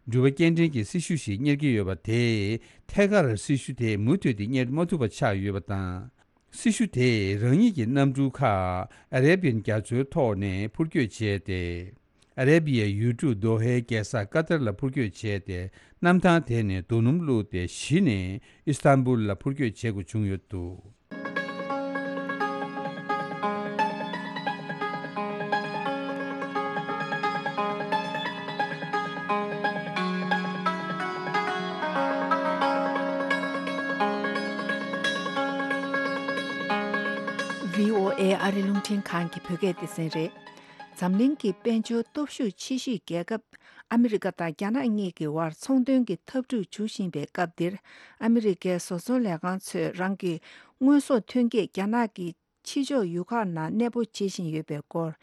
འགྲུལ་པ་སྐྱེལ་འདྲེན་གྱི་སྲི་ཞུ་ཞིག་གཉེར་གྱི་ཡོད་པ་དེས། ཐད་ཀར་སྲི་ཞུ་དེ་མུ་མཐུད་དེ་གཉེར་མ་ཐུབ་པ་ཆགས་ཡོད་པ་དང་། སྲི་ཞུ་དེས་རང་ཉིད་ཀྱི་གནམ་གྲུ་ཁག་ཨ་རེ་བི་ཡན་རྒྱ་མཚོའི་ ཐོག་ནས་འཕུར་སྐྱོད་བྱས་ཏེ། ཨ་རེ་བི་ཡའི་ཡུལ་གྲུ་དོ་ཧའི་རྒྱལ་ས་ཀ་ཏར་ལ་འཕུར་སྐྱོད་བྱས་ཏེ། གནམ་ཐང་དེ་ནས་རྡོ་སྣུམ་བླུགས་ཏེ་གཞི་ནས་ཨི་སྟན་བུལ་ལ་འཕུར་སྐྱོད་བྱེད་དགོས་བྱུང་ཡོད་འདུག་ཨེ་ཨ་རི་རླུང་འཕྲིན་ཁང་གི་བོད་སྐད་སྡེ་ཚན་རེད། འཛམ་གླིང་གི་དཔལ་འབྱོར་སྟོབས་ཤུགས་ཆེ་ཤོས་རྒྱལ་ཁབ་ཨ་མི་རི་ཀ་དང་རྒྱ་ནག་གཉིས་ཀྱི་དབར་ཚོང་དོན་གྱི་འཐབ་འཁྲུག་འབྱུང་བཞིན་པའི་སྐབས་འདིར། ཨ་མི་རི་ཀའི་བཟོ་ཚོང་ལས་ཁང་ཚོས་རང་གི་དངོས་ཟོག་ཐོན་སྐྱེད་རྒྱ་ནག་གི་ཕྱི་ཕྱོགས་ཡུལ་ཁག་ནང་གནས་སྤོ་བྱེད་བཞིན་ཡོད་པའི་སྐོར།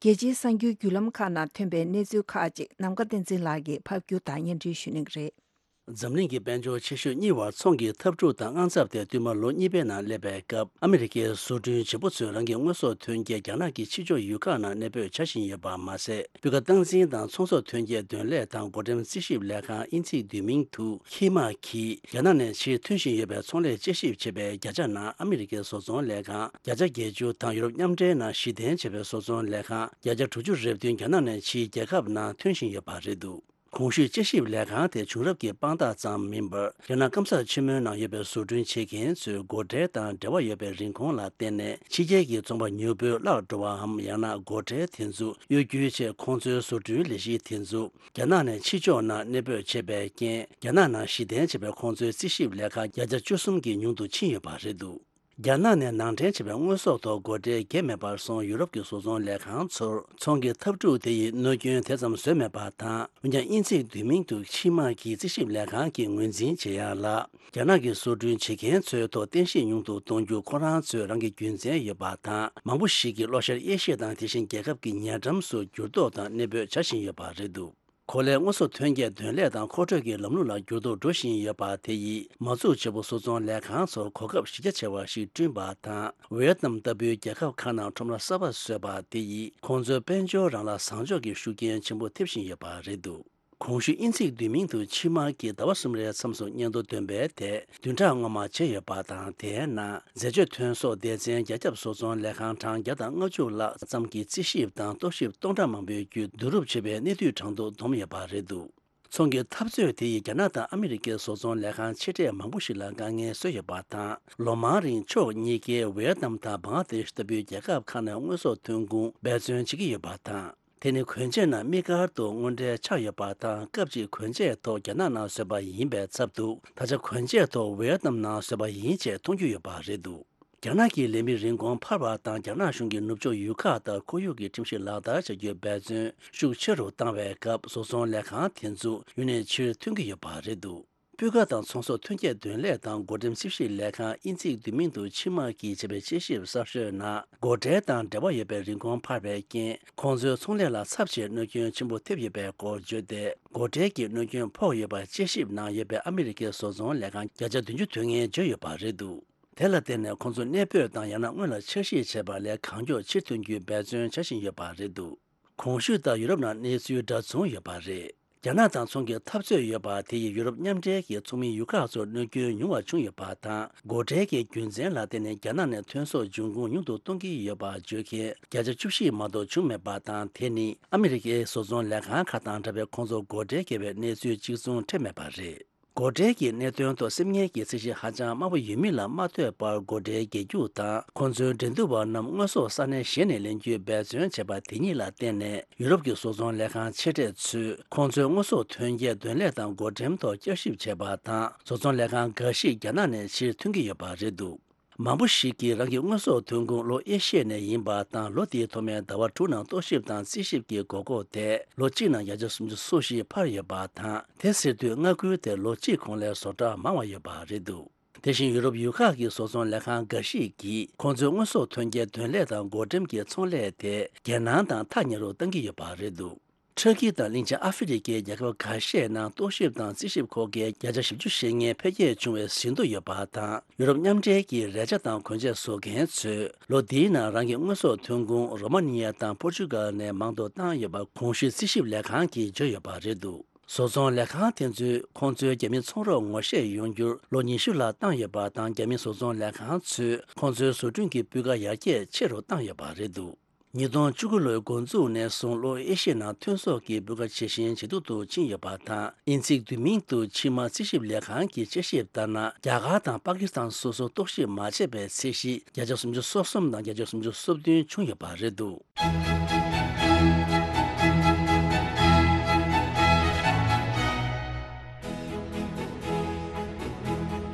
རྒྱལ་སྤྱིའི་གསར་འགྱུར་བརྒྱུད་ལམ་ཁག་ནང་ཐོན་པའི་གནས་ཚུལ་ཁག་ཅིག་ནམ་མཁའ་བསྟན་འཛིན་ལགས་ཀྱིས་ཕབ་སྒྱུར་དང་སྙན་སྒྲོན་ཞུ་གནང་གི་རེད། འཛམ་གླིང་གི་དཔལ་འབྱོར་ཆེ་ཤོས་གཉིས་བར་ཚོང་གི་འཐབ་འཁྲུག་དང་དངངས་འཚབ་དེ་བསྟུད་མར་ལོ་གཉིས་པའི་ནང་སླེབས་པའི་སྐབས། ཨ་མི་རི་ཀའི་བཟོ་སྐྲུན་བྱེད་པོ་ཚོས་རང་གི་དངོས་ཟོག་ཐོན་སྐྱེད་རྒྱ་ནག་གི་ཕྱི་ཕྱོགས་ཡུལ་ཁག་ནང་གནས་སྤོས་བྱ་བཞིན་ཡོད་པ་མ་ཟད། སྤུས་ཀ་སྟངས་འཛིན་དང་ཚོང་ཟོག་ཐོན་སྐྱེད་དོན་ལས་དང་བགོ་འགྲེམས་རྩིས་ཞིབ་ལས་ཁང་དབྱིན་ཚིག་བསྡུས་མིང་དུ་ཁི་མ་གིས། རྒྱ་ནག་ནས་ཕྱིར་ཐོན་བཞིན་ཡོད་པའི་ཚོང་ལས་དཔྱད་ཞིབ་བྱེད་པའི་བརྒྱ་ཆ་ནང་ཨ་མི་རི་ཀའི་བཟོ་ཚོང་ལས་ཁང་བརྒྱ་ཆ་བརྒྱད་ཅུ་དང་ཡུ་རོབ་མཉམ་འབྲེལ་ནང་གཞི་རྟེན་བྱས་པའི་བཟོ་ཚོང་ལས་ཁང་བརྒྱ་ཆ་དྲུག་ཅུ་རེ་བདུན་རྒྱ་ནག་ནས་ཕྱིའི་རྒྱལ་ཁབ་ནང་ཐོན་བཞིན་ཡོད་པ་རེད་འདུག། གོང་ཞུས་དཔྱད་ཞིབ་ལས་ཁང་དེ་བྱུང་རབས་ཀྱི་དཔང་རྟགས་ཙམ་མིན་པར། རྒྱ་ནག་སྐམ་ས་ཆེན་མོའི་ནང་ཡོད་པའི་བཟོ་སྐྲུན་བྱེད་མཁན་ཚོའི་སྒོ་ཁྲལ་དང་འབྲེལ་བ་ཡོད་པའི་རིན་གོང་ལ་བརྟེན་ནས། ཕྱི་རྒྱལ་གྱི་ཚོང་པ་ཉུང་པོས་བརླག་འགྲོ་བའམ། ཡང་ན་སྒོ་ཁྲལ་དེ་ཚོ་གཡོ་སྒྱུ་ཆེད་ཁོང་ཚོའི་བཟོ་སྐྲུན་ལས་གཞི་དེ་ཚོ་རྒྱ་ནག་ནས་ཕྱི་ཕྱོགས་ནང་གནས་སྤོས་བྱས་པའི་རྐྱེན། རྒྱ་ནག་ནང་གཞི་རྟེན་བྱས་པའི་ཁོང་ཚོའི་རྩིས་ཞིབ་ལས་ཁང་བརྒྱ་ཆ་བཅུ་གསུམ་གྱིས་ཉུང་དུ་ཕྱིན་ཡོད་པ་རེད་འདུག། རྒྱ་ནག་ནས་ནང་འདྲེན་བྱས་པའི་དངོས་ཟོག་ཐོག་སྒོ་ཁྲལ་འགེལ་མེད་པར་སོང་། ཡུ་རོབ་ཀྱི་བཟོ་ཚོང་ལས་ཁང་ཚོར་ཚོང་གི་འཐབ་འཁྲུག་དེ་ཡིས་གནོད་སྐྱོན་དེ་ཙམ་བཟོས་མེད་པ་དང་། འོན་ཀྱང་། དབྱིན་ཚིག་བསྡུས་མིང་དུ་ཁི་མ་གི་རྩིས་ཞིབ་ལས་ཁང་གིས་ངོས་འཛིན་བྱེད་ཡག་ལ། རྒྱ་ནག་གི་བཟོ་སྐྲུན་བྱེད་མཁན་ཚོའི་ཐོག་བརྟན་ཤེད་ཉུང་དུ་གཏོང་རྒྱུ་ཁོ་རང་ཚོའི་རང་གི་རྒྱུ་མཚན་ཡོད་པ་དང་། མང་པོ་ཞིག་གི་བློ་ཤར་དབྱེ་ཞིབ་དང་། དེ་བཞིན་རྒྱལ་ཁབ་ཀྱི་ཉེ་འགྲམ་སུ་འགྱུར་ལྡོག་དང་གནས་སྤོས་བྱ་བཞིན་ཡོད་པ་རེད་འདུག། གོ་ལའི་དངོས་ཟོག་ཐོན་སྐྱེད་ཐོན་ལས་དང་མཁོ་སྤྲོད་ཀྱི་ལམ་ལུགས་ལ་འགྱུར་ལྡོག་འགྲོ་བཞིན་ཡོད་པ་དེ་ཡིས་མ་འཛུགས་བྱེད་པོ་བཟོ་ཚོང་ལས་ཁང་ཚོར་གོ་སྐབས་གཞི་རྒྱ་ཆེ་བ་ཞིག་བསྐྲུན་པ་དང་། ཝེ་ཏི་ནམ་ལྟ་བུའི་རྒྱལ་ཁབ་ཁག་ནང་ཁྲོམ་ར་གསར་པ་བཟོས་པ་དེ་ཡིས་ཁོང་ཚོའི་དཔལ་འབྱོར་རང་ལ་བཟང་ཕྱོགས་ཀྱི་ཤུགས་རྐྱེན་ཆེན་པོ་ཐེབས་བཞིན་ཡོད་པ་རེད་འདུག། གོང་ཞུས་དབྱིན་ཚིག་བསྡུས་མིང་དུ་ཕྱི་མ་གིས་ཟླ་བ་གསུམ་རེའི་མཚམས་སུ་སྙན་ཐོ་འདོན་པའི་ཐད་བདུན་ཕྲག་སྔོན་མ་བྱས་ཡོད་པ་དང་། དེའི་ནང་འཛད་སྤྱོད་ཐོན་ཟོག་སྡེ་ཚན་རྒྱ་ཁྱབ་བཟོ་ཚོང་ལས་ཁང་གྲངས་བརྒྱ་དང་ལྔ་བཅུ་ལྷག་ཙམ་གྱི་རྩིས་ཞིབ་དང་རྟོག་ཞིབ་སྟོང་ཕྲག་མང་པོའི་བརྒྱུད་བསྡུ་རུབ་བྱས་པའི་གནས་བསྡུས་གྲངས་ཐོ་བསྡོམས་ཡོད་པ་རེད་འདུག། ཚོང་གི་འཐབ་རྩོད་དེ་ཡིས་རྒྱ་ནག་དང་ཨ་མི་རི་ཀའི་བཟོ་ཚོང་ལས་ཁང་ཆེ་གྲས་མང་པོ་ཞིག་ལ་དཀའ་ངལ་བཟོས་ཡོད་པ་དང་། ལོ་མང་རིང་ཕྱོགས་གཉིས་ཀས་ཝེ་ཏི་ནམ་དང་བང་ལ་དེ་ཤི་ལྟ་བུའི་རྒྱལ་ཁབ་ཁག་ནས་དངོས་ཟོག་ཐོན་ཁུངས་འབད་བརྩོན་བྱེད་ཀྱི་ཡོད་པ་དང་། དེ་ནི་གོན་ཆས་རྣམས་དམིགས་བཀར་དུ་དངོས་འབྲེལ་ཆགས་ཡོད་པ་དང་། སྐབས་གཅིག་གོན་ཆས་ཐོག་རྒྱ་ནག་ནང་བཟོས་པ་ཡིན་པའི་ཚབ་ཏུ། ད་ཆ་གོན་ཆས་ཐོག་ཝེ་ཏི་ནམ་ནང་བཟོས་པ་ཡིན་ཅེས་མཐོང་རྒྱུ་ཡོད་པ་རེད་འདུག། རྒྱ་ནག་གི་ལས་མི་རིན་གོང་འཕར་བ་དང་། རྒྱ་ནག་གཞུང་གིས་ནུབ་ཕྱོགས་ཡུལ་ཁག་ལྟར་ཁོར་ཡུག་གི་ཁྲིམས་གཞི་ལག་བསྟར་བྱ་རྒྱུའི་འབད་བརྩོན་ཤུགས་ཆེ་རུ་བཏང་བའི་སྐབས། བཟོ་ཚོང་ལས་ཁང་དེ་ཚོ་ཡུལ་ནས་ཕྱིར་ཐོན་གྱི་ཡོད་པ་རེད་འདུག། སྤུས་ཀ་དང་ཚོང་ཟོག་ཐོན་སྐྱེད་དོན་ལས་དང་སྒོ་འགྲེམས་རྩིས་ཞིབ་ལས་ཁང་། དབྱིན་ཚིག་བསྡུས་མིང་དུ་ཕྱི་མ་གིས་བྱས་པའི་དཔྱད་ཞིབ་གསར་ཤོས་ནང་། སྒོ་ཁྲལ་དང་འབྲེལ་བ་ཡོད་པའི་རིན་གོང་འཕར་བའི་རྐྱེན། ཁོང་ཚོའི་ཚོང་ལས་ལ་ཚབས་ཆེའི་གནོད་སྐྱོན་ཆེན་པོ་ཐེབས་ཡོད་པའི་སྐོར་བརྗོད་དེ། སྒོ་ཁྲལ་གྱི་གནོད་སྐྱོན་ཕོག་ཡོད་པ་དཔྱད་ཞིབ་ནང་ཡོད་པའི་ཨ་མི་རི་ཀའི་བཟོ་ཚོང་ལས་ཁང་བརྒྱ་ཆ་བདུན་ཅུ་དོན་ལྔས་བརྗོད་ཡོད་པ་རེད་འདུག། དེ་ལ་བརྟེན་ནས་ཁོང་ཚོ་གནས་སྤོས་དང་ཡང་ན་སྔོན་ལ་འཆར་གཞི་བྱས་པ་ལས་གང་མགྱོགས་ཕྱིར་ཐོན་རྒྱུའི་འབད་བརྩོན་བྱ་བཞིན་ཡོད་པ་རེད་འདུག། གོང་ཞུས་ལྟར་ཡུ་རོབ་ནང་གནས་ཚུལ་འདྲ་མཚུངས་ཡོད་པ་རེད། རྒྱ་ནག་དང་ཚོང་གི་འཐབ་རྩོད་ཡོད་པ་དེ་ཡིས་ཡུ་རོབ་མཉམ་འབྲེལ་གྱི་ཚོགས་མི་ཡུལ་ཁག་ཚོར་གནོད་སྐྱོན་ཉུང་བ་བྱུང་ཡོད་པ་དང་། སྒོ་ཁྲལ་གྱི་རྒྱུ་མཚན་ལ་བརྟེན་ནས་རྒྱ་ནག་ནས་ཐོན་ཟོག་འབྱུང་ཁུངས་ཉུང་དུ་གཏོང་གི་ཡོད་པ་བརྗོད་མཁན་བརྒྱ་ཆ་བཅུ་བཞི་མ་གཏོགས་བྱུང་མེད་པ་དང་། དེ་ནི་ཨ་མི་རི་ཀའི་བཟོ་ཚོང་ལས་ཁང་ཁག་དང་འདྲ་བའི་ཁོང་ཚོ་སྒོ་ཁྲལ་འགེལ་བའི་གནས་ཚུལ་གཅིག་མཚུངས་འཕྲད་མེད་པ་རེད། སྒོ་ཁྲལ་གྱི་གནད་དོན་ཐོག་སེམས་ངལ་གྱི་ཚད་གཞི་ཧ་ཅང་དམའ་པོ་ཡོད་མིན་ལ་མ་ལྟོས་པར། སྒོ་ཁྲལ་རྒྱག་རྒྱུ་དང་ཁོང་ཚོའི་འགྲན་བསྡུར་བ་རྣམས་དངོས་ཟོག་ས་གནས་གཞན་ནས་ལེན་རྒྱུའི་འབད་བརྩོན་བྱས་པ་དེ་ཉིད་ལ་བརྟེན་ནས། ཡུ་རོབ་ཀྱི་བཟོ་ཚོང་ལས་ཁང་ཆེ་གྲས་ཚོས་ཁོང་ཚོའི་དངོས་ཟོག་ཐོན་སྐྱེད་དོན་ལས་དང་སྒོ་འགྲེམས་ཐོག་བསྐྱར་ཞིབ་བྱས་པ་དང་། བཟོ་ཚོང་ལས་ཁང་འགའ་ཞིག་རྒྱ་ནག་ནས་ཕྱིར་ཐོན་གྱི་ཡོད་པ་རེད་འདུག། མང་པོ་ཞིག་གིས་རང་གི་དངོས་ཟོག་ཐོན་ཁུངས་ལོ་ཨེ་ཤི་ཡ་ནས་ཡིན་པ་དང་། ལོ་དེའི་ཐོག་མའི་ཟླ་བ་དྲུག་ནང་རྟོག་ཞིབ་དང་རྩིས་ཞིབ་ཀྱི་དགོས་མཁོ་དེ་ལོ་གཅིག་ནང་བརྒྱ་ཆ་སུམ་ཅུ་སོ་བཞི་འཕར་ཡོད་པ་དང་། དེ་ཟེར་དུས་མངའ་ཁུལ་དེར་ལོ་གཅིག་གོང་ལས་བཟོ་གྲྭ་མང་བ་ཡོད་པ་རེད་འདུག། དེ་བཞིན་ཡུ་རོབ་ཡུལ་ཁག་གི་བཟོ་ཚོང་ལས་ཁང་འགའ་ཞིག་གིས་ཁོང་ཚོའི་དངོས་ཟོག་ཐོན་སྐྱེད་དོན་ལས་དང་སྒོ་འགྲེམས་ཀྱི་ཚོང་ལས་དེ་རྒྱལ་ནང་དང་ཐག་ཉེ་རུ་གཏང་གི་ཡོད་པ་རེད་འདུག། ཊར་ཀི་དང་གླིང་ཆེན་ཨ་ཧྥེ་རི་ཁའི་རྒྱལ་ཁབ་ཁ་ཤས་ནང་རྟོག་ཞིབ་དང་རྩིས་ཞིབ་ཁོ་གའི་བརྒྱ་ཆ་བཞི་བཅུ་ཞེ་ལྔའི་འཕེལ་རྒྱས་བྱུང་བའི་ཟིན་ཐོ་ཡོད་པ་དང་། ཡུ་རོབ་མཉམ་འབྲེལ་གྱི་རས་ཆ་དང་གོན་ཆས་བཟོ་མཁན་ཚོས་ལོ་འདིའི་ནང་རང་གི་དངོས་ཟོག་ཐོན་ཁུངས་རོ་མ་ནི་ཡ་དང་པོར་ཅུ་གལ་ནས་མང་དུ་བཏང་ཡོད་པ་གོང་ཞུས་རྩིས་ཞིབ་ལས་ཁང་གིས་བརྗོད་ཡོད་པ་རེད་འདུག། བཟོ་ཚོང་ལས་ཁང་དེ་ཚོས་ཁོང་ཚོའི་རྒྱ་མི་ཚོང་རོགས་ངོ་ཤེས་ཡོང་རྒྱུར་ལོ་ཉི་ཤུ་ལྷག་བཏང་ཡོད་པ་དང་། རྒྱ་མི་བཟོ་ཚོང་ལས་ཁང་ཚོས་ཁོང་ཚོའི་བཟོ་སྐྲུན་གྱི་སྤུས་ཀ་ཡར་རྒྱས་ཆེ་རུ་བཏང་ཡོད་པ་རེད་འདུག། ཉིས་སྟོང་བཅུ་དགུ་ལོའི་འགོ་འཛུགས་ནས་བཟུང་ལོ་ཨེ་ཤི་ཡ་ནང་ཐོན་ཟོག་གི་སྤུས་ཀ་ཇེ་ཞན་ཇེ་སྡུག་ཏུ་ཕྱིན་ཡོད་པ་དང་། དབྱིན་ཚིག་བསྡུས་མིང་དུ་ཕྱི་མ་རྩིས་ཞིབ་ལས་ཁང་གི་དཔྱད་ཞིབ་ལྟར་ན། རྒྱ་གར་དང་པ་ཀི་སི་ཐན་སོ་སོར་རྟོག་ཞིབ་མ་བྱས་པའི་ཚད་གཞི་བརྒྱ་ཆ་སུམ་ཅུ་སོ་གསུམ་དང་བརྒྱ་ཆ་སུམ་ཅུ་སོ་བདུན་བྱུང་ཡོད་པ་རེད་འདུག།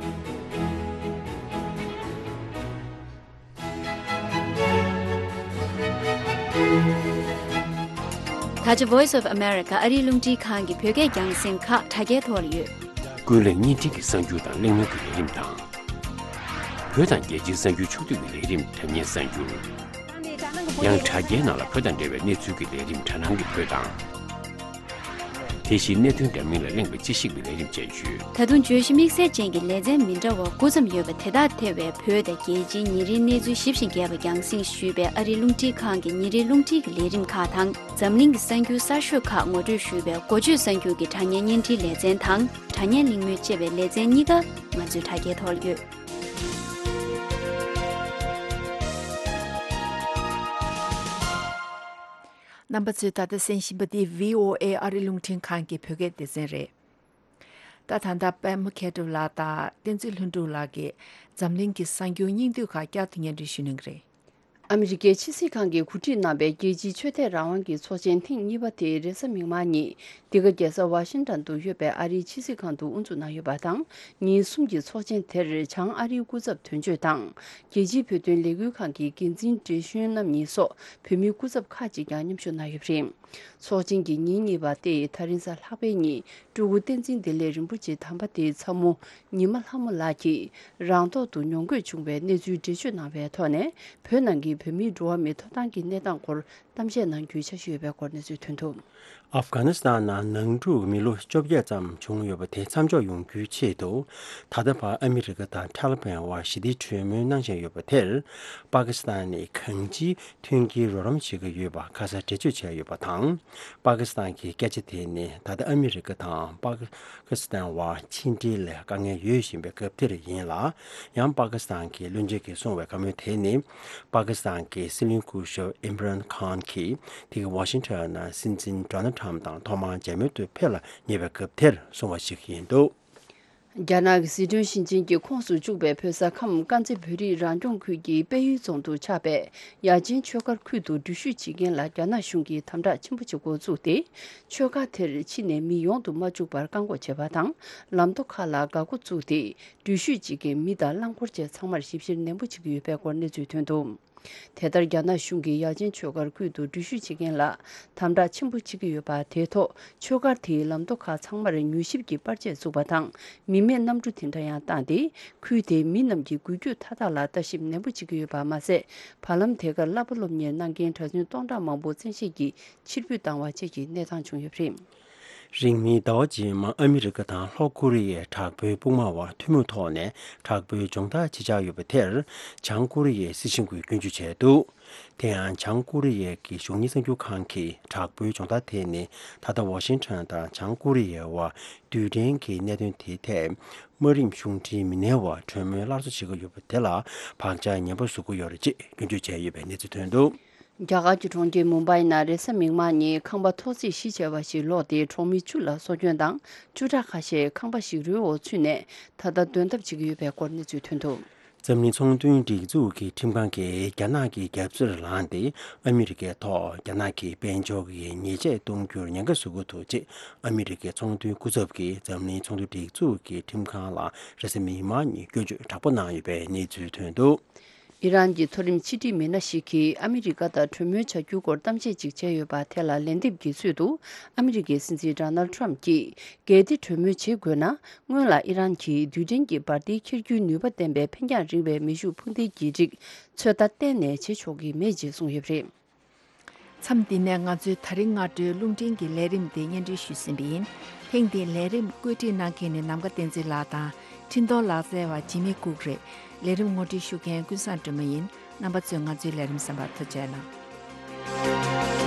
ཨ་ཅེ་Voice of America ཨ་རིའི་རླུང་འཕྲིན་ཁང་གི་བོད་སྐད་རྒྱང་སྲིང་ཁག་དྲ་རྒྱའི་ཐོག་ལ་ཡོད། ཀུན་གླེང་བརྙན་འཕྲིན་གྱི་གསར་འགྱུར་དང་གླེང་མོལ་གྱི་ལས་རིམ་དང་། བོད་དང་རྒྱལ་སྤྱིའི་གསར་འགྱུར་ཕྱོགས་བསྡུས་ཀྱི་ལས་རིམ་དྲ་བརྙན་གསར་འགྱུར། ཡང་དྲ་རྒྱའི་ནང་ལ་བོད་དང་འབྲེལ་བའི་གནས་ཚུལ་གྱི་ལས་རིམ་དྲ་སྣང་གི་བོད་དང་། དེ་བཞིན་གནད་དོན་འདྲ་མིན་ལ་གླེང་བའི་དཔྱད་ཞིབ་ཀྱི་ལས་རིམ་བཅས་ཡོད། ད་དུང་བརྗོད་གཞི་དམིགས་བསལ་ཅན་གྱི་ལེ་ཚན་མི་འདྲ་བ་དགུ་ཙམ་ཡོད་པ་དེ་དག་ཐེ་བའི་བོད་དང་རྒྱལ་སྤྱིའི་ཉིན་རེའི་གནས་ཚུལ་ཞིབ་ཅིང་རྒྱས་པ་རྒྱང་སྲིང་ཞུས་པའི་ཨ་རིའི་རླུང་འཕྲིན་ཁང་གི་ཉིན་རེའི་རླུང་འཕྲིན་གྱི་ལས་རིམ་ཁག་དང་། འཛམ་གླིང་གི་གསར་འགྱུར་གསར་ཤོས་ཁག་ངོ་སྤྲོད་ཞུས་པའི་འགོ་བརྗོད་གསར་འགྱུར་གྱི་དྲ་བརྙན་བརྙན་འཕྲིན་ལེ་ཚན་དང་། དྲ་བརྙན་གླེང་མོལ་ཅེས་པའི་ལེ་ཚན་གཉིས་ཀ་ང་ཚོའི་དྲ་རྒྱའི་ཐོག་ལ་ཡོད། རྣམ་པ་ཚོས་ད་ལྟ་གསན་བཞིན་པ་འདི་བྷི་ཨོ་ཨེ་ཨ་རི་རླུང་འཕྲིན་ཁང་གི་བོད་སྐད་སྡེ་ཚན་རེད། ད་ད་ལྟ་པད་མ་མཁས་གྲུབ་ལགས་དང་བསྟན་འཛིན་ལྷུན་གྲུབ་ལགས་ཀྱིས་འཛམ་གླིང་གི་གསར་འགྱུར་སྙིང་བསྡུས་ཁག་བསྐྱར་དུ་སྙན་སྒྲོན་ཞུ་གནང་གི་རེད། ཨ་མི་རི་ཀའི་ཕྱི་སྲིད་ཁང་གིས་གོ་སྒྲིག་གནང་བའི་རྒྱལ་སྤྱིའི་ཆོས་དད་རང་དབང་གི་ཚོགས་ཆེན་ཐེངས་གཉིས་པ་དེ་རེས་གཟའ་མིག་དམར་ཉིན་འདི་ག་རྒྱལ་ས་ཝ་ཤིང་ཊོན་དུ་ཡོད་པའི་ཨ་རིའི་ཕྱི་སྲིད་ཁང་དུ་དབུ་འཛུགས་གནང་ཡོད་པ་དང་། ཉིན་གསུམ་གྱི་ཚོགས་ཆེན་དེར་བྱང་ཨ་རིའི་སྐུ་ཚབ་དོན་གཅོད་དང་། རྒྱལ་སྤྱིའི་བོད་དོན་ལས་འགུལ་ཁང་གི་འགན་འཛིན་བགྲེས་གཞོན་རྣམ་གཉིས་སོགས་བོད་མིའི་སྐུ་ཚབ་ཁག་ཅིག་ཀྱང་མཉམ་ཞུགས་གནང་ཡོད་པ་རེད། ཚོགས་ཆེན་གྱི་ཉིན་གཉིས་པ་སྟེ་ད་རིང་གཟའ་ལྷག་པའི་ཉིན་སྤྲུལ་སྐུ་བསྟན་འཛིན་བདེ་ལེགས་རིན་པོ་ཆེ་དམ་པ་དེ་ཚ་མོ་ཉི་མ་ལྷ་མོ་ལགས་ཀྱིས་རང་ཐོག་ཏུ་ཉོ་འགོད་བྱུང་བའི་གནས་ཚུལ་འགྲེལ་བརྗོད་གནང་བའི་ཐོག་ནས། བོད་ནང་གི་བོད་མིའི་འགྲོ་བ་མིའི་ཐོབ་ཐང་གི་གནས་སྟངས་སྐོར་གཏམ་བཤད་གནང་རྒྱུའི་འཆར་གཞི་ཡོད་པའི་སྐོར་གནས་ཚུལ་ཐོན་འདུག། ཨབ་གྷ་ནི་སི་ཐན་ནང་ནང་འཁྲུག་མི་ལོ་བཅོ་བརྒྱད་ཙམ་བྱུང་ཡོད་པ་དེ་མཚམས་འཇོག་ཡོང་རྒྱུའི་ཆེད་དུ། ད་ལྟ་བར་ཨ་མི་རི་ཀ་དང་ཐ་ལི་བན་དབར་ཞི་བདེའི་གྲོས་མོལ་གནང་བཞིན་ཡོད་པ་དེར། པ་ཀི་སི་ཐན་ནི་གང་ཅིའི་མཐུན་རྐྱེན་རོགས་རམ་བྱེད་ཀྱི་ཡོད་པ་ཁ་སང་འགྲེལ་བརྗོད་བྱས་ཡོད་པ་དང་། པ་ཀི་སི་ཐན་གྱི་སྐད་ཆ་དེ་ནི་ད་ལྟ་ཨ་མི་རི་ཀ་དང་པ་ཀི་སི་ཐན་དབར་ཕྱི་འབྲེལ་ལ་དཀའ་ངལ་ཡོད་བཞིན་པའི་སྐབས་དེར་ཡིན་ལ། ཡང་པ་ཀི་སི་ཐན་གྱི་བློན་ཆེན་གྱིས་གསུངས་པའི་བཀའ་མོལ་དེ་ནི། པ་ཀི་སི་ཐན་གྱི་སྲིད་བློན་སྐུ་ཞབས་ཨིམ་རན་ཁཱན་གྱིས་དེ་ག་ཝ་ཤིང་ཊོན་ནང་སྲིད་འཛིན་ཌོ་ནལ་ཊམ་དང་ཐོག་མར་མཇལ་མོལ་དུ་ཕེབས་ལ་ཉེ་བའི་སྐབས་དེར་གསུངས་པ་ཞིག་ཡིན་འདུག། རྒྱ་ནག་གི་ཟི་ཁྲོན་ཞིང་ཆེན་གྱི་ཁོངས་སུ་བཅུག་པའི་བོད་ས་ཁམས་དཀར་མཛེས་བོད་རིགས་རང་སྐྱོང་ཁུལ་གྱི་དཔལ་ཡུལ་རྫོང་དུ་ཆགས་པའི་ཡ་ཆེན་ཆོས་སྒར་ཁུལ་དུ་འགྲུལ་བཞུད་བྱེད་མཁན་ལ་རྒྱ་ནག་གཞུང་གིས་དམ་དྲག་ཆེན་པོ་བྱེད་འགོ་བཙུགས་ཏེ། ཆོས་སྒར་དེར་ཕྱི་ནས་མི་ཡོང་དུ་མ་བཅུག་པར་བཀག་འགོག་བྱས་པ་དང་། ལམ་མདོ་ཁག་ལ་འགག་སྒོ་བཙུགས་ཏེ། འགྲུལ་བཞུད་བྱེད་མཁན་མི་དང་རླངས་འཁོར་བཅས་ཚང་མར་ཞིབ་བཤེར་ནན་པོ་བྱེད་ཀྱི་ཡོད་པའི་སྐོར་གནས་ཚུལ་ཐོན་འདུག། དེ་ལྟར་རྒྱ་ནག་གཞུང་གིས་ཡ་ཆེན་ཆོས་སྒར་ཁུལ་དུ་འགྲུལ་བཞུད་བྱེད་མཁན་ལ་དམ་དྲག་ཆེན་པོ་བྱེད་ཀྱི་ཡོད་པ་དེའི་ཐོག་ཆོས་སྒར་དེའི་ལམ་མདོ་ཁག་ཚང་མར་མྱུལ་ཞིབ་ཀྱི་པར་ཆས་བཙུགས་པ་དང་། མི་མེད་གནམ་གྲུ་དེ་འདྲ་ཡང་བཏང་སྟེ། ཁུལ་དེའི་མི་རྣམས་ཀྱི་འགུལ་སྐྱོད་མཐའ་དག་ལ་ལྟ་ཞིབ་ནན་པོ་བྱེད་ཀྱི་ཡོད་པ་མ་ཟད། བར་ལམ་དེ་གར་བསླབ་པ་སློབ་གཉེར་གནང་མཁན་གྲྭ་བཙུན་སྟོང་ཕྲག་མང་པོ་བཙན་ཤེད་ཀྱིས་ཕྱིར་འབུད་བཏང་བ་བཅས་ཀྱི་གནས་སྟངས་བྱུང་ཡོད་པ་རེད། རིང་མིན་ཟླ་བ་རྗེས་མ་ཨ་མི་རི་ཀ་དང་ལྷོ་ཀོ་རི་ཡའི་དྲག་པོའི་དཔུང་དམག་དབར་ཐུན་མོང་ཐོག་ནས་དྲག་པོའི་སྦྱོང་བརྡར་བྱེད་འཆར་ཡོད་པ་དེར། བྱང་ཀོ་རི་ཡའི་སྲིད་གཞུང་གིས་སྐྱོན་བརྗོད་བྱས་འདུག། དེ་ཡང་བྱང་ཀོ་རི་ཡའི་གི་གཞུང་གཉེར་གསར་འགྱུར་ཁང་གིས་དྲག་པོའི་སྦྱོང་བརྡར་དེ་ནི་ད་ལྟ་ཝ་ཤིང་ཊོན་དང་བྱང་ཀོ་རི་ཡའི་དབར་རྡུལ་ཕྲན་གྱི་གནད་དོན་དེའི་ཐད་དམག་རིམ་གཞུང་འབྲེལ་མི་སྣའི་དབར་གྲོས་མོལ་སླར་གསོ་བྱེད་ཀྱི་ཡོད་པ་དེ་ལ་བག་ཆགས་ངན་པ་བཟོ་གི་ཡོད་རེད་ཅེས་སྐྱོན་བརྗོད་བྱས་ཡོད་པའི་གནས་ཚུལ་ཐོན་འདུག། རྒྱ་གར་གྱི་གྲོང་ཁྱེར་མུམ་བྷའི་ནང་རེས་གཟའ་མིག་དམར་ཉིན་ཁང་པ་ཐོག་བརྩེགས་གཞི་བྱས་པ་ཞིག་ལོག་སྟེ་གྲོང་མི་བཅུ་ལ་སྲོག་སྐྱོན་དང་། བཅུ་ཕྲག་ཁ་ཤས་ཁང་པ་ཞིག་རོའི་འོག་ཚུད་ནས་ད་ལྟ་འདོན་ཐབས་བྱེད་ཀྱི་ཡོད་པའི་སྐོར་གནས་ཚུལ་ཐོན་འདུག། འཛམ་གླིང་ཚོང་དོན་སྒྲིག་འཛུགས་ཀྱི་ཁྲིམས་ཁང་གིས་རྒྱ་ནག་གི་རྒྱབ་རྩེར་ལངས་ཏེ་ཨ་མི་རི་ཀའི་ཐོག་རྒྱ་ནག་གི་དཔལ་འབྱོར་གྱི་ཉེས་ཆད་གཏོང་རྒྱུར་ཉེན་ཁ་བཟོ་གི་འདུག་ཅེས་ཨ་མི་རི་ཀའི་ཚོང་དོན་སྐུ་ཚབ་ཀྱིས་འཛམ་གླིང་ཚོང་དོན་སྒྲིག་འཛུགས་ཀྱི་ཁྲིམས་ཁང་ལ་རེས་གཟའ་མིག་དམར་ཉིན་སྐྱོན་བརྗོད་དྲག་པོ་གནང་ཡོད་པའི་གནས་ཚུལ་ཐོན་འདུག། ཨི་རན་གྱི་མཐོ་རིམ་ཕྱི་འབྲེལ་མི་སྣ་ཞིག་གིས་ཨ་མི་རི་ཀ་དང་གྲོས་མོལ་བྱ་རྒྱུའི་སྐོར་གཏམ་བཤད་ཅིག་བྱས་ཡོད་པ་དེ་ལ་ལན་འདེབས་ཀྱི་ཚུལ་དུ། ཨ་མི་རི་ཀའི་སྲིད་འཛིན་ཌོ་ནལ་ཊམ་གྱིས། གལ་ཏེ་གྲོས་མོལ་བྱེད་དགོས་ན། སྔོན་ལ་ཨི་རན་གྱིས་རྡུལ་ཕྲན་གྱི་འབར་མདེལ་འཁྱེར་རྒྱུའི་ནུས་པ་ལྡན་པའི་འཕེན་རྒྱང་རིང་བའི་མེ་ཤུགས་འཕུར་མདེལ་གྱི་རིགས་ཚོད་ལྟ་གཏན་ནས་བྱེད་ཆོག་གི་མེད་ཅེས་གསུངས་ཡོད་པ་རེད། མཚམས་འདི་ནས་ང་ཚོའི་ད་རིང་སྔ་དྲོའི་རླུང་འཕྲིན་གྱི་ལས་རིམ་འདི་སྙན་སྒྲོན་ཞུས་ཟིན་པ་ཡིན། ཐེངས་འདིའི་ལས་རིམ་བཀོད་སྒྲིག་གནང་མཁན་ནི་ནམ་མཁའ་བསྟན་འཛིན་ལགས་དང་། འཕྲིན་གཏོང་ལག་རྩལ་བ་འཇིགས་མེད་ལྐུགས་རེད། ལས་རིམ་ངོ་སྤྲོད་ཞུ་མཁན་ཀུན་བཟང་སྒྲོལ་མ་ཡིན། རྣམ་པ་ཚོས་ང་ཚོའི་ལས་རིམ་གསན་པར་ཐུགས་རྗེ་གནང་།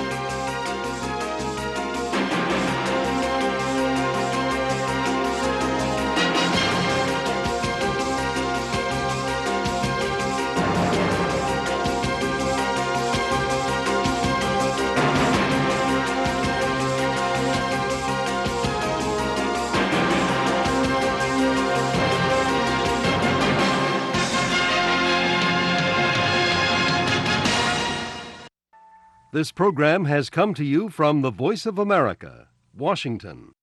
This program has come to you from the Voice of America, Washington.